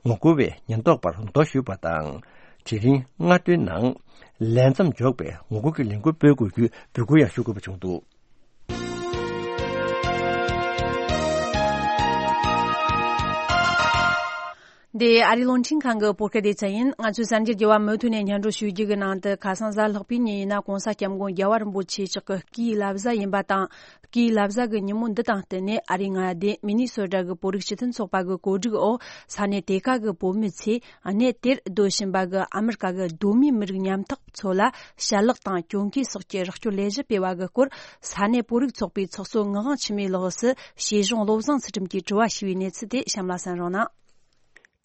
ངོ་རྒོལ་བས་ཉེན་རྟོག་པར་རྡོ་གཞུས་པ་དང་། དེ་རིང་མངའ་སྡེའི་ནང་ལས་མཚམས་འཇོག་པའི་ངོ་རྒོལ་གྱི་ལས་འགུལ་སྤེལ་དགོས་རྒྱུའི་འབོད་སྐུལ་ཡང་ཞུ་དགོས་པ་བྱུང་འདུག་འདི་ཨ་རིའི་རླུང་འཕྲིན་ཁང་གི་བོད་སྐད་སྡེ་ཚན་ཡིན། ང་ཚོའི་གསར་འགྱུར་རྒྱས་པ་མུ་མཐུད་ནས་སྙན་སྒྲོན་ཞུ་རྒྱུ་གི་ནང་དུ། ཁ་སང་གཟའ་ལྷག་པའི་ཉིན་ཡིན་ན་༸གོང་ས་༸སྐྱབས་མགོན་རྒྱལ་བ་རིན་པོ་ཆེ་མཆོག་གི་སྐུའི་བླ་གཟའ་ཡིན་པ་དང་། སྐུའི་བླ་གཟའ་གི་ཉིན་མོ་འདི་དང་བསྟུན་ནས། ཨ་རིའི་མངའ་སྡེ་མི་ནི་སོ་ཊ་གི་བོད་རིགས་སྤྱི་མཐུན་ཚོགས་པ་གི་གོ་སྒྲིག་འོག་ས་གནས་དེ་ག་གི་བོད་མི་ཚོས་གནས་དེར་སྡོད་བཞིན་པ་གི་ཨ་མི་རི་ཀ་གི་གདོད་མའི་མི་རིགས་ཉམ་ཐག་ཚོ་ལ་ཞལ་ལག་དང་གྱོན་གོས་སོགས་ཀྱི་རོགས་སྐྱོར་ལས་གཞི་སྤེལ་བ་གི་སྐོར། ས་གནས་བོད་རིགས་ཚོགས་པའི་ཚོགས་གཙོ་ངག་དབང་འཆི་མེད་ལགས་སུ་ཤེས་གཞུང་བློ་བཟང་ཚུལ་ཁྲིམས་ཀྱིས་དྲི་བ་ཞུས་པའི་གནས་ཚུལ་དེ་གཤམ་ལ་གསན་རོགས་གནང་།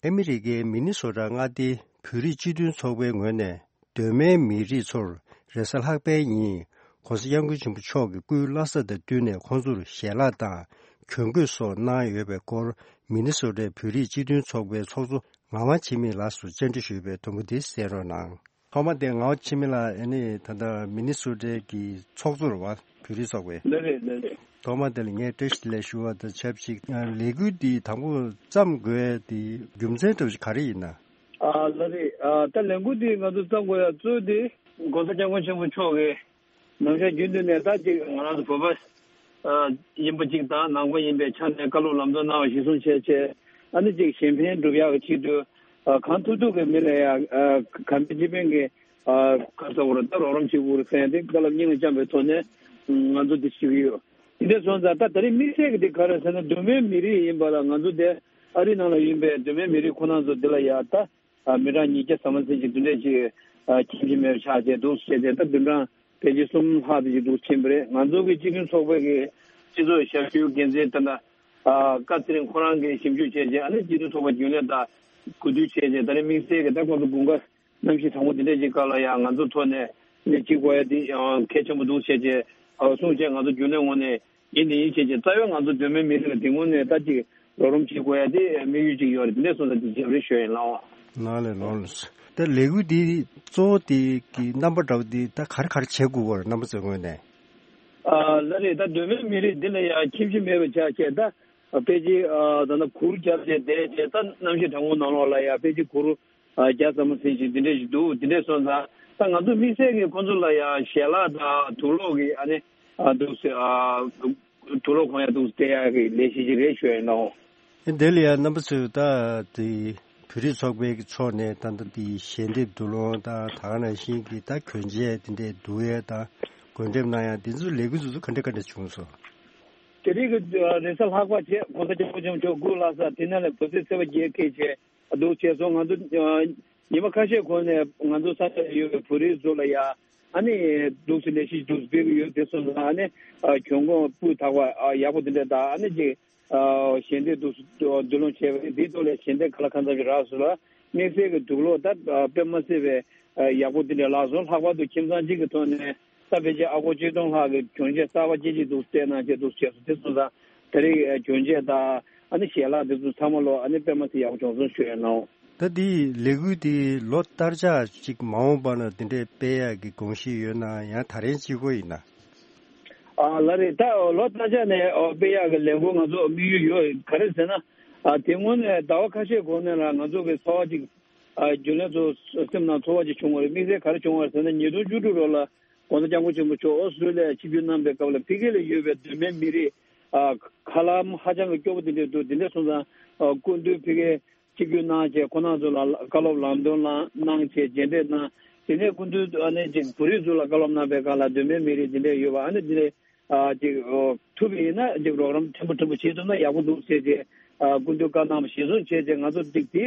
ཨ་མི་རི་ཀའི་མི་ནི་སོ་ཊ་མངའ་སྡེའི་བོད་རིགས་སྤྱི་མཐུན་ཚོགས་པའི་ངོས་ནས། གདོད་མའི་མི་རིགས་ཚོར་རེས་གཟའ་ལྷག་པའི་ཉིན་༸གོང་ས་༸སྐྱབས་མགོན་ཆེན་པོ་མཆོག་གི་སྐུའི་བླ་གཟའ་དང་བསྟུན་ནས་ཁོང་ཚོར་ཞལ་ལག་དང་གྱོན་གོས་སོགས་གནང་ཡོད་པའི་སྐོར། མི་ནི་སོ་ཊའི་བོད་རིགས་སྤྱི་མཐུན་ཚོགས་པའི་ཚོགས་གཙོ་ངག་དབང་འཆི་མེད་ལགས་སུ་བཅར་འདྲི་ཞུས་པའི་དུམ་བུ་འདི་གསན་རོགས་གནང་། ཐོག་མ་དེ་ངག་དབང་འཆི་མེད་ལགས། ཨ་ནི་ད་ལྟ་མི་ནི་སོ་ཊའི་གི་ཚོགས་གཙོ་རེད་བ། བོད་རིགས་ཚོགས་པའི། ལགས་རེད། ལགས་རེད། ཐོག་མ་དེ་ལ་ངས་བཀྲ་ཤིས་བདེ་ལེགས་ཞུ་བ་དང་ཆབས་ཅིག་ལས་འགུལ་འདི་དང་པོ་བརྩམས་དགོས་དེ་རྒྱུ་མཚན་འདྲ་བོ་ཞིག་ག་རེ་ཡིན་ན། ཨ་ལགས་རེད། ཨ་ད་ལས་འགུལ་འདི་ང་ཚོ་བརྩམས་དགོས་ཡ་གཙོ་བོ་དེ་༸གོང་ས་༸སྐྱབས་མགོན་ཆེན་པོ་མཆོག་གིས་ནམ་ཞག་རྒྱུན་དུ་ནས་ད་ཅིག་ང་རང་ཚོ་བོད་པ་ཡིན་པ་ཅིག་དང་ནང་པ་ཡིན་པའི་ཆ་ནས་བཀའ་སློབ་ལམ་སྟོན་གནང་བ་གཞིར་བཟུང་བྱས་བྱས། ཨ་ནི་ཅིག་གཞན་ཕན་སྒྲུབ་ཡག་གི་ཆེད་དུ་གང་ཐུབ་ཐུབ་ཀྱི་མི་ལ་ཡ་གང་ཕན་ཅི་ཕན་གྱི་ག་ཟེར་དགོས་རེད། ད་རོགས་རམ་བྱེད་དགོས་རེད་ཟེར་ཡ་དེ་བཀའ་སློབ་སྙིང་ལ་བཅངས་པའི་ཐོག་ནས་ང་ཚོ་འདི་ཞུ་གི་ཡོད། དེ་འདྲ་སོང་ཙང་ད་ད་རེས་དམིགས་བསལ་གྱི་དེ་ག་རེ་ཟེར་ན། གདོད་མའི་མི་རིགས་ཡིན་པ་ལ་ང་ཚོ་དེ་ཨ་རིའི་ནང་ལ་ཡིན་པའི་གདོད་མའི་མི་རིགས་ཁོ་རང་ཚོ་འདི་ལ་ཡ་ད་མི་གྲངས་ཉིས་བརྒྱ་ཟ་མ་ཟིན་ཅིག་འདི་འདྲས་ཅིག་ཁྱིམ་གྱི་མེད་པ་ཆགས་བྱས་འདུག་བྱས་ཏེ། ད་བདུན་གྲངས་ཕལ་ཆེར་གསུམ་ལྷག་དེ་ཅིག་འདུག་ཕྱིན་པ་རེད། ང་ཚོ་གི་སྤྱི་མཐུན་ཚོགས་པའི་གི་སྤྱི་ཚོགས་ཞབས་ཞུའི་འགན་འཛིན་ད་ལྟ་བཀའ་ཚེ་རིང་ཁོ་རང་གིས་ཞིབ་འཇུག་བྱས་རྗེས། ཨ་ནི་སྤྱི་མཐུན་ཚོགས་པ་རྒྱུན་ལས་དང་གོ་བསྡུར་བྱས་རྗེས། ད་ནི་དམིགས་བསལ་གྱི་ད་ཁོང་ཚོ་དགུན་ཁ་གནམ་གཤིས་གྲང་མོ་འདི་འདྲས་ཅིག་སྐབས་ལ་ཡང་ང་ཚོ་ཐོག་ནས་ནས་བྱེད་དགོས་ཡ་དེ་ཡང་གལ་ཆེན་པོ་འདུག་བྱས་རྗེས། ཨ་གསུངས་རྗེས་ང་ཚོ་རྒྱུན་ལས་ངོས་ནས་ཡིན་ནི་ཡིན་བྱས་རྗེས། རྩ་བའི་ང་ཚོ་གདོད་མའི་མི་རིགས་ལ་དེ་ངོས་ནས་ད་ཅིག་རོགས་རམ་བྱེད་དགོས་ཡ་དེ་དམིགས་ཡུལ་ཅིག་ཡོད་རེད། དེ་འདྲས་སོང་ཙང་དེ་བྱས་པ་རེད་ཞུ་ཡ་ཡིན་ལགས། ལགས་ལས་ལགས་ལས། ད་ལས་འགུལ་འདི་གཙོ་བོ་དེ་གི་རྣམ་པ་འདྲ་བོ་འདི་ད་ག་རེ་ག་རེ་བྱེད་དགོས་པ་རེད། རྣམ་པ་ཚོའི་ངོས་ནས། ཨ་ལགས་རེད། ད་གདོད་མའི་མི་རིགས་འདི་ལ་ཡང་ཁྱིམ་གཞིས་མེད་པ་ཆགས་བྱས། ད་ཕལ་ཆེར་ཨ་ད་ནི་གུར་རྒྱབ་བྱས་བསྡད་བྱས། ད་གནམ་གཤིས་གྲང་མོ་ནང་ལོགས་ལ་ཡང་ཕལ་ཆེར་གུར་ཨ་བརྒྱ་ཙམ་ཟིན་ཞིག་འདི་འདྲས་ཞིག་འདུག་འདི་འདྲས་སོང་ཙང་ད་ང་ཚོ་དམིགས་བསལ་གྱི་ཁོང་ཚོ་ལ་ཡང་ཞལ་ལག་དང་དུག་སློག་གི་ཨ་ནི་ཨ་འདུག་ཟེར། ཨ་དུག་སློག་གོན་ཡ་འདུག་སྟེར་ཡ་གི་ལས་གཞི་ཞིག་རེད་ཞུ་ཡ་ཡིན་ནོ། ཨེ་འདི་ལ་ཡང་རྣམ་པ་ཚོས་ད་དེ་བོད་རིགས་ཚོགས་པའི་གི་ཕྱོགས་ནས་ད་ལྟ་དེ་ཞལ་འདེབས་དུག་སློག་དང་། ད་ག་ནང་བཞིན་གྱི་ད་གྱོན་ཆས་དེ་འདྲས་བསྡུ་ཡས་དང་། གོན་འགྲེམས་གནང་ཡ་དེ་ཚོ་ལས་འགུལ་དེ་ཚོ་ག་འདྲ་ག་འདྲ་བྱུང་སོང་། དེ་རིང་གི་རེས་གཟའ་ལྷག་པ་བྱས། ༸གོང་ས་༸སྐྱབས་མགོན་ཆེན་པོ་མཆོག་སྐུ་ལྷག་ས་དེ་ནང་ལ་བོད་ཚེས་ཚེས་པ་བརྒྱད་ཁེལ་བྱས་འདུག་བྱས་སོང་། ང་ཚོ་ཉི་མ་ཁ་ཤས་གོང་ནས་ང་ཚོ་ས་ཆ་ལ་ཡོད་པའི་བོད་རིགས་ཚོ་ལ་ཡ་ཨ་ནི་འདུག་སེ་ལས་གཞི་འདུག་སེ་སྤེལ་གྱི་ཡོད། དེ་སོང་ཙང་ཨ་ནི་གྱོན་གོས་སྤུས་དག་པ་ཡག་པོ་དེ་འདྲ་དང་། ཨ་ནི་ཅིག་ཞལ་འདེབས་འདུག་སེ་བསྡུ་སློང་བྱས་པ་རེད། འདིའི་ཐོག་ལ་ཞལ་འདེབས་ག་ལ་གང་འཚམ་ཞིག་རག་སོང་ལ། དམིགས་བསལ་གྱི་དུག་སློག་ད་དཔེ་མ་སྲིད་པའི་ཡག་པོ་དེ་འདྲ་རག་སོང་། ལྷག་པར་དུ་ཁྱིམ་ཚང་གཅིག་གི་ཐོག་ནས་ད་ཕལ་ཆེར་ཨ་སྒོར་ཆིག་སྟོང་ལྷག་གི་གྱོན་ཆས་གསར་པ་སྐྱེལ་གཅིག་འདུག་སེ་སྟེར་གནང་བྱས་འདུག་བྱས་སོང་། དེ་སོང་ཙང་ད་རེས་གྱོན་ཆས་དང་ཨ་ནི་ཞལ་ལག་དེ་ཚོ་ཚང་མ་ལོ་ཨ་ནི་དཔེ་མ་སྲིད་ཡག་པོ་བྱུང་སོང་ཞུ་ཡ་ཡིན་ནོ། ད་འདི་ལས་འགུལ་འདི་ལོ་ལྟར་ཆགས་ཅིག་མ་འོངས་པ་ན་འདི་འདྲའི་སྤེལ་ཡག་གི་དགོངས་གཞི་ཡོད་ན། ཡང་ད་རིང་གཅིག་པོ་ཡིན་ན། ཨ་ལགས་རེད། ད་ལོ་ལྟར་ཆགས་ནས་ཨོ་སྤེལ་ཡག་གི་ལས་འགུལ་ང་ཚོ་དམིགས་ཡུལ་ཡོད། ག་རེ་ཟེར་ན། ཨ་དེ་སྔོན་ནས་ཟླ་བ་ཁ་ཤས་གོང་ནས་ལ་ང་ཚོ་གི་ཚོར་བ་ཅིག་ཨ་རྒྱུན་ལས་ཚོ་སེམས་ནང་ཚོར་བ་ཅིག་བྱུང་བ་རེད། དམིགས་བསལ་ག་རེ་བྱུང་བ་རེད་ཟེར་ན། ཉིས་སྟོང་བཅུ་དྲུག་ལོ་ལ་༸གོང་ས་༸སྐྱབས་མགོན་ཆེན་པོ་མཆོག་ཨོ་སི་ཀྲོ་ལི་ཡ་ཆིབས་བསྒྱུར་གནང་པའི་སྐབས་ལ་ཕ་གི་ལ་ཡོད་པའི་གདོད་མའི་མི་རིགས་ཨ་ཧ་ལམ་ཧ་ཅང་གི་སྐྱོ་པོ་དེ་འདྲ་འདུག་དེ་འདྲ་སོང་ཙང་ཨ་སྐུ་མདུན་ཕ་གི་ཆིབས་བསྒྱུར་གནང་བྱས། ཁོང་རྣམ་ཚོ་ལ་བཀའ་སློབ་ལམ་སྟོན་གནང་གནང་བྱས་མཇལ་འཕྲད་གནང་། དེ་ནས་སྐུ་མདུན་ཨ་ནི་ཅིག་བོད་རིགས་ཚོ་ལ་བཀའ་སློབ་གནང་པའི་སྐབས་ལ་གདོད་མའི་མི་རིགས་འདི་འདྲས་ཡོད་པ། ཨ་ནི་འདི་ནས་ཨ་ཅིག་ཨོ་ཐུབ་པ་ཡིན་ན་ཅིག་རོགས་རམ་ཕྲན་བུ་ཕྲན་བུ་བྱེད་ཐུབ་ན་ཡག་པོ་འདུག་ཟེར་བྱས། ཨ་སྐུ་མདུན་བཀའ་གནང་བ་གཞིར་བཟུང་བྱས་བྱས། ང་ཚོ་ཅིག་དེ་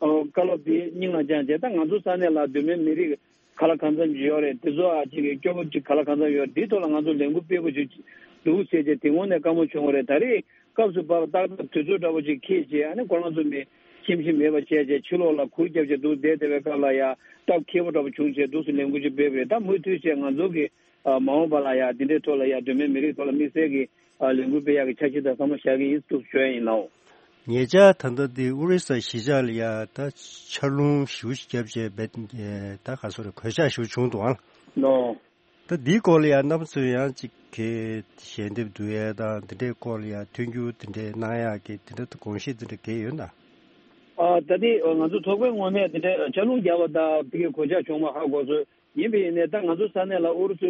ཨོ་བཀའ་སློབ་དེ་སྙིང་ལ་བཅངས་བྱས། ད་ང་ཚོ་ས་གནས་ལ་གདོད་མའི་མི་རིགས་ག་ལ་གང་འཚམ་ཅིག་ཡོད་རེད། དེ་ཚོ་ཨ་ཅིག་སྐྱོ་པོ་ཅིག་ག་ལ་གང་འཚམ་ཡོད་རེད། དེའི་ཐོག་ལ་ང་ཚོ་ལས་འགུལ་སྤེལ་དགོས་ཅིག་འདུག་ཟེར་བྱས། དེ་སྔོན་ནས་བཀའ་མོལ་བྱུང་བ་རེད། ད་རེས་སྐབས་སུ་བབས་ཏག་ཏག་དུས་ཚོད་འདྲ་པོ་ཅིག་འཁེལ་བྱས། ཨ་ནི་ཁོ་རང་ཚོ་མི་ཁྱིམ་གཞིས་མེད་པ་བྱས་བྱས། ཕྱི་ལོགས་ལ་གུར་བརྒྱབ་བྱས་འདུག་བསྡད་བསྡད་པའི་སྐབས་ལ་ཡ་སྟབས་འཁེལ་པོ་འདྲ་པོ་བྱུང་བྱས་འདུག་སེ་ལས་འགུལ་ཅིག་སྤེལ་བ་རེད། ད་མུ་མཐུད་བྱས་ང་ཚོ་གི་ཨ་མ་འོངས་པ་ལ་ཡ་འདི་འདྲའི་ཐོག་ལ་ཡ་གདོད་མའི་མི་རིགས་ཐོག་ལ་དམིགས་བསལ་གྱི་ཨ་ལས་འགུལ་སྤེལ་ཡག་གི་འཆར་གཞི་དང་བསམ་བློ་བཞག་གི་ཡིན་འདུག་ཞུ་ཡ་ཡིན་ནོ། ཉེ་ཆར་ད་ལྟ་འདི་ཨོ་རི་ས་གཞིས་ཆགས་ལ་ཡ་ད་ཆར་རླུང་ཞེ་པོ་ཞིག་བརྒྱབ་བྱས་བེད་ད་ག་སོ་རེ་གོད་ཆག་ཞེ་པོ་བྱུང་འདུག་ཨང་། ནོ། ད་འདིའི་སྐོར་ལ་ཡང་རྣམ་པ་ཚོས་ཡང་ཅིག་གི་ཞལ་འདེབས་བསྡུ་ཡས་དང་འདི་འདྲའི་སྐོར་ལ་ཡང་མཐུན་འགྱུར་འདི་འདྲའི་གནང་ཡག་གི་འདི་འདྲ་དགོངས་གཞི་འདི་འདྲ་གལ་ཡོད་ན། ཨ་ད་ལྟའི་ང་ཚོ་ཚོགས་པའི་ངོས་ནས་འདི་འདྲའི་ཆར་རླུང་རྒྱག་པ་དང་ཕ་གིའི་གོད་ཆག་བྱུང་བ་ཧ་གོ་སོང་། ཡིན་པ་ཡིན་ནའི་ད་ང་ཚོ་ས་གནས་ལ་ཨུ་རུ་སུ་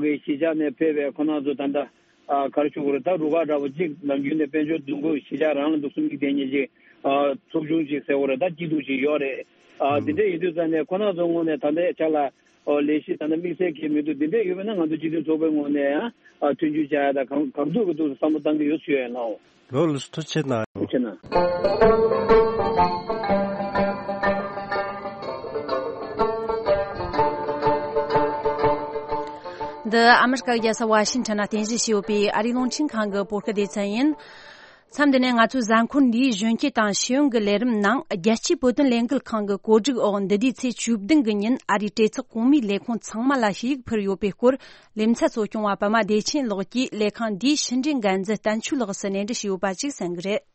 གི་གཞིས་ཆགས་ནས་ཕེབས་པའི་ཁོ་རང་ཚོ་ད་ལྟ་ཨ་ག་རེ་ཞུ་དགོས་རེད། ད་རུ་ཁག་འདྲ་པོ་གཅིག་ནམ་རྒྱུན་ནས་དཔལ་འབྱོར་རྫོང་ཁུལ་གཞིས་ཆགས་རང་ལ་འདུག་སེ་མིག་བསྟན་མཁན་ཅིག་ཨ་ཚོགས་ཆུང་ཅིག་ཟེར་དགོས་རེད། ད་སྐྱིད་སྡུག་ཅིག་ཡོད་རེད། ཨ་དེ་འདྲ་ཡིན་དུས་ཙང་ནས་ཁོ་རང་ཚོ་ངོས་ནས་ད་ལྟའི་ཆ་ལ། ཨོ་ལས་གཞི་ད་ལྟ་དམིགས་བསལ་གྱི་མི་འདུག་འདི་འདྲས་ཡོད་པ་ན་ང་ཚོ་སྤྱི་མཐུན་ཚོགས་པའི་ངོས་ནས་ཡང་ཨ་མཐུན་འགྱུར་བྱ་ཡ་དང་གང་གང་ཐུབ་ཀྱི་ཐུབ་བསམ་བློ་བཏང་གི་ཡོད་ཞུ་ཡ་ཡིན་ལགས། ལོ་ལགས་སོ། ཐུགས་རྗེ་གནང་། ཐུགས་རྗེ་གནང་། འདི་ཨ་མི་རི་ཀ་རྒྱལ་ས་ཝ་ཤིང་ཊོན་ན་རྟེན་གཞི་བྱས་ཡོད་པའི་ཨ་རིའི་རླུང་འཕྲིན་ཁང་གི་བོད་སྐད་སྡེ་ཚན་ཡིན། མཚམས་འདི་ནས་ང་ཚོའི་གཟའ་འཁོར་འདིའི་གཞོན་སྐྱེས་དང་ཤེས་ཡོན་གྱི་ལས་རིམ་ནང་རྒྱལ་སྤྱིའི་བོད་དོན་ལས་འགུལ་ཁང་གི་གོ་སྒྲིག་འོག་འདི་ཟླའི་ཚེས་བཅུ་བདུན་གྱི་ཉིན་ཨ་རིའི་གྲོས་ཚོགས་གོང་མའི་ལས་ཁུངས་ཚང་མ་ལ་ཞུ་ཡིག་ཕུལ་ཡོད་པའི་སྐོར། ལེ་ཚན་གཙོ་སྐྱོང་བ་པདྨ་བདེ་ཆེན་ལགས་ཀྱིས་ལས་ཁང་འདིའི་ཕྱི་འབྲེལ་འགན་འཛིན་བསྟན་ཆོས་ལགས་སུ་གནས་འདྲི་ཞུས་ཡོད་པ་ཅིག་གསན་གྱི་རེད།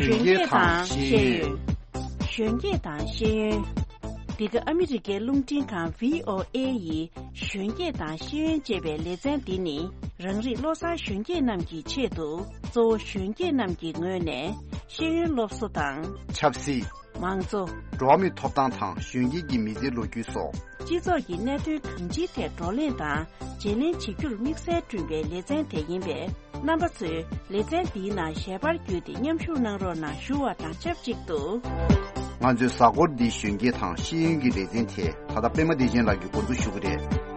གཞོན་སྐྱེས་དང་ཤེས་ཡོན། གཞོན་སྐྱེས་དང་ཤེས་ཡོན། འདི་ག་ཨ་མི་རི་ཀའི་རླུང་འཕྲིན་ཁང་བྷི་ཨོ་ཨེ་ཡི་གཞོན་སྐྱེས་དང་ཤེས་ཡོན་ཅེས་པའི་ལེ་ཚན་འདི་ནི། རང་རིགས་བློ་བཟང་གཞོན་སྐྱེས་རྣམས་ཀྱི་ཆེད་དུ། གཙོ་བོ་གཞོན་སྐྱེས་རྣམས་ཀྱི་ངོས་ནས་ཤེས་ཡོན་སློབ་གསོ་དང་། ཆབ་སྲིད། མང་གཙོ། འགྲོ་བ་མིའི་ཐོབ་ཐང་དང་གཞོན་སྐྱེས་ཀྱི་མི་ཚེའི་ལོ་རྒྱུས་སོགས། སྤྱི་ཚོགས་ཀྱི་གནད་དོན་གང་ཅིའི་ཐད་བགྲོ་གླེང་དང་བརྗེ་ལེན་བྱེད་རྒྱུར་དམིགས་བསལ་བསྐྲུན་པའི་ལེ་ཚན་དེ་ཡིན་པས། རྣམ་པ་ཚོས་ལེ་ཚན་འདིའི་ནང་ཞལ་པར་བརྒྱུད་དེ་མཉམ་ཞུགས་གནང་རོགས་གནང་ཞུ་བ་དང་ཆབས་ཅིག་ཏུ། ང་ཚོའི་གཟའ་འཁོར་འདིའི་གཞོན་སྐྱེས་དང་ཤེས་ཡོན་གྱི་ལེ་ཚན་དེ་ད་ལྟ་པད་མ་བདེ་ཆེན་ལགས་ཀྱིས་འགོ་འཛུགས་ཞུ་གི་རེད།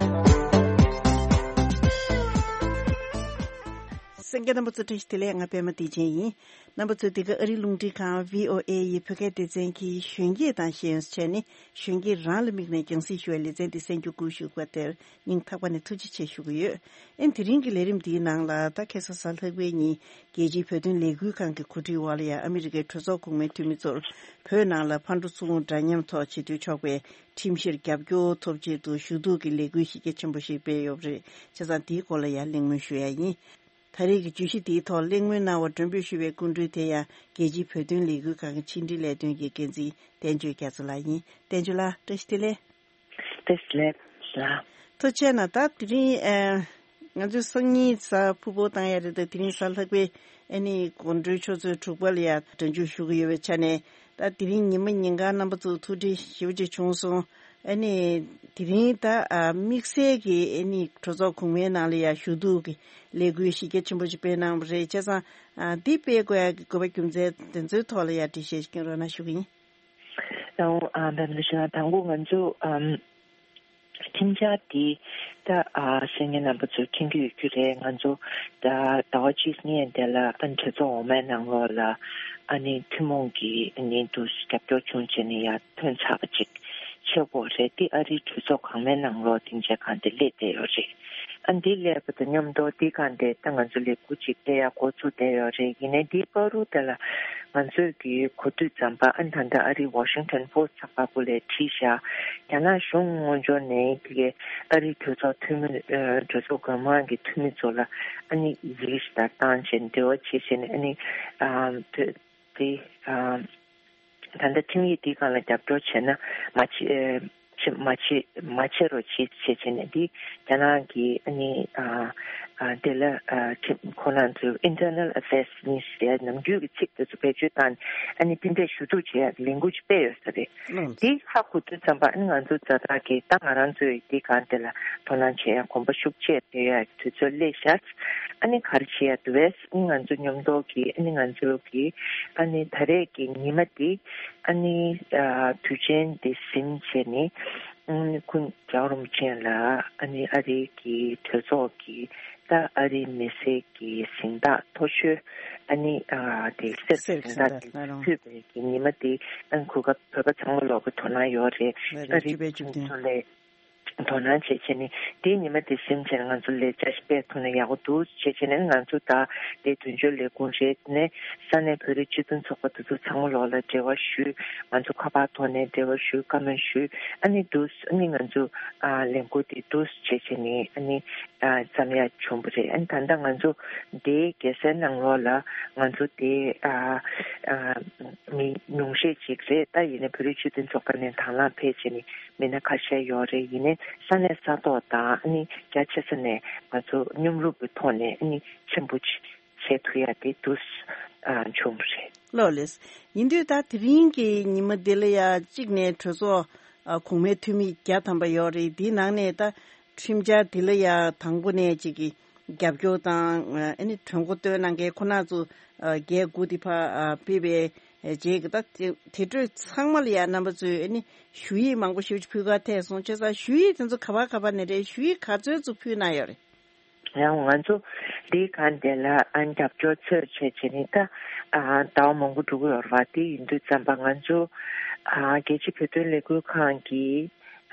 གསན་མཁན་རྣམ་པ་ཚོ་བཀྲ་ཤིས་བདེ་ལེགས། ང་པད་མ་བདེ་ཆེན་ཡིན། རྣམ་པ་ཚོས་འདི་ག་ཨ་རིའི་རླུང་འཕྲིན་ཁང་བྷི་ཨོ་ཨེ་ཡི་བོད་སྐད་སྡེ་ཚན་གྱི་གཞོན་སྐྱེས་དང་ཤེས་ཡོན་ཟེར་ནས་གཞོན་སྐྱེས་རང་ལ་དམིགས་ནས་རྒྱང་སྲིང་ཞུ་བའི་ལེ་ཚན་འདི་གསན་རྒྱུ་བསྐུལ་ཞུ་བ་དེར་སྙིང་ཐག་པ་ནས་ཐུགས་རྗེ་ཆེ་ཞུ་གི་ཡོད། ཨེ་དེ་རིང་གི་ལས་རིམ་འདིའི་ནང་ལ་ད་ཁ་སང་གཟའ་ལྷག་པའི་ཉིན་རྒྱལ་སྤྱིའི་བོད་དོན་ལས་འགུལ་ཁང་གི་གོ་སྒྲིག་འོག་ལ་ཡང་ཨ་མི་རི་ཀའི་གྲོས་ཚོགས་གོང་མའི་འཐུས་མི་ཚོར་བོད་ནང་ལ་ཕར་འགྲོ་ཚུར་འོང་འདྲ་མཉམ་ཐོག་བྱེད་དུ་ཆོག་པའི་ཁྲིམས་གཞིར་རྒྱབ་སྐྱོར་ཐོབ་ཆེད་དུ་ཞུ་གཏུག་གི་ལས་འགུལ་གཞི་རྒྱ་ཆེན་པོ་ཞིག་སྤེལ་ཡོད་པ་རེད། བྱས་ཙང་འདིའི་སྐོར་ལ་ཡང་གླེང་མོལ་ཞུ་ཡ་ཡིན། ད་རེས་ཀྱི་བརྗོད་གཞི་འདིའི་ཐོག་གླེང་མོལ་གནང་བར་མགྲོན་འབོད་ཞུ་བའི་སྐུ་མགྲོན་དེ་ཡང་རྒྱལ་སྤྱིའི་བོད་དོན་ལས་འགུལ་ཁང་གི་ཕྱི་འབྲེལ་ལས་དོན་གྱི་འགན་འཛིན་བསྟན་ཆོས་རྒྱ་མཚོ་ལགས་ཡིན། བསྟན་ཆོས་ལགས་བཀྲ་ཤིས་བདེ་ལེགས། བཀྲ་ཤིས་བདེ་ལེགས་ལགས། ཐུགས་རྗེ་གནང་། ད་དེ་རིང་ཨ་ང་ཚོས་སང་ཉིན་གཟའ་ཕུར་བུ་བཏང་ཡ་རེད། ད་དེ་རིང་གཟའ་ལྷག་པའི་ཨ་ནི་དགོང་དྲོའི་ཆུ་ཚོད་དྲུག་པ་ལ་ཡ་སྒྲ་འཇུག་ཞུ་གི་ཡོད་པའི་ཆ་ནས། ད་དེ་རིང་ཉི་མ་ཉིན་གང་རྣམ་པ་ཚོ་ཐུགས་འདྲི་ཞེ་པོ་ཅིག་བྱུང་སོང་། ཨ་ནི་དེ་རིང་ད་ཨ་དམིགས་བསལ་གྱི་ཨ་ནི་གྲོས་ཚོགས་གོང་མའི་ནང་ལ་ཡ་ཞུ་གཏུག་གི་ལས་འགུལ་གཞི་རྒྱ་ཆེན་པོ་ཅིག་སྤེལ་གནང་བ་རེད། བྱས་ཙང་ཨ་འདི་སྤེལ་དགོས་ཡ་གི་དགོས་པ་རྒྱུ་མཚན་དེ་ཚོའི་ཐོག་ལ་ཡ་འགྲེལ་བཤད་ཅིག་སྐྱོན་རོགས་གནང་ཞུ་གི་ཡིན། ཨོ་ཨ་འབེམ་ལ་ཞུ་ན་དང་པོ་ང་ཚོ་ཨམ་ཁྲིམས་འཆར་འདི་ད་ཨ་ཤེས་མཁན་རྣམ་པ་ཚོས་མཁྱེན་གྱི་ཡོད་རྒྱུ་རེད། ང་ཚོ་ད་ཟླ་བ་གཅིག་སྔོན་དེ་ལ་ཨ་ནི་གྲོས་ཚོགས་འོག་མའི་ནང་ལོགས་ལ་ཨ་ནི་ཐུན་མོང་གི་ཨ་ནི་འདུ་རྒྱབ་སྐྱོར་བྱུང་བྱས་ནས་ཡར་ཐོན་ཚར་བ་ཅིག་ཆགས་ཀྱི་ཡོད་རེད། འདི་ཨ་རིའི་གྲོས་ཚོགས་གོང་མའི་ནང་ལོགས་སྡིངས་ཆ་སྒང་དེ་སླེབས་བསྡད་ཡོད་རེད། ཨ་འདི་སླེབས་པ་དང་མཉམ་དུ་འདི་སྒང་དེ་ད་ང་ཚོ་ལས་འགུལ་ཅིག་སྤེལ་ཡག་འགོ་ཚུགས་བསྡད་ཡོད་རེད། ཡིན་ནའི་འདིའི་བར་དུ་དེ་ལ་ང་ཚོས་ཀྱི་གོ་དུས་ཙམ་པ་ཨ་ནི་ད་ལྟ་ཨ་རིའི་Washington Post་ཚགས་པར་སྐོར་ལས་བྲིས་ཤག་རྒྱ་ནག་གཞུང་དངོས་འབྱོར་ནས་དེ་གའི་ཨ་རིའི་གྲོས་ཚོགས་འཐུས་མི་ཨ་གྲོས་ཚོགས་སྒང་གི་འཐུས་མི་ཚོ་ལ་ཨ་ནི་ཡི་གེ་ཞིག་ལ་བཏང་བྱས་འབྲེལ་བ་བྱེད་བྱས་ནས་ཨ་ནི་ཨ་དེ་དེ་ཨ་ད་ལྟ་ཁྲིམས་ཡིག་འདིའི་སྒང་ལ་རྒྱབ་སྐྱོར་བྱས་ན་མ་བྱེད་ཨ་བྱེད་མ་བྱེད་མ་བྱེད་རོགས་བྱེད་བྱས་བྱས་ནས་འདི་རྒྱ་ནག་གི་ཨ་ནི་ཨ་ཨ་དེ་ལ་ཨ་ཁྲིམས་ཁོ་རང་ཚོའི་Internal Affairs Ministry་ནམ་རྒྱུན་གྱི་ཚིག་དེ་ཚོ་བེད་སྤྱོད་བཏང་ནས་ཨ་ནི་དེ་འདྲའི་ཞུ་གཏུག་བྱེད་ཡག་གི་ལས་འགུལ་ཅིག་སྤེལ་ཡོད་ས་རེད། ལགས། འདི་ཧ་གོ་དུས་ཙམ་པ་ཨ་ནི་ང་ཚོ་ཛ་དྲག་གི་ད་ང་རང་ཚོའི་འདི་སྒང་དེ་ལ་དོ་སྣང་བྱེད་ཡག་གོམ་པ་ཤུགས་ཆེ་སྤོ་ཡག་གི་དུས་ཚོད་སླེབས་ཤག་ཨ་ནི་ག་རེ་བྱེད་ཡག་འདུག་བས། ཨ་ནི་ང་ཚོ་མཉམ་དུ་གི་ཨ་ནི་ང་ཚོ་གི་ཨ་ནི་ད་རེས་ཀྱི་ཉི་མ་འདི་ཨ་ནི་ཨ་དུས་ཆེན་འདི་ཟིན་བྱས་ནས་ཨ་ནི་ཁོང་རྒྱལ་བ་རིན་པོ་ཆེ་ལ་ཨ་ནི་ཨ་རིའི་གི་གྲོས་ཚོགས་ཀྱི་ད་ཨ་རིའི་མི་སེར་གྱི་གཟེངས་རྟགས་མཐོ་ཤོས་ཨ་ནི་ཨ་དེ་གསེར་གྱི་གཟེངས་རྟགས་དེ་ཕུལ་བའི་གི་ཉི་མ་འདི་ཨ་ནི་གོ་སྐབས་བོད་པ་ཚང་མ་ལོག་གི་དོ་སྣང་ཡོད་རེད། ཨ་རིའི་ཕྱི་པའི་ཕྱོགས་ཚོ་ལས། དོ་སྣང་བྱེད་བྱས་ནས་དེའི་ཉི་མ་དེ་ཟིན་བྱས་ནས་ང་ཚོ་ལས་བྱ་ཞིག་སྤེལ་ཐུབ་ན་ཡག་པོ་འདུག་བྱེད་བྱས་ནས་ང་ཚོ་ད་དེ་དོན་གཅོད་ལས་ཁུངས་རེད། ནས་ས་གནས་བོད་རིགས་སྤྱི་མཐུན་ཚོགས་པ་དེ་ཚོ་ཚང་མ་ལོག་ལ་འབྲེལ་བ་ཞུས། ང་ཚོ་ཁ་པར་ཐོག་ནས་འབྲེལ་བ་ཞུས། བཀའ་མོལ་ཞུས། ཨ་ནི་འདུག་ཨ་ནི་ང་ཚོ་ཨ་ལས་འགུལ་དེ་འདུག་བྱེད་བྱས་ནས་ཨ་ནི་ཨ་བརྩམས་ཡ་བྱུང་བ་རེད། ཨ་ནི་ད་ལྟ་ང་ཚོ་དེའི་རྒྱལ་སའི་ནང་ལོགས་ལ་ང་ཚོ་དེ་ཨ་ཨ་མི་ཉུང་ཤས་ཅིག་རེད། ད་ཡིན་ནའི་བོད་རིགས་སྤྱི་མཐུན་ཚོགས་པ་ནས་དང་བླངས་ཕེབས་བྱས་ནས་མི་སྣ་ཁ་ཤས་ཡོད་རེད། ཡིན་ནའི་ས་གནས་ས་ཐོག་དང་ཨ་ནི་རྒྱ་ཆེ་ས་ནས་ང་ཚོ་མཉམ་རུབ་ཀྱི་ཐོག་ནས་ཨ་ནི་ཆེན་པོ་ཅིག་བྱེད་ཐུབ་ཡ་དེ་འདུག་ཨ་བྱུང་བ་རེད། ལགས་ལགས། ཡིན་དུས་ད་དེ་རིང་གི་ཉི་མ་འདི་ལ་ཡ་གཅིག་ནས་གྲོས་ཚོགས་ཨ་གོང་མའི་འཐུས་མི་བརྒྱ་ཐམ་པ་ཡོད་རེད། དེའི་ནང་ནས་ད་ཁྲིམས་འཆར་འདི་ལ་ཡ་དང་པོ་ནས་གཅིག་གི་རྒྱབ་སྐྱོར་དང་ཨ་ནི་གྲོས་འགོ་བཏོན་གནང་མཁན་ཁོ་ན་ཚོ་ཨ་བརྒྱད་དགུ་དེ་ཕར་ཨ་ཕེབས་པའི་རྗེས་ཀྱི་ད་དེ་དེ་འཕྲོས་ཚང་མ་ལ་ཡ་རྣམ་པ་ཚོས་ཨ་ནི་ཞུ་ཡིག་མང་པོ་ཞེ་པོ་ཅིག་ཕུལ་ག་ཐད་སོང་། བྱས་ཙང་ཞུ་ཡིག་དེ་ཚོ་ག་པ་ག་པ་ནས་རེད། ཞུ་ཡིག་ག་ཚོད་ཚོ་ཕུལ་གནང་ཡོད་རེད། ཡང་ང་ཚོ་འདིའི་སྒང་དེ་ལ་ཨ་རྒྱབ་སྐྱོར་འཚོལ་བྱས་བྱས་ནས་ད་ཨ་ཟླ་བ་མང་པོ་འགྲོ་གི་ཡོད་རེད་བ། དེ་ཡིན་དུས་ཙམ་པ་ང་ཚོ་ཨ་རྒྱལ་སྤྱིའི་བོད་དོན་ལས་འགུལ་ཁང་གི་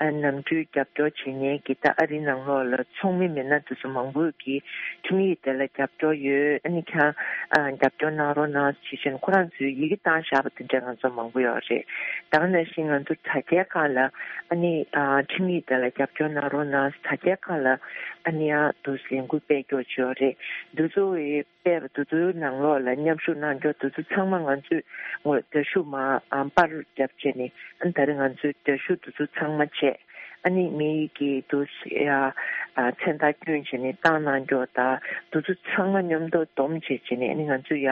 ཨ་ནམ་རྒྱུན་རྒྱབ་སྐྱོར་བྱེད་མཁན་གྱི་ད་ཨ་རིའི་ནང་ལོགས་ལ་ཚོགས་མི་མི་སྣ་དེ་ཚོ་མང་པོས་ཀྱིས་ཁྲིམས་ཡིག་དེ་ལ་རྒྱབ་སྐྱོར་ཡོད། ཨ་ནི་ཁྱེད་རང་ཨ་རྒྱབ་སྐྱོར་གནང་རོགས་གནང་ཞེས་བྱས་ནས་ཁོ་རང་ཚོས་ཡི་གེ་བཏང་བཞག་པ་དེ་འདྲ་ང་ཚོ་མང་པོ་ཡོད་རེད། ད་ག་ནང་བཞིན་ང་ཚོ་དྲ་རྒྱའི་སྒང་ལ་ཨ་ནི་ཨ་ཁྲིམས་ཡིག་དེ་ལ་རྒྱབ་སྐྱོར་གནང་རོགས་གནང་། དྲ་རྒྱའི་སྒང་ལ་ཨ་ནི་ཡང་དུ་ལས་འགུལ་སྤེལ་རྒྱུ་ཅིག་ཡོད་རེད། འདི་ཚོ་ཡི་སྤེལ་བ་དེ་ཚོའི་ནང་ལོགས་ལ་མཉམ་ཞུགས་གནང་རྒྱུ་དེ་ཚོ་ཚང་མ་ང་ཚོས་ངོ་རྒྱ་ཤུག་མ་ཨ་པར་རྒྱབ་བྱས་ནས་ཨ་ནི་ད་རེས་ང་ཚོས་རྒྱ་ཤུག་དེ་ཚོ་ཚང་མ་བྱས། ཨ་ནི་མི་ཡི་གི་དུ་ཡ་ཨ་མཚན་རྟགས་བསྐྱོན་བྱས་ནས་བཏང་གནང་རྒྱུ་དང་དེ་ཚོ་ཚང་མ་མཉམ་དུ་བསྡོམས་བྱས་བྱས་ནས་ཨ་ནི་ང་ཚོས་ཡ་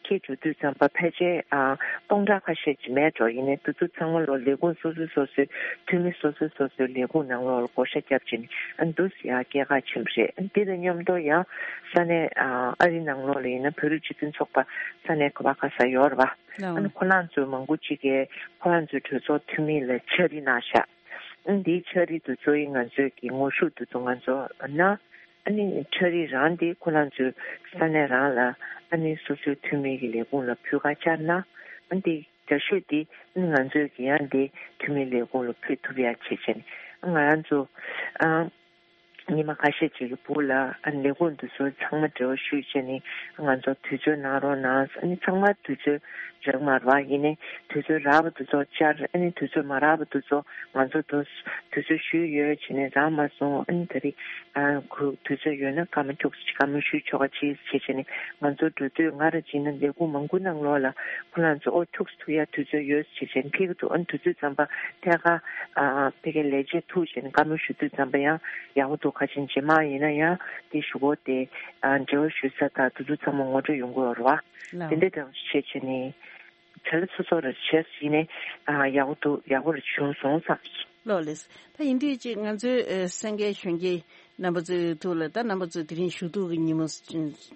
འཁྱེར་འགྲོ་དུས་ཙམ་པ་ཕལ་ཆེར་ཨ་སྟོང་ཕྲག་ཁ་ཤས་ཅིག་མེད་འགྲོ། ཡིན་ནའི་དེ་ཚོ་ཚང་མ་ལོ་ལས་ཁུངས་སོ་སོ་སོ་སོའི་འཐུས་མི་སོ་སོ་སོ་སོའི་ལས་ཁུངས་ནང་ལོགས་ལ་བགོ་བཤའ་བརྒྱབ་བྱས་ནས་ཨ་ནི་དུ་ཡ་སྐྱེལ་ག་ཕྱིན་པ་རེད། ཨ་ནི་དེ་དང་མཉམ་དུ་ཡང་ས་གནས་ཨ་ཨ་རིའི་ནང་ལོགས་ལ་ཡིན་ན་བོད་རིགས་སྤྱི་མཐུན་ཚོགས་པ་ས་གནས་ག་བ་ག་ས་ཡོད་རེད་བ། ཨ་ནི་ཁོ་རང་ཚོའི་མང་པོ་ཅིག་གིས་ཁོ་རང་ཚོའི་གྲོས་ཚོགས་འཐུས་མི་ལ་ཕྱག་བྲིས་གནང་ཤག་ཨ་ནི་དེའི་ཕྱག་བྲིས་དེ་ཚོ་ཡིས་ང་ཚོས་ཀྱི་ངོ་ཤུགས་དེ་ཚོ་ང་ཚོ་གནང་། ཨ་ནི་ཕྱག་བྲིས་རང་དེ་ཁོ་རང་ཚོའི་ས་གནས་རང་ལ་ཨ་ནི་སོ་སོའི་འཐུས་མི་གི་ལས་ཁུངས་ལ་ཕུལ་ག་བཅར་ན། ཨ་ནི་དེ་རྒྱ་ཤོད་དེ་ཨ་ནི་ང་ཚོས་ཀྱི་ཡང་དེ་འཐུས་མི་ལས་ཁུངས་ལ་ཕུལ་ཐུབ་ཡ་བྱེད་བྱས་ནས་ང་རང་ཚོ་ཨ་ཉི་མ་ཁ་ཤས་ཅིག་གི་བར་ལ་ཨ་ནི་ལས་ཁུངས་དེ་ཚོ་ཚང་མ་འབྲེལ་བ་ཞུས་བྱས་ནས་ང་ཚོ་དུས་ཚོད་གནང་རོགས་གནང་། ཨ་ནི་ཚང་མ་དུས་ཚོད་རག་མ་རེད་བ། ཡིན་ནའི་དུས་ཚོད་རག་པ་དེ་ཚོ་བཅར། ཨ་ནི་དུས་ཚོད་མ་རག་པ་དེ་ཚོ་ང་ཚོ་དུ་དུས་ཚོད་ཞུས་ཡོད་བྱས་ནས་རག་མ་སོང་། ཨ་ནི་ད་རེས་ཨ་ཁུ་དུས་ཚོད་ཡོད་ན་བཀའ་མོལ་ཁྱུག་ཙམ་བཀའ་མོལ་ཞུས་ཆོག་ག་ཅིག་བྱས་བྱས་ནས་ང་ཚོ་འགྲོ་དུས་ང་རང་ཅིག་ན་ལས་ཁུངས་མང་པོ་ནང་ལོགས་ལ་ཁོ་རང་ཚོ་ཨོ་ཁྱུག་ཙམ་ཐུག་ཡ་དུས་ཚོད་ཡོད་བྱས་བྱས་ནས་ཕེབས་ཀྱི་འདུག་ཨ་ནི་དུས་ཚོད་ཙམ་པ་ཐད་ཀར་ཨ་ཕ་གིའི་ལས་བྱེད་ཐུག་བྱས་ནས་བཀའ་མོལ་ཞུ་དུས་ཙམ་པ་ཡང་ཡག་པོ་འདུག་ཁ་ཆེ་རྗེས་མ་ཡིན་ན་ཡང་དེ་ཞུ་སྒོ་དེ་ཨ་འབྲེལ་བ་ཞུ་ས་དང་དུས་ཚོད་ཚང་མ་ངོ་སྤྲོད་ཡོང་གི་ཡོད་རེད་བ། ལགས། དེ་འདྲ་དང་བྱས་བྱས་ནས་བྱ་ལས་སོ་སོ་རེ་བྱས་ཡིན་ནའི་ཨ་ཡག་པོ་འདུག་ཡག་པོ་རེ་བྱུང་སོང་བསམ། ལགས་ལགས། ད་ཡིན་དུས་ཅིག་ང་ཚོའི་ཨ་གསན་མཁན་གཞོན་སྐྱེས་རྣམ་པ་ཚོའི་ཐོག་ལ་ད་རྣམ་པ་ཚོས་དེ་རིང་ཞུ་གཏུག་གི་ཉིན་མོ་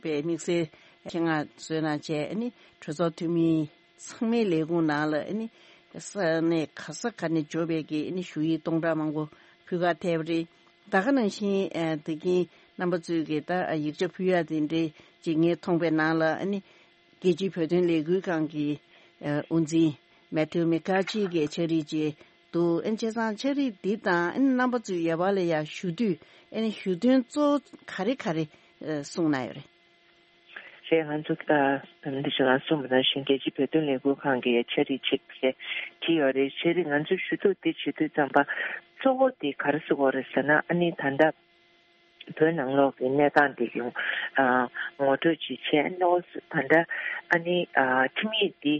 པའི་དམིགས་བསལ་ཆེད་མངགས་བཟོས་གནང་བྱས་ཨ་ནི་གྲོས་ཚོགས་འཐུས་མི་ཚང་མའི་ལས་ཁུངས་ནང་ལ་ཨ་ནི་ས་གནས་ག་ས་ག་ནས་འབྱོར་བའི་གི་ཨ་ནི་ཞུ་ཡིག་སྟོང་ཕྲག་མང་པོ་ཕུལ་ག་ཐེབས་རེད། ད་ག་ནང་བཞིན་ཨ་དེ་གིན་རྣམ་པ་ཚོས་གི་ད་ཡིག་ཆ་ཕུལ་ཡ་དེ་འདྲའི་ཅིག་ངས་མཐོང་པའི་ནང་ལ་ཨ་ནི་རྒྱལ་སྤྱིའི་བོད་དོན་ལས་འགུལ་ཁང་གི་ཨ་དབུ་འཛིན་མེ་ཐིལ་མེ་ཀར་ཅི་གི་ཕྱག་བྲིས་ཅིག་འདུག་ཨ་ནི་བྱས་ཙང་ཕྱག་བྲིས་འདི་དང་ཨ་ནི་རྣམ་པ་ཚོས་ཡ་བ་ལ་ཡ་ཞུ་དུས་ཨ་ནི་ཞུ་དོན་གཙོ་བོ་ག་རེ་ག་རེ་ཨ་གསུངས་གནང་ཡོད་རེད། རེད། ང་ཚོ་ད་འདི་ཞིག་ལ་གསུངས་པ་ནང་བཞིན་རྒྱལ་སྤྱིའི་བོད་དོན་ལས་འགུལ་ཁང་གི་ཕྱག་བྲིས་ཅིག་བྲིས་ཡོད་རེད། ཕྱག་བྲིས་ང་ཚོས་ཞུ་གཏུག་འདི་བྱེད་དུས་ཙམ་པ་གཙོ་བོ་དེ་ག་རེ་བཟོ་དགོས་རེད་ཟེར་ན། ཨ་ནི་ད་ལྟ་བོད་ནང་ལོགས་ཀྱི་གནས་སྟངས་འདི་ཡང་ཨ་ངོ་སྤྲོད་ཅིག་བྱས། ཨ་ནི་ད་ལྟ་ཨ་ནི་ཨ་ཁྲིམས་ཡིག་འདི་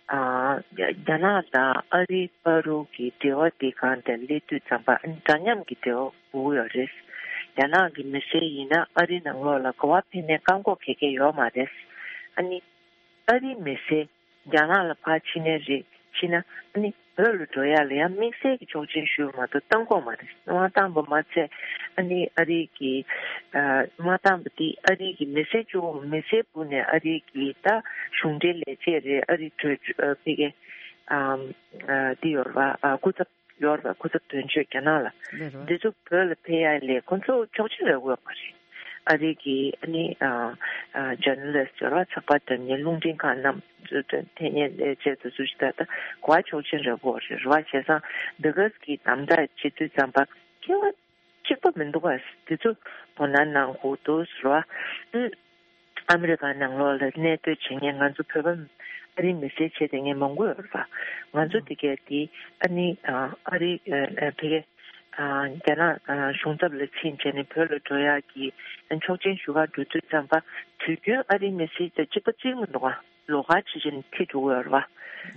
ཨ་རྒྱ་ནག་དང་ཨ་རིའི་བར་དུ་གི་འབྲེལ་བ་དེ་སྒང་དེ་སླེབས་དུས་ཙམ་པ་ཨ་ནི་འདྲ་མཉམ་གྱི་འབྲེལ་བ་དགོས་ཀྱི་ཡོད་རེད། རྒྱ་ནག་གི་མི་སེར་ཡིན་ན་ཨ་རིའི་ནང་ལོགས་ལ་ག་པར་ཕེབས་ནའི་བཀག་འགོག་ག་གེ་ཡོད་མ་རེད། ཨ་ནི་ཨ་རིའི་མི་སེར་རྒྱ་ནག་ལ་ཕར་ཕྱིན་ནའི་རེད། ཕྱིན་ན་ཨ་ནི་བོད་ལ་འགྲོ་ཡ་ལ་ཡང་དམིགས་བསལ་གྱི་ཆོག་མཆན་ཞུས་པ་མ་གཏོགས་བཏང་གི་ཡོད་མ་རེད། མ་བཏང་པ་མ་ཚད་ཨ་ནི་ཨ་རིའི་གི་ཨ་མ་བཏང་པ་དེ་ཨ་རིའི་གི་མི་སེར་གཅིག་པོ་མི་སེར་བུ་ནས་ཨ་རིའི་གི་ད་གཞུང་འབྲེལ་ལས་བྱེད་རེད། ཨ་རིའི་གྲོས་ཨ་ཕ་གིའི་ཨ་ཨ་འདི་ཡོད་རེད་བ། ཨ་སྐུ་ཚབ་ཡོད་རེད་བ། སྐུ་ཚབ་དོན་གཅོད་རྒྱ་ནག་ལ། རེད་རེད། འདི་ཚོ་བོད་ལ་ཕེབས་ཡ་ལས་ཁོང་ཚོ་ཆོག་མཆན་རག་གི་ཡོད་མ་རེད། ཨ་རི་གི་ཨ་ནི་ཨ་ཨ་ཇར་ནལ་ལིསི་ཊི་ཡོད་རེད་བ། ཚགས་པར་བསྒྲགས་མཁན་རླུང་འཕྲིན་ཁང་རྣམས་ཚོ་འཐེན་མཁན་ལས་བྱེད་དེ་ཚོ་ཞིག་ད་ལྟ་ག་པར་ཆོག་མཆན་རག་གི་ཡོད་རེད། རེད་བ། བྱས་ཙང་འདི་ག་གི་དམ་དྲག་བྱེད་དུས་ཙམ་པ་ སྐྱེ་བ་གཅིག་པ་མི་འདུག་ག་དེ་ཚོ་དོ་སྣང་གནང་དགོས་འདུག་ཟེར་བ། ཨ་ཨ་མི་རི་ཀ་ནང་ལོགས་ལ་གནས་སྡོད་བྱེད་མཁན་ང་ཚོ་བོད་པ་ཨ་རིའི་མི་སེར་བྱས་བསྡད་མཁན་མང་པོ་ཡོད་རེད་པ། ང་ཚོ་དེ་གས་དེ་ཨ་ནི་ཨ་ཨ་རི་ཨ་ཨ་ཕ་གི་ཨ་རྒྱ་ནག་ཨ་གཞུང་ཚབ་ལ་ཕྱིན་བྱས་ནས་བོད་ལ་འགྲོ་ཡག་གི་ཨ་ཆོག་མཆན་ཞུ་ག་འགྲོ་དུས་ཙམ་པ་དུས་རྒྱུན་ཨ་རིའི་མི་སེར་དང་གཅིག་པ་གཅིག་མི་འདུག་ག་ལོགས་ཀ་བྱེད་བཞིན་འཁྱེར་འགྲོ་གི་ཡོད་རེད་བ།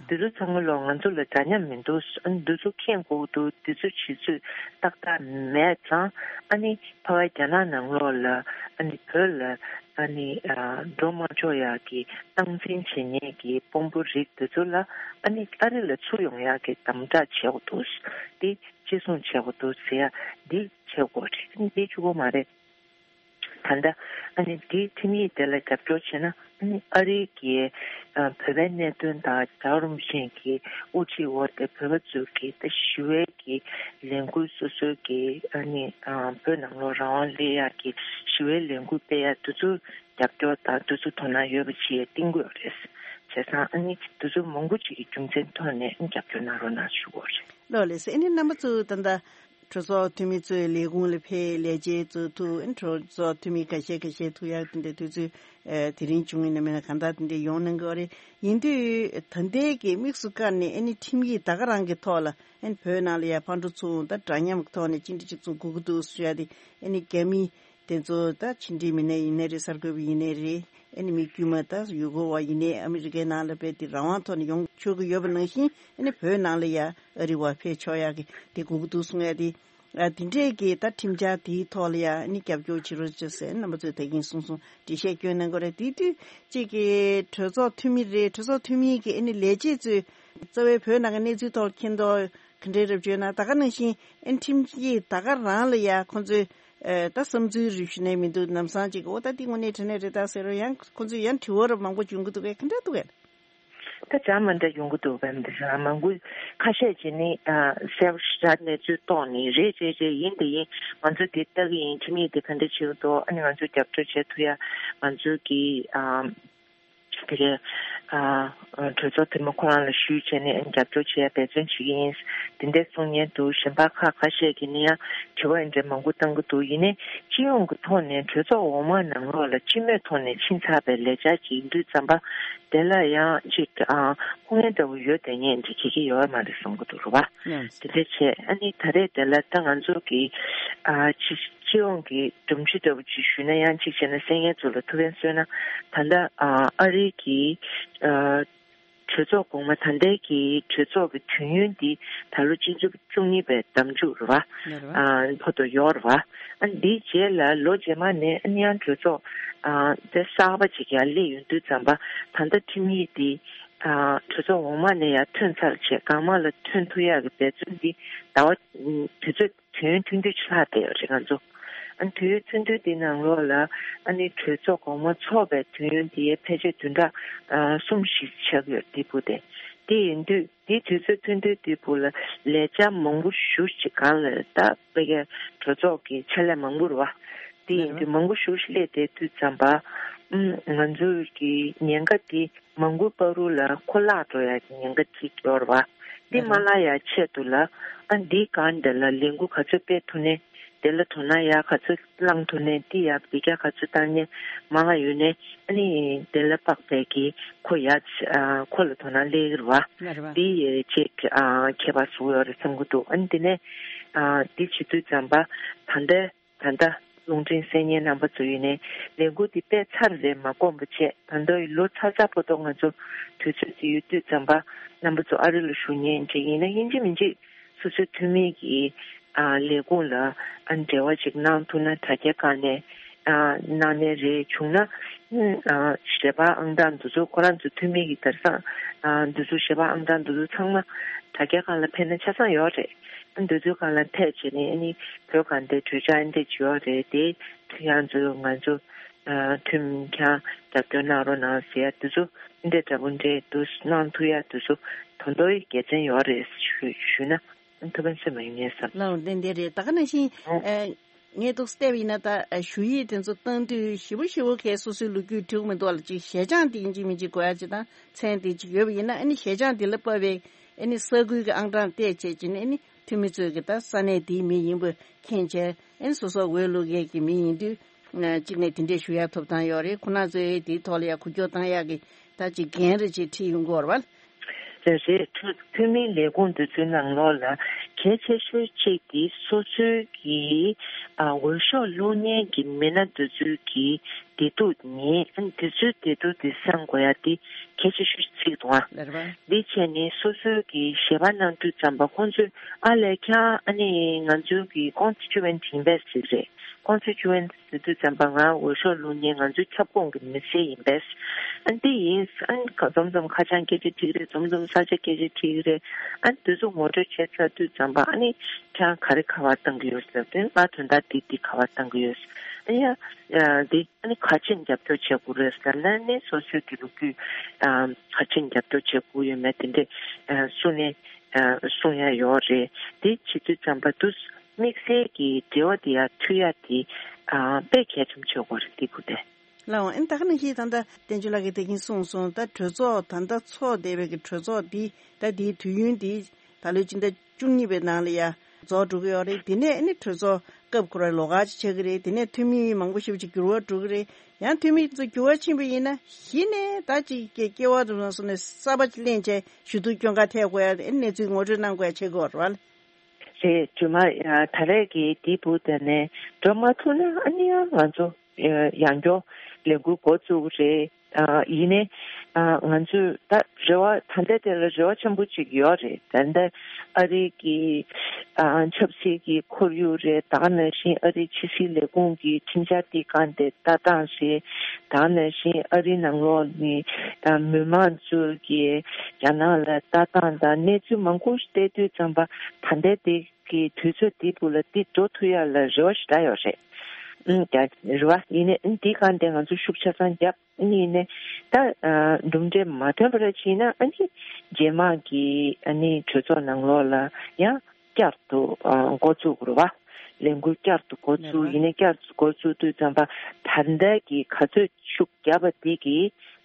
འདི་ཚོ་ཚང་མ་ལོ་ང་ཚོ་ལ་འདྲ་མཉམ་མི་འདུག་ཨ་ནི་འདི་ཚོ་མཁྱེན་དགོས་འདུག་འདི་ཚོ་བྱེད་ཚུལ་ཏག་ཏག་མེད་ཙང་ཨ་ནི་ཕ་བ་རྒྱ་ནག་ནང་ལོགས་ལ་ཨ་ནི་བོད་ལ་ཨ་ནི་ཨ་འགྲོ་མ་ཆོག་ཡག་གི་སྟངས་འཛིན་བྱེད་མཁན་གྱི་དཔོན་པོ་རིགས་འདི་ཚོ་ལ་ཨ་ནི་ཨ་རི་ལ་ཚུར་ཡོང་ཡག་གི་དམ་དྲག་བྱེད་དགོས་འདུག་འདི་གཅེས་སྲུང་བྱེད་དགོས་འདུག་ཟེར་ཡ་འདི་བྱེད་དགོས་རེད། ཨ་ནི་འདི་གཅིག་པོ་མ་རེད། ད་ལྟ་ཨ་ནི་འདིའི་ཁྲིམས་ཡིག་དེ་ལ་རྒྱབ་སྐྱོར་བྱས་ན་ཨ་ནི་ཨ་རིའི་གི་ཨ་བོད་པའི་གནད་དོན་དང་རྒྱལ་བ་རིན་པོ་ཆེ་གི་དབུ་ཁྲིད་འོག་དེ་བོད་པ་ཚོ་གི་ད་ཞི་བའི་གི་ལས་འགུལ་སོ་སོའི་གི་ཨ་ནི་ཨ་བོད་ནང་ལོགས་རང་དབང་སླེབས་ཡག་གི་ཞི་བའི་ལས་འགུལ་སྤེལ་ཡག་དེ་ཚོ་རྒྱབ་སྐྱོར་དང་དེ་ཚོ་དོ་སྣང་ཡོད་པ་ཅིག་བསྟན་གྱི་ཡོད་རེད། བྱས་ཙང་ཨ་ནི་དེ་ཚོ་མང་པོ་ཅིག་གི་རྒྱུ་མཚན་ཐོག་ནས་ཨ་ནི་རྒྱབ་སྐྱོར་གནང་རོགས་གནང་ཞུ་དགོས་རེད། ལགས་ལགས་སོ། ཨ་ནི་རྣམ་པ་ཚོ་ད་ལྟ་གྲོས་ཚོགས་འཐུས་མི་ཚོའི་ལས་ཁུངས་ལ་ཕེབས་ལས་བྱེད་ཚོ་ཐུག་ཨ་ནི་གྲོས་ཚོགས་འཐུས་མི་ཁ་ཤས་ཁ་ཤས་ཐུག་ཡག་དེ་འདྲ་དུས་ཚོད་ཨ་དེ་རིང་བྱུང་ཡིན་ན་མིན་ན་གང་ལྟར་དེ་འདྲ་ཡོང་གནང་གི་ཡོད་རེད། ཡིན་དུས་ད་ལྟའི་གི་དམིགས་སུ་བཀར་ནས་ཨ་ནི་ཁྲིམས་ཡིག་ད་ག་རང་གི་ཐོག་ལ་ཨ་ནི་བོད་ནང་ལ་ཡ་ཕར་འགྲོ་ཚུར་འོང་ད་འདྲ་མཉམ་གི་ཐོག་ནས་གཅིག་འདྲ་གཅིག་མཚུངས་དགོས་ཀྱི་འདུག་ཟེར་ཡ་དེ་ཨ་ནི་རྒྱ་མི་དེ་ཚོ་ད་ཕྱི་འབྲེལ་མི་སྣ་ཡིན་ནའི་རེད། གསར་འགོད་པ་ཡིན་ནའི་རེད། ཨ་ནི་མི་དཀྱུས་མ་ད་ཡུལ་སྐོར་བ་ཡིན་ནའི་ཨ་མི་རི་ཀའི་ནང་ལ་བས་དེ་རང་དབང་ཐོག་ནས་ཡོང་ཆོག་གི་ཡོད་པ་ནང་བཞིན་ཨ་ནི་བོད་ནང་ལ་ཡ་ཨ་རི་བ་ཕེབས་ཆོག་ཡག་གི་དེ་དགོས་ཀྱི་འདུག་གསུང་ཡ་དེ། ཨ་དེ་འདྲས་ཀྱི་ད་ཁྲིམས་འཆར་དེའི་ཐོག་ལ་ཡ་ཨ་ནི་རྒྱབ་སྐྱོར་བྱེད་རོགས་བྱེད་ཟེར་རྣམ་པ་ཚོས་ད་གིན་གསུང་གསུང་འགྲེལ་བཤད་སྐྱོན་གནང་དགོས་རེད། དེ་དུས་གཅིག་གི་གྲོས་ཚོགས་འཐུས་མི་རེད། གྲོས་ཚོགས་འཐུས་མི་གི་ཨ་ནི་ལས་བྱེད་ཚོས་རྩ་བའི་བོད་ནང་གི་གནས་ཚུལ་ཐོག་མཁྱེན་རྟོགས་ག་འདྲའི་རེད་བརྗོད་ན་ད་ག་ནང་བཞིན་ཨ་ནི་ཁྲིམས་ཀྱི་ད་ག་རང་ལ་ཡ་ཁོང་ཚོས། ཨེ། ད་བསམ་ཚུལ་རེ་ཞུ་ནས་མི་འདུག་ལམ་སང་ཅིག་འོ་ད་འདི་དངོས་གནས་དྲང་གནས་རེད་ད་ཟེར་རོ། ཡང་ཁོ་ཚོས་ཡང་དྲི་བ་ར་མང་པོ་བྱུང་གི་འདུག་གས། ག་འདྲ་འདུག་གས། ད་ཅང་མ་འདྲ་ཡོང་གི་འདུག་བས་འདི་ར་མང་པོ་ཁ་ཤས་ཀྱིས་ནི་ཨ་གསལ་པོ་ཞེ་དྲག་གནས་ཚུལ་རྟོགས་ནི་རེད་རེད་རེད། ཡིན་དེ་ཡིན་ང་ཚོ་འདི་ལྟ་གི་ཡིན། ཁྲིམས་ཡིག་འདི་ག་འདྲ་བྱེད་ཀྱི་འདུག་ཨ་ནི་ང་ཚོ་རྒྱབ་སྐྱོར་བྱེད་ཐུབ་ཡ་ང་ཚོ་གི་ཨ། དེ་གའི་ཨ་གྲོས་ཚོགས་འཐུས་མི་ཁོ་རང་ལ་ཞུས་བྱས་ནས་རྒྱབ་སྐྱོར་བྱེད་ཡ་འབད་བརྩོན་བྱེད་ཀྱི་ཡིན། དེ་འདྲས་གསུང་མཁན་འདུག་གཞན་པ་ཁག་ཁ་ཤས་ཀྱིས་ནི་ཡང་དྲི་བ་འདི་འདྲས་མང་པོ་བཏང་གི་འདུག་ཡིན་ནའི་སྤྱི་ཡོངས་ཀྱི་ཐོག་ནས་གྲོས་ཚོགས་འོག་མ་ནང་ལོགས་ལ་སྤྱི་མོས་ཐོག་ནས་ཕྱིན་ཚར་བའི་ལས་འཆར་ཅིག་ཡིན་དུས་ཙམ་པ་དེ་ལ་ཡང་ཅིག་ཨ་ཁུངས་སྣེ་འདྲ་བོ་ཡོད་བསྡད་མཁན་འདི་ག་གི་ཡོད་མ་རེད་བསམ་གྱི་འདུག་རེད་བ། དེ་འདྲས་བྱས་ཨ་ནི་ད་རེས་དེ་ལ་ད་ང་ཚོ་གི་ཨ་ཅིག་སྤྱི་ཡོངས་ཀྱི་སྒྲོམ་གཞི་འདྲ་བོ་ཅིག་ཞུས་ན་ཡང་གཅིག་བྱས་ན་གསན་མཁན་ཚོ་ལ་ཐུགས་ཕན་གསོས་ན་ད་ལྟ་ཨ་ཨ་རི་གི་ཨ་གྲོས་ཚོགས་གོང་མ་ད་ལྟའི་གི་གྲོས་ཚོགས་ཀྱི་དུས་ཡུན་འདི་ད་ལོ་སྤྱི་ཟླ་བཅུ་གཉིས་པའི་ཟླ་མཇུག་རེད་བ། ཨ་བར་དུ་ཡོད་རེད་བ། ཨ་འདིའི་རྗེས་ལ་ལོ་རྗེས་མ་ནས་ཨ་ནི་ཡང་གྲོས་ཚོགས་ཨ་དེ་གསར་པ་ཅིག་ཡར་སླེབས་ཡོང་དུས་ཙམ་པ་ད་ལྟ་ཁྲིམས་ཡིག་འདི་ཨ་གྲོས་ཚོགས་འོག་མ་ནས་ཡར་ཐོན་ཚར་བྱས་སྒང་མ་ལ་ཐོན་ཐུབ་ཡག་གི་འབད་བརྩོན་འདི་ཟླ་བ་དུས་ཚོད་དུས་ཡུན་ཐུང་ཐུང་ཅིག་ལྷག་བསྡད་ཡོད་རེད་ང་ཚོ། ཨ་ནི་དུས་ཡུན་ཐུང་ཐུང་དེ་ནང་ལོགས་ལ་ཨ་ནི་གྲོས་ཚོགས་གོང་མ་ཚོགས་པའི་དུས་ཡུན་དེ་ཕལ་ཆེར་བདུན་ཕྲག་ཨ་གསུམ་ཞིག་ཆགས་ཡོད་དེ་བུ་དེ། དེ་ཡིན་དུས་དེའི་དུས་ཚོད་ཐུང་ཐུང་དེ་བུ་ལ་ལས་འཆར་མང་པོ་ཞེ་ཅིག་སྒང་ལ་ད་དཔེ་གའི་གྲོས་ཚོགས་ཀྱི་ཕྱག་ལས་མང་པོ་རེད་བ། དེ་ཡིན་དུས་མང་པོ་ཞེ་ཅིག་སླེབས་བསྡད་དུས་ཙམ་པ་ཨ་ང་ཚོའི་གི་ཉེན་ཁ་དེ། མང་པོའི་བར་དུ་ལ་ཁོ་བརླག་འགྲོ་ཡ་གི་ཉེན་ཁ་ཅིག་ཡོད་རེད་བ། འདི་མ་བརླག་ཡ་ཆེད་དུ་ལ་ཨ་འདིའི་སྒང་འདི་ལ་ལས་འགུལ་ག་ཚོད་སྤེལ་ཐུབ་ནས་དེ་ལ་དོ་སྣང་ཡ་ག་ཚོད་བསླང་ཐུབ་ནས་འདི་ཡ་འདི་རྒྱ་ག་ཚོད་བཏང་ནས་མང་ང་ཡོད་ནས་ཨ་ནི་དེ་ལ་དཔག་པའི་གི་ཁོ་ཡ་ཨ་ཁོ་ལ་དོ་སྣང་སླེབས་ཀྱི་རེད་བ། འདི་ཡ་ཅིག་ཨ་ཁྱད་པར་བཟོ་ཡོད་རེད་བསམ་གྱི་འདུག་ཨ་ནི་དེ་ནས་ཨ་འདི་བྱེད་དུས་ཙམ་པ་ད་ལྟ། ད་ལྟ་རླུང་འཕྲིན་གསན་མཁན་རྣམ་པ་ཚོ་ཡིན་ནའི་ལས་འགུལ་འདི་སྤེལ་ཚར་རེད་མ་དགོངས་པ་བྱས། ད་ལྟ་ཡི་ལོ་ཚ་ཚ་པོ་ཏོ་ང་ཚོ་དུས་ཚོད་ཅིག་ཡོད་དུས་ཙམ་པ་རྣམ་པ་ཚོ་ཨ་རི་ལ་བཞུགས་མཁན་ཅིག་ཡིན་ན་ཡིན་གཅིག་མིན་གཅིག་སོ་སོའི་འཐུས་མི་གི་ཨ་ལས་ཁུངས་ལ་ཨ་འབྲེལ་བ་ཅིག་གནང་ཐུབ་ན་དྲ་རྒྱའི་སྒང་ནས་ཨ་གནང་ནའི་རེད། བྱུང་ན་ཨ་གཞས་པ་ཨང་གྲངས་འདི་ཚོ་ཁོ་རང་ཚོ་འཐུས་མི་གི་དེང་སང་ཨ་འདི་ཚོ་གཞས་པ་ཨང་གྲངས་འདི་ཚོ་ཚང་མ་དྲ་རྒྱའི་སྒང་ལ་ཕེབས་ན་ཆ་ཚང་ཡོད་རེད། འདི་ཚོའི་སྒང་ལ་ཐད་བྱས་ནས་ཨ་ནི་བོད་གངས་ཏེ་གྲོས་འཆར་འདི་བྱས་ཡོད་རེད་དེ། ཁྱེད་རང་ཚོ་ང་ཚོ་ཨ་ཁྲིམས་ཁང་རྒྱབ་སྐྱོར་གནང་རོགས་གནང་ཟེར་ཡ་འདི་ཚོ་འདི་འདྲ་པོ་འདྲ་འདུག་གནང་ཐུབ་ཡ་འདི་ཚོ་ད་དུང་དགེ་མཚན་ཡོད་རེད་ཞུ་ཞུས་ན་ཐུགས་ཕན་གསོས་པ་ཡིན་ངེས་བསམ། ལགས་འོང་ལན་འདི་རེད། ད་ག་ནང་བཞིན་ཨ་ངས་འདུག་བལྟས་པ་ཡིན་ན་ད་ཨ་ཞུ་ཡིག་དེ་ཚོ་བཏང་དུས་ཞེ་པོ་ཞེ་པོ་གས་སོ་སོའི་ལོ་རྒྱུས་འབྲི་གི་མི་འདུག་ལ་ཅིག་ཞལ་བྱང་དེ་ཡིན་གཅིག་མིན་གཅིག་དགོས་ཡ་ཅིག་དང་མཚན་དེ་ཅིག་ཡོད་པ་ཡིན་ན་ཨ་ནི་ཞལ་བྱང་དེ་ལ་དཔག་པའི་ཨ་ནི་ས་ཁུལ་གྱི་ཨང་གྲངས་བལྟས་བྱས་ཀྱི་ནི་ཨ་ནི་ འཐུས་མི་ཚོས་ཀྱི་ད་ས་གནས་དེའི་མི་ཡིན་པ་མཁྱེན་བྱས། ཨེ་ནི་སོ་སོ་འོས་བླུག་མཁན་གྱི་མི་ཡིན་དུས། ཨ། གཅིག་ནས་དེ་འདྲས་ཞུ་ཡ་ཐོབ་ཐང་ཡོད་རེད། ཁོ་རང་ཚོས་དེའི་ཐོག་ལ་ཡ་འགུལ་སྐྱོད་བཏང་ཡག་གི་ད་ཅིག་འགན་རེ་ཅིག་ཁྲིད་ཡོང་གི་ཡོད་རེད་པ། རེད་རེད། འཐུས་འཐུས་མིའི་ལས་ཁུངས་འདི་ཚོའི་ནང་ལོགས་ལ་གལ་ཆེ་ཤོས་གཅིག་དེ་སོ་སོའི་གི་ཨ་འོས་ཤོག་བླུག་མཁན་གྱི་མི་སྣ་འདི་ཚོའི་གི་བདེ་སྡུག་ཉན། ཨ་ནི་དེ་ཚོའི་བདེ་སྡུག་དེ་བསམ་དགོས་ཡ་དེ་གལ་ཆེ་ཤོས་ཅིག་འདུག་ཨ། ལགས་རེད་པ། འདི་བྱས་ནས་སོ་སོའི་གི་ཞལ་པར་གནང་དུས་ཙམ་པ་ཁོང་ཚོས་ཨ་ལས་ཀྱང་ཨ་ནི་ང་ཚོའི་གི་ཀོན་སི་ཊི་ཊུ་ཨེན་ཊི་ཡིན་པས་ཟེར་རེད། ཀོན་སི་ཊི་ཊུ་ཨེན་ཊི་ཟེར་དུས་ཙམ་པ་ང་འོས་ཤོག་བླུག་མཁན་ང་ཚོའི་ཁྱབ་ཁོངས་ཀྱི་མི་སེར་ཡིན་པས། ཨ་འདི་ཡིན། ཨ་འཛོམས་འཛོམས་ཁ་བྱང་སྐད་ཆ་དྲིས་རེད། འཛོམས་འཛོམས་ས་ཆ་སྐད་ཆ་དྲིས་རེད། ཨ་འདི་ཚོ་ངོ་སྤྲོད་བྱས་ཚར་དུས་ཙམ་པ་ཨ་ནི་ཁྱེད་རང་ག་རེ་ག་པར་བཏང་གི་ཡོད་ཟེར་དུས་ང་དོན་དག་འདི་འདི་ག་པར་བཏང་གི་ཡོད། ཨ་ཡ་འདི་ཨ་ནི་ག་ཅིག་རྒྱབ་སྐྱོར་བྱེད་དགོས་རེད་ཟེར་ན་ནི་སོ་སོའི་གི་ལོ་རྒྱུས་ག་ཅིག་རྒྱབ་སྐྱོར་བྱེད་དགོས་ཡོད་མེད་དེ་འདྲས་གསུངས་ནས་གསུང་ཡ་ཡོད་རེད། འདི་བྱེད་དུས་ཙམ་པ་དུས་དམིགས་བསལ་གྱི་འབྲེལ་བ་དེ་ཡང་མཐུད་ཡ་དེ་དཔེ་གལ་ཆེན་པོ་ཆགས་ཀྱི་ཡོད་རེད། འདི་ཕུད་དེ། ལགས་འོང་། ཨ་ནི་ད་ག་ནང་བཞིན་ད་ལྟ་བསྟན་ཆོས་ལགས་ཀྱིས་དེ་གིན་གསུངས་སོང་། ད་གྲོས་ཚོགས་ད་ལྟ་ཚོགས་བསྡད་པའི་གི་གྲོས་ཚོགས་འདི་ད་འདིའི་དུས་ཡུན་འདི་ད་ལོའི་སྤྱི་ཟླ་བཅུ་གཉིས་པའི་ནང་ལ་ཡ་རྫོགས་འགྲོ་གི་ཡོད་རེད། དེ་ནས་ཨ་ནི་གྲོས་ཚོགས་སྐབས་ཁོ་ར་ལོགས་ཀ་ཅིག་ཆགས་ཀྱི་རེད། དེ་ནས་འཐུས་མི་མང་པོ་ཞེ་པོ་ཅིག་འགྱུར་བ་འགྲོ་གི་རེད། ཡང་འཐུས་མི་ཚོ་འགྱུར་བ་ཕྱིན་པ་ཡིན་ན་གཞི་ནས་ད་ཅིག་སྐྱེ་སྐྱེ་བ་དུ་སོང་ནས་གསར་པ་ཅིག་ལེན་བྱས་ཞུ་གཏུག་སྐྱོན་ག་ཐེག་དགོས་ཡ་ཨ་ནི་གནས་ཚུལ་ངོ་སྤྲོད་གནང་དགོས་ཡ་ཆགས་ཀྱི་ཡོད་རེད་པ། རེད། རྗེས་མ་ཡ་ད་རེས་ཀྱི་འདི་བུ་དེ་ནས་འགྲོ་མ་ཐུབ་ན་ཨ་ནི་ཡང་ང་ཚོ་ཡང་སྐྱར་ལས་འགུལ་འགོ་བཙུགས་རེད། ཨ་ཡིན་ནའི་ཨ་ང་ཚོས་ད་རེ་བ་ད་ལྟ་དེ་ལ་རེ་བ་ཆེན་པོ་ཅིག་ཡོད་རེད། ད་ལྟ་ཨ་རི་གི་ཨ་ཆབ་སྲིད་ཀྱི་ཁོར་ཡུག་རེད། ད་ག་ནང་བཞིན་ཨ་རིའི་ཕྱི་སྲིད་ལས་ཁུངས་ཀྱི་ཁྲིམས་འཆར་དེ་གང་དེ་ལྟ་སྟངས་རེད། ད་ག་ནང་བཞིན་ཨ་རིའི་ནང་ལོགས་ནས་ཨ་མི་མང་ཚོས་ཀྱི་རྒྱ་ནག་ལ་ལྟ་སྟངས་དང་གནས་ཚུལ་མང་པོ་ཞིག་བལྟས་དུས་ཙམ་པ་ད་ལྟའི་དེ་གི་དུས་ཚོད་འདི་བུ་ལ་འདི་འགྲོ་ཐུབ་ཡ་ལ་རེ་བ་ཞེ་དྲག་ཡོད་རེད། ཨང་། རྒྱ་རེད་བ། ཡིན་ནའི་ཨང་འདི་གང་དེ་ང་ཚོ་ཤུགས་ཆ་ཚང་བརྒྱབ། ཨང་ཡིན་ནའི་ད་ཨ་གྲུབ་འབྲས་མ་ཐོན་པ་ར་ཕྱིན་ན་ཨ་ནི་རྗེས་མ་གི་ཨ་ནི་གྲོས་ཚོགས་ནང་ལོགས་ལ་ཡང་བསྐྱར་དུ་ཨ་འགོ་བཙུགས་རེད་བ། ལས་འགུལ་བསྐྱར་དུ་འགོ་བཙུགས། ཡིན་ནའི་བསྐྱར་དུ་འགོ་བཙུགས་དུས་ཙམ་པ་ད་ལྟ་གི་ག་ཚོད་ཤུགས་བརྒྱབ་པ་དེ་གི་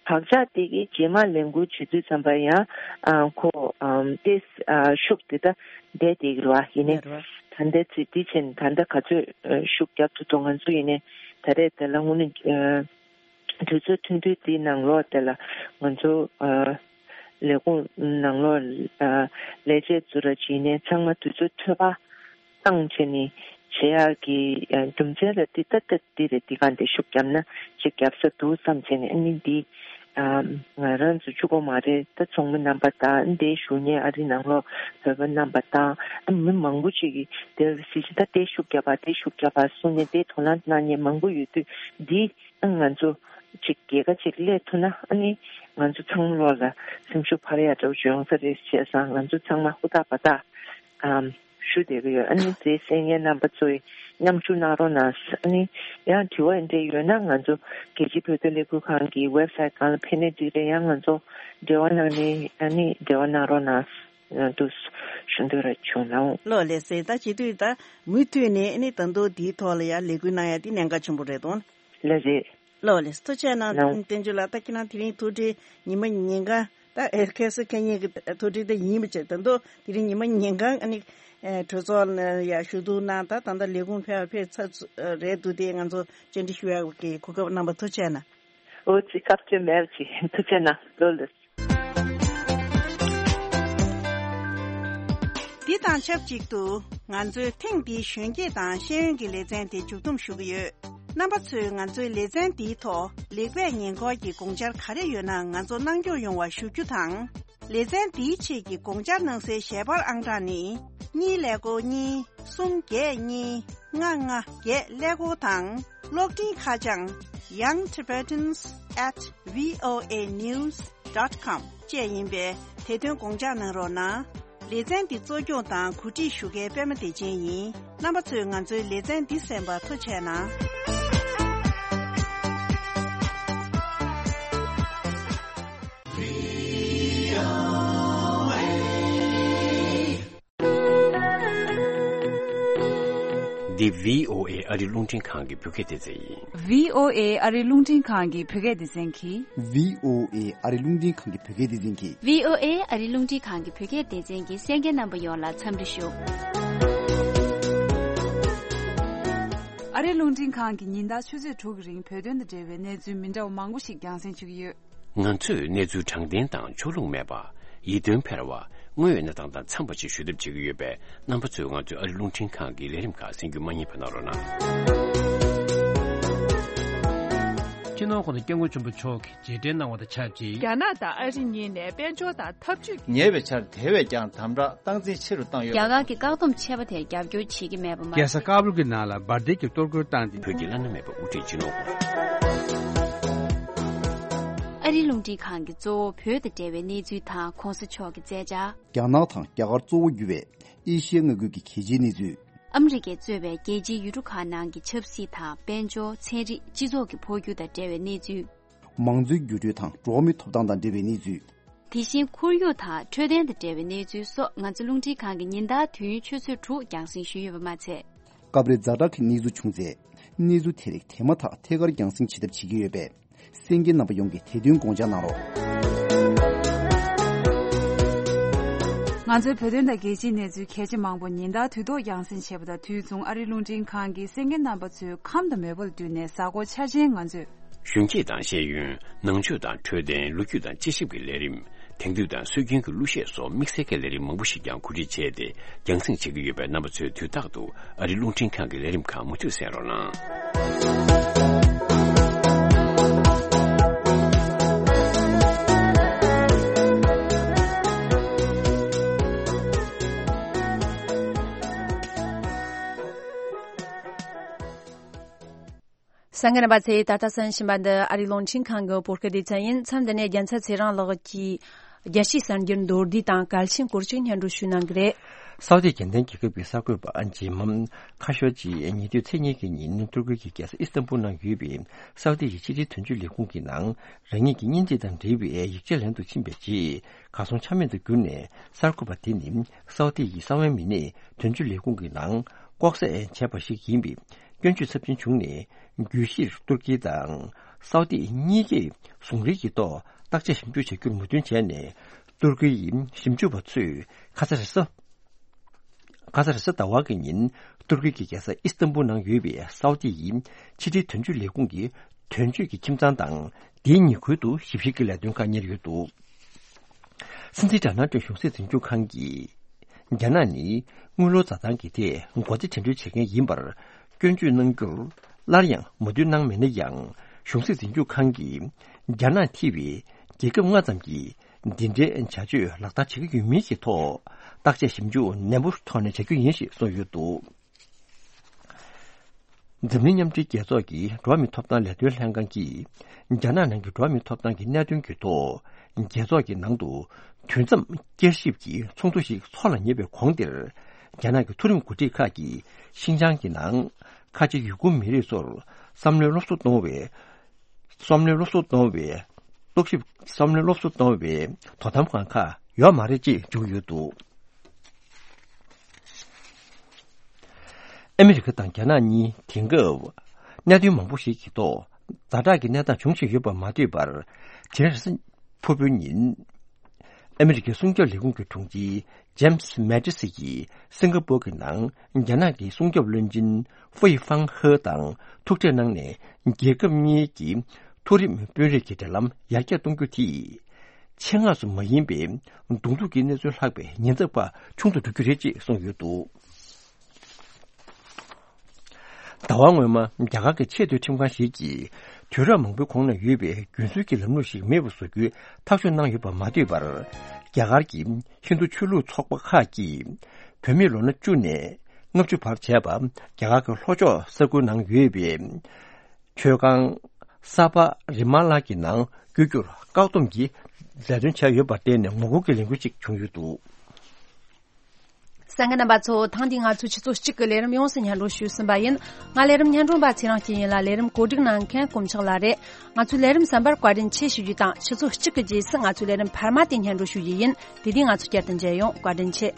བག་ཆགས་དེ་གི་རྗེས་མ་ལས་འགུལ་བྱེད་དུས་ཙམ་པ་ཡང་ཨ་ཁོ་ཨམ་ཏེས་ཨ་ཤུགས་དེ་ད་བསྡད་དེ་གི་རེད་བ། ཡིན་ནའི་ད་ལྟ་ཚེ་འདི་ཕྱིན་ད་ལྟ་ག་ཚོད་ཨ་ཤུགས་བརྒྱབ་ཐུབ་འདུག་ང་ཚོ་ཡིན་ནའི་ད་རེས་དེ་ལ་དངོས་གནས་ཨ་དུས་ཚོད་ཐུང་ཐུང་དེའི་ནང་ལོགས་དེ་ལ་ང་ཚོ་ཨ་ལས་ཁུངས་ནང་ལོགས་ཨ་ལས་བྱེད་ཚོ་ར་བྱས་ནས་ཚང་མ་དུས་ཚོད་འཕྲོད་པ་བཏང་བྱས་ནས་བྱེད་ཡག་གི་ཨ་རྒྱུ་མཚན་ལ་འདི་ལྟ་ལྟ་འདི་རེད། འདི་གང་འདི་ཤུགས་བརྒྱབ་ན་ཅིག་བརྒྱབ་ས་འདུག་བསམ་བྱས་ནས་ཨ་ནི་འདི་ཨ་ང་རང་ཚོ་གཅིག་པོ་མ་རེད། ད་ཚོགས་མི་རྣམ་པ་དང་འདིའི་ཞུ་མཁན་ཨ་རི་ནང་ལོགས་བོད་པ་རྣམ་པ་དང་ཨ་མི་མང་པོ་ཅིག་གིས་དེར་སྲིད་ཇི་ད་དེ་ཤུགས་བརྒྱབ་པ་དེ་ཤུགས་བརྒྱབ་པ་གསུངས་ནས་དེ་དོ་སྣང་གནང་མཁན་མང་པོ་ཡོད་དུས་འདི། ཨ་ང་ཚོ་ཅིག་རྒྱལ་ཁ་ཅིག་སླེབས་ཐུབ་ན་ཨ་ནི་ང་ཚོ་ཚང་མ་ལོག་ལ་སེམས་ཤུགས་འཕར་ཡག་འདྲ་བོ་ཅིག་ཡོང་ས་རེད། བྱས་ཙང་ང་ཚོ་ཚང་མ་ཧུར་ཐག་འབད་ཐག་ཨམ་ཞུ་བསྡད་ཀྱི་ཡོད། ཨ་ནི་རྗེས་གསན་མཁན་རྣམ་པ་ཚོས་མཉམ་ཞུགས་གནང་རོགས་གནང་། ཨ་ནི་ཡང་དྲི་བ་འདི་འདྲ་ཡོད་ན་ང་ཚོ་རྒྱལ་སྤྱིའི་བོད་དོན་ལས་འགུལ་ཁང་གི་ཝེབ་སའིཊ་སྒང་ལ་ཕེབས་ནས་འགྲིག་རེད། ཡང་ང་ཚོ་འབྲེལ་བ་གནང་ནས་ཨ་ནི་འབྲེལ་བ་གནང་རོགས་གནང་། ཨ་འདུག་ཞུ་འདོད་ར་བྱུང་ལགས། ལགས་ལགས་སེ། ད་བྱེད་དུས་ད་མུ་མཐུད་ནས་ཨ་ནི་ད་དུང་འདིའི་ཐོག་ལ་ཡང་ལས་འགུལ་གནང་ཡ་འདི་གནད་འགག་ཆེན་པོ་རེད་དོ། ལགས་རེད། ལགས་ལགས། ཐུགས་རྗེ་གནང་། ལགས། བསྟན་ཆོས་ལགས། ད་ཁྱེད་རང་དེ་རིང་ཐུགས་སྒྲིལ་ཉི་མ་ཉིན་གང་ད་ཨེ་ཁ་སི་ཁེ་ཉེ་གི་ཐུགས་སྒྲིལ་དེ་ཡིན་པ་བྱས། ད་དུང་དེ་རིང་ཉི་མ་ཉིན་གང་ཨ་ནི་ཨེ་གྲོས་ཚོགས་ལ་ཡ་ཞུ་གཏུག་གནང་། ད་ད་ལྟ་ལས་ཁུངས་ཕེབས་ཕེབས་ཚར་རེད་འདུག་དེ་ང་ཚོ་བཅར་འདྲི་ཞུ་ཡག་གི་གོ་སྐབས་གནང་བ་ཐུགས་རྗེ་གནང་། འོ་ཙི་སྐབས་བཅོལ་མེད་པ་ཅིག་ཐུགས་རྗེ་གནང་། ལགས་ལགས། འདི་དང་ཆབས་ཅིག་ཏུ་ང་ཚོའི་ཐེངས་འདིའི་གཞོན་སྐྱེས་དང་ཤེས་ཡོན་གྱི་ལེ་ཚན་དེ་མཇུག་བསྡོམས་ཞུ་གི་ཡོད། རྣམ་པ་ཚོས་ང་ཚོའི་ལེ་ཚན་འདིའི་ཐོག་ལེགས་སྤེལ་ཉེས་འཁོར་གྱི་དགོངས་འཆར་ག་རེ་ཡོད་ན་ང་ཚོ་གནང་སྐྱོང་ཡོང་བ་ཞུ་རྒྱུ་དང་། ལེ་ཚན་འདིའི་ཆེད་ཀྱི་དགོངས་འཆར་གནང་སའི་ཞལ་པར་ཨང་གྲངས་ནི། གཉིས་ཀླད་ཀོར་གཉིས། གསུམ་བརྒྱད་གཉིས། ལྔ་ལྔ་བརྒྱད་ཀླད་ཀོར་དང་། གློག་འཕྲིན་ཁ་བྱང་young tibetans at voa news dot com བཅས་ཡིན་པས། དེ་དོན་དགོངས་འཇགས་གནང་རོགས་གནང་། ལེ་ཚན་འདི་གཙོ་སྐྱོང་དང་གོ་སྒྲིག་ཞུ་མཁན་པད་མ་བདེ་ཆེན་ཡིན། རྣམ་པ་ཚོས་ང་ཚོའི་ལེ་ཚན་འདི་གསན་པར་ཐུགས་རྗེ་གནང་། འདི་བྷི་ཨོ་ཨེ་ཨ་རིའི་རླུང་འཕྲིན་ཁང་གི་བོད་སྐད་སྡེ་ཚན་ཡིན། བྷི་ཨོ་ཨེ་ཨ་རིའི་རླུང་འཕྲིན་ཁང་གི་བོད་སྐད་སྡེ་ཚན་གྱིས། བྷི་ཨོ་ཨེ་ཨ་རིའི་རླུང་འཕྲིན་ཁང་གི་བོད་སྐད་སྡེ་ཚན་གྱིས། བྷི་ཨོ་ཨེ་ཨ་རིའི་རླུང་འཕྲིན་ཁང་གི་བོད་སྐད་སྡེ་ཚན་གྱི་གསན་མཁན་རྣམ་པ་ཡོངས་ལ་འཚམས་འདྲི་ཞུ། ཨ་རིའི་རླུང་འཕྲིན་ཁང་གིས་ཉིན་ལྟར་ཆུ་ཚོད་དྲུག་གི་རིང་བོད་དོན་དང་འབྲེལ་བའི་གནས་ཚུལ་མི་འདྲ་བ་མང་པོ་ཞིག་རྒྱང་སྲིང་བྱེད་ཀྱི་ཡོད། ང་ཚོས་གནས་ཚུལ་དྲང་བདེན་དང་ཕྱོགས་ལྷུང་མེད་པ། ཡིད་རྟོན་འཕེར་བ། དངོས་ཡོད་གནས་སྟངས་དང་འཚམས་པ་ཞིག་ཞུ་ཐབས་བྱེད་ཀྱི་ཡོད་པས། རྣམ་པ་ཚོས་ང་ཚོའི་ཨ་རིའི་རླུང་འཕྲིན་ཁང་གི་ལས་རིམ་ཁག་གསན་རྒྱུ་མ་བསྙེལ་བ་གནང་རོགས་གནང་། སྤྱི་ནོར་༸གོང་ས་༸སྐྱབས་མགོན་ཆེན་པོ་མཆོག་གིས་རྗེས་དྲན་གནང་བ་དང་ཆབས་ཅིག་རྒྱ་ནག་དང་ཨ་རི་གཉིས་ནས་དཔལ་འབྱོར་དང་འཐབ་ཇུས་ཉེ་བའི་ཆར་དེ་བས་ཀྱང་དམ་དྲག་སྟངས་འཛིན་ཆེ་རུ་བཏང་ཡོད། རྒྱ་གར་གྱི་བཀག་སྡོམ་ཆད་པ་དེར་རྒྱབ་སྐྱོར་བྱེད་ཀྱི་མེད་པ་མ་རྒྱལ་ས་ཟད། ཀ་བུལ་གྱི་ནང་ལ་འབར་མདེལ་གྱི་གཏོར་རྒོལ་བཏང་སྟེ། བོད་ཀྱི་བླ་ན་མེད་པ་དབུ་ཁྲིད་སྤྱི་ནོར་ཨ་རིའི་རླུང་འཕྲིན་ཁང་གིས་གཙོ་བོ་བོད་དང་འབྲེལ་བའི་གནས་ཚུལ་དང་གོང་ས་མཆོག་གི་མཛད་འཆར། རྒྱ་ནག་དང་རྒྱ་གར་གཙོ་བོ་གྱུར་བའི་ཨེ་ཤི་ཡའི་མངའ་ཁུལ་གྱི་གལ་ཆེའི་གནས་ཚུལ། ཨ་མི་རི་ཀས་གཙོས་པའི་རྒྱལ་སྤྱིའི་ཡུལ་གྲུ་ཁག་ནང་གི་ཆབ་སྲིད་དང་དཔལ་འབྱོར། ཚན་རིག་སྤྱི་ཚོགས་ཀྱི་འཕོ་འགྱུར་དང་འབྲེལ་བའི་གནས་ཚུལ། མང་གཙོའི་འགྱུར་འགྲོས་དང་འགྲོ་བ་མིའི་ཐོབ་ཐང་དང་འབྲེལ་བའི་གནས་ཚུལ། དེ་བཞིན་ཁོར་ཡུག་དང་འཕྲོད་བསྟེན་དང་འབྲེལ་བའི་གནས་ཚུལ་སོགས་ང་ཚོ་རླུང་འཕྲིན་ཁང་གིས་ཉིན་ལྟར་དུས་ཡུན་ཆུ་ཚོད་དྲུག་རྒྱང་སྲིང་ཞུས་ཡོད་པ་མ་ཚད། སྐབས་རེ་ཛ་དྲག་གི་གནས་ཚུལ་བྱུང་ཚེ། གནས་ཚུལ་དེ་རིགས་དེ་མ་ཐག་ཐད་ཀར་རྒྱང་སྲིང་བྱེད་ཐབས་བྱེད་ཀྱི་ཡོད་པས། གསན་མཁན་རྣམ་པ་ཡོངས་ཀྱིས་དེ་དོན་དགོངས་འཇགས་གནང་རོགས། ང་ཚོའི་བོད་དོན་དང་རྒྱལ་སྤྱིའི་གནས་ཚུལ་གལ་ཆེ་མང་པོ་ཉིན་ལྟར་དུས་ཐོག་རྒྱང་སྲིང་བྱེད་པ་དང་། དུས་མཚུངས་ཨ་རིའི་རླུང་འཕྲིན་ཁང་གིས་གསན་མཁན་རྣམ་པ་ཚོའི་ཁམས་དང་མོས་པ་ལ་བསྟུན་ནས་གཟའ་འཁོར་འཆར་ཅན་ང་ཚོས། གཞོན་སྐྱེས་དང་ཤེས་ཡོན། ནང་ཆོས་དང་འཕྲོད་བསྟེན། ལོ་རྒྱུས་དང་དཔྱད་ཞིབ་ཀྱི་ལས་རིམ། དེང་དུས་དང་སྲོལ་རྒྱུན་གྱི་གླུ་གཞས་སོགས་དམིགས་བསལ་གྱི་ལས་རིམ་མང་པོ་ཞིག་ཀྱང་གོ་སྒྲིག་བྱས་ཏེ་རྒྱང་སྲིང་བྱེད་ཀྱི་ཡོད་པས། རྣམ་པ་ཚོས་དུས་རྟག་ཏུ་ཨ་རིའི་རླུང་འཕྲིན་ཁང་གི་ལས་རིམ་ཁག་མུ་མཐུད་གསན་རོགས་གནང་། གསན་མཁན་རྣམ་པ་ཚོས་ད་ལྟ་གསན་བཞིན་པ་འདི་ཨ་རིའི་རླུང་འཕྲིན་ཁང་གི་བོད་སྐད་སྡེ་ཚན་ཡིན། མཚམས་འདི་ནས་རྒྱལ་མཚན་ཚེ་རིང་ལགས་ཀྱིས་རྒྱལ་སྤྱིའི་གསར་འགྱུར་མདོར་བསྡུས་དང་གལ་ཆེན་སྐོར་ཅིག་སྙན་སྒྲོན་ཞུ་གནང་གི་རེད། སའུ་ཏི་རྒྱལ་ལྡན་རྒྱལ་ཁབ་ཀྱི་གསར་འགོད་པ་ཇིམ་མམ་ཁ་ཤོ་ཇིས་ཉེ་དུས་ཚེས་གཉིས་ཀྱི་ཉིན་ཏུར་ཀི་གི་རྒྱལ་ས་ཨི་སི་ཏན་པུལ་ནང་ཡོད་པའི་སའུ་ཏི་ཡི་ཕྱི་དྲིལ་དོན་གཅོད་ལས་ཁུངས་ཀྱི་ནང་རང་ཉིད་ཀྱི་གཉེན་སྒྲིག་དང་འབྲེལ་བའི་ཡིག་ཆ་ལེན་དུ་ཕྱིན་པའི་རྗེས། གར་སོང་ཆ་མེད་དུ་གྱུར་ནས། གསར་འགོད་པ་དེ་ནི་སའུ་ཏི་ཡི་གསང་བའི་མི་སྣས་དོན་གཅོད་ལས་ཁུངས་ཀྱི་ནང་ལྐོག་ཟ་བྱས་པ་ཞིག་ཡིན་པའི་སྐྱོན་བརྗོད་ཚབས་ཆེན་བྱུང་ནས། བརྗོད་གཞིར་ཏུར་ཀི་དང་སའུ་ཏི་གཉིས་ཀས་ཟུང་འབྲེལ་གྱི་ཐོག་བརྟག་དཔྱད་ཞིབ་འཇུག་བྱ་རྒྱུར་མོས་མཐུན་བྱས་ནས། ཏུར་ཀི་ཡི་ཞིབ་འཇུག་པ་ཚོས་ཁ་ས་རེས་གཟའ། ཁ་ས་རེས་གཟའ་ཟླ་བ་གི་ཉིན་ཏུར་ཀི་གི་རྒྱལ་ས་ཨི་སི་ཏན་པུལ་ནང་ཡོད་པའི་སའུ་ཏི་ཡི་ཕྱི་དྲིལ་དོན་གཅོད་ལས་ཁུངས་ཀྱི་དོན་གཅོད་ཀྱི་ཁྱིམ་ཚང་དང་དེའི་ཉེ་ཁུལ་དུ་ཞིབ་བཤེར་གྱི་ལས་དོན་ཁག་གཉེར་ཡོད་འདུག་སྲིད་འཛིན་ཌོ་ནལ་ཊམ་གཞུང་སྲིད་འཛིན་སྐྱོང་ཁང་གིས། རྒྱ་ནག་ནི་དངུལ་ལོར་འཛའ་ཐང་གི་ཐད་སྒོ་རྩིས་འགྲན་བསྡུར་བྱེད་མཁན་ཡིན་པར་སྐྱོན་བརྗོད་གནང་རྒྱུར་སླར་ཡང་མོས་མཐུན་གནང་མེད་ན་ཡང་། གཞུང་སྲིད་འཛིན་སྐྱོང་ཁང་གིས་རྒྱ་ནག་ཐེ་བའི་རྒྱལ་ཁབ་ལྔ་ཙམ་གྱིས་འདི་འདྲའི་བྱ་སྤྱོད་ལག་བསྟར་བྱེད་ཀྱི་ཡོད་མིན་གྱི་ཐོག་བརྟག་དཔྱད་ཞིབ་འཇུག་ནན་པོའི་ཐོག་ནས་བྱ་རྒྱུ་ཡིན་ཞེས་གསུངས་ཡོད་འདུག་འཛམ་གླིང་མཉམ་འབྲེལ་རྒྱལ་ཚོགས་ཀྱི་འགྲོ་བ་མིའི་ཐོབ་ཐང་ལས་དོན་ལྷན་ཁང་གིས་རྒྱ་ནག་ནང་གི་འགྲོ་བ་མིའི་ཐོབ་ཐང་གི་གནད་དོན་གྱི་ཐོག་རྒྱལ་ཚོགས་ཀྱི་ནང་དུ་དུས་མཚམས་བསྐྱར་ཞིབ་ཀྱི་ཚོགས་འདུ་ཞིག་འཚོགས་ལ་ཉེ་བའི་གོང་དེར། རྒྱ་ནག་གི་མཐོ་རིམ་འགོ་ཁྲིད་ཁག་གིས་ཤིན་ཅང་གི་ནང་ཁ་ཆེ་ཡུ་གུར་མི་རིགས་ཚོར་བསམ་བློའི་སློབ་གསོ་གཏོང་བའི། བསམ་བློའི་སློབ་གསོ་གཏོང་བའི་རྟོག་ཞིབ། བསམ་བློའི་སློབ་གསོ་གཏོང་བའི་དོ་དམ་ཁང་ཁག་ཡོད་མ་རེད་ཅེས་བརྗོད་ཡོད་འདུག་ཨ་མི་རི་ཀ་དང་རྒྱ་ནག་གཉིས་དེང་སྐབས་གནད་དོན་མང་པོ་ཞིག་གི་ཐོག་ཛ་དྲག་གི་གནས་སྟངས་འབྱུང་བཞིན་ཡོད་པར་མ་ལྟོས་པར། དེ་རིང་ཕུར་བུའི་ཉིན། ཨ་མི་རི་ཀའི་སྲུང་སྐྱོབ་ལས་ཁུངས་ཀྱི་དྲུང་ཆེ་ཇེམ་སི་མེ་ཏི་སི་ཡིས་སིང་ག་པོར་གྱི་ནང་རྒྱ་ནག་གི་སྲུང་སྐྱོབ་བློན་ཆེན་ཧྥུའེ་ཧྥང་ཧེ་དང་ཐུག་འཕྲད་གནང་ནས། རྒྱལ་ཁབ་གཉིས་ཀྱི་མཐོ་རིམ་དཔོན་རིགས་ཀྱི་འབྲེལ་ལམ་ཡར་རྒྱས་གཏོང་རྒྱུ་དེས། ཆེད་མངགས་སུ་མ་ཡིན་པའི་གདོང་ཐུག་གི་གནས་ཚུལ་ལྷག་པའི་ཉེན་ཚབས་ཁག་ཆུང་དུ་འགྲོ་རྒྱུ་རེད་ཅེས་གསུངས་ཡོད་འདུག་ཟླ་བ་སྔོན་མ་རྒྱ་གར་གྱི་ཆེས་མཐོའི་ཁྲིམས་ཁང་ཞིག་གིས། དུས་རབས་མང་པོའི་གོང་ན་ཡོད་པའི་རྒྱུན་སྲོལ་གྱི་ལམ་ལུགས་ཤིག་མེད་པ་བཟོ་རྒྱུའི་ཐག་གཅོད་གནང་ཡོད་པར་མ་ལྟོས་པར། རྒྱ་གར་གྱི་ཧིན་རྡུ་ཆོས་ལུགས་ཚོགས་པ་ཁག་གིས། བོད་མིས་ལོ་ན་བཅུ་ནས་ལྔ་བཅུ་བར་བྱས་པ་རྒྱ་གར་གྱི་ལྷོ་ཕྱོགས་ས་ཁུལ་ནང་ཡོད་པའི་མཆོད་ཁང་ས་པ་རི་མ་ལ་གྱི་ནང་བསྐྱོད་རྒྱུར་བཀག་སྡོམ་གྱི་ལས་དོན་བྱས་ཡོད་པར་བརྟེན་ནས་ངོ་རྒོལ་གྱི་ལས་འགུལ་ཞིག་བྱུང་ཡོད་འདུག་གསན་མཁན་རྣམ་པ་ཚོ། ཐེངས་འདིའི་ང་ཚོའི་ཆུ་ཚོད་གཅིག་གི་ལས་རིམ་ཡོངས་སུ་སྙན་སྒྲོན་ཞུས་ཟིན་པ་ཡིན། ང་ལས་རིམ་སྙན་སྒྲོན་པ་ཚེ་རིང་སྐྱིད་ཡིན་ལ། ལས་རིམ་གོ་སྒྲིག་གནང་མཁན་དཀོན་མཆོག་ལགས་རེད། ང་ཚོའི་ལས་རིམ་གསན་པར་བཀའ་དྲིན་ཆེ་ཞུ་རྒྱུ་དང་། ཆུ་ཚོད་གཅིག་གི་རྗེས་སུ་ང་ཚོའི་ལས་རིམ་འཕར་མ་དེ་སྙན་སྒྲོན་ཞུ་རྒྱུ་ཡིན། དེ་དུས་ང་ཚོ་བསྐྱར་དུ་མཇལ་ཡོང་། བཀའ་དྲིན་ཆེ།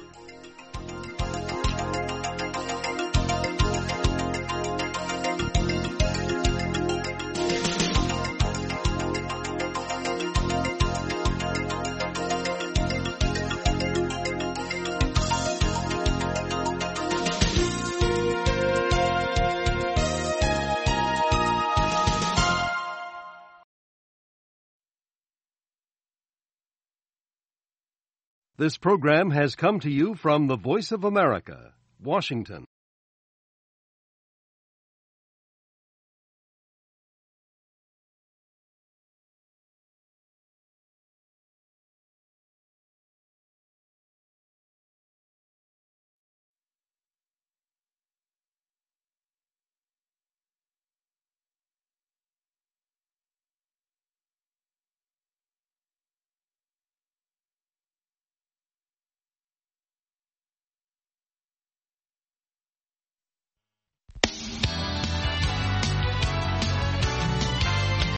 This program has come to you from the Voice of America, Washington.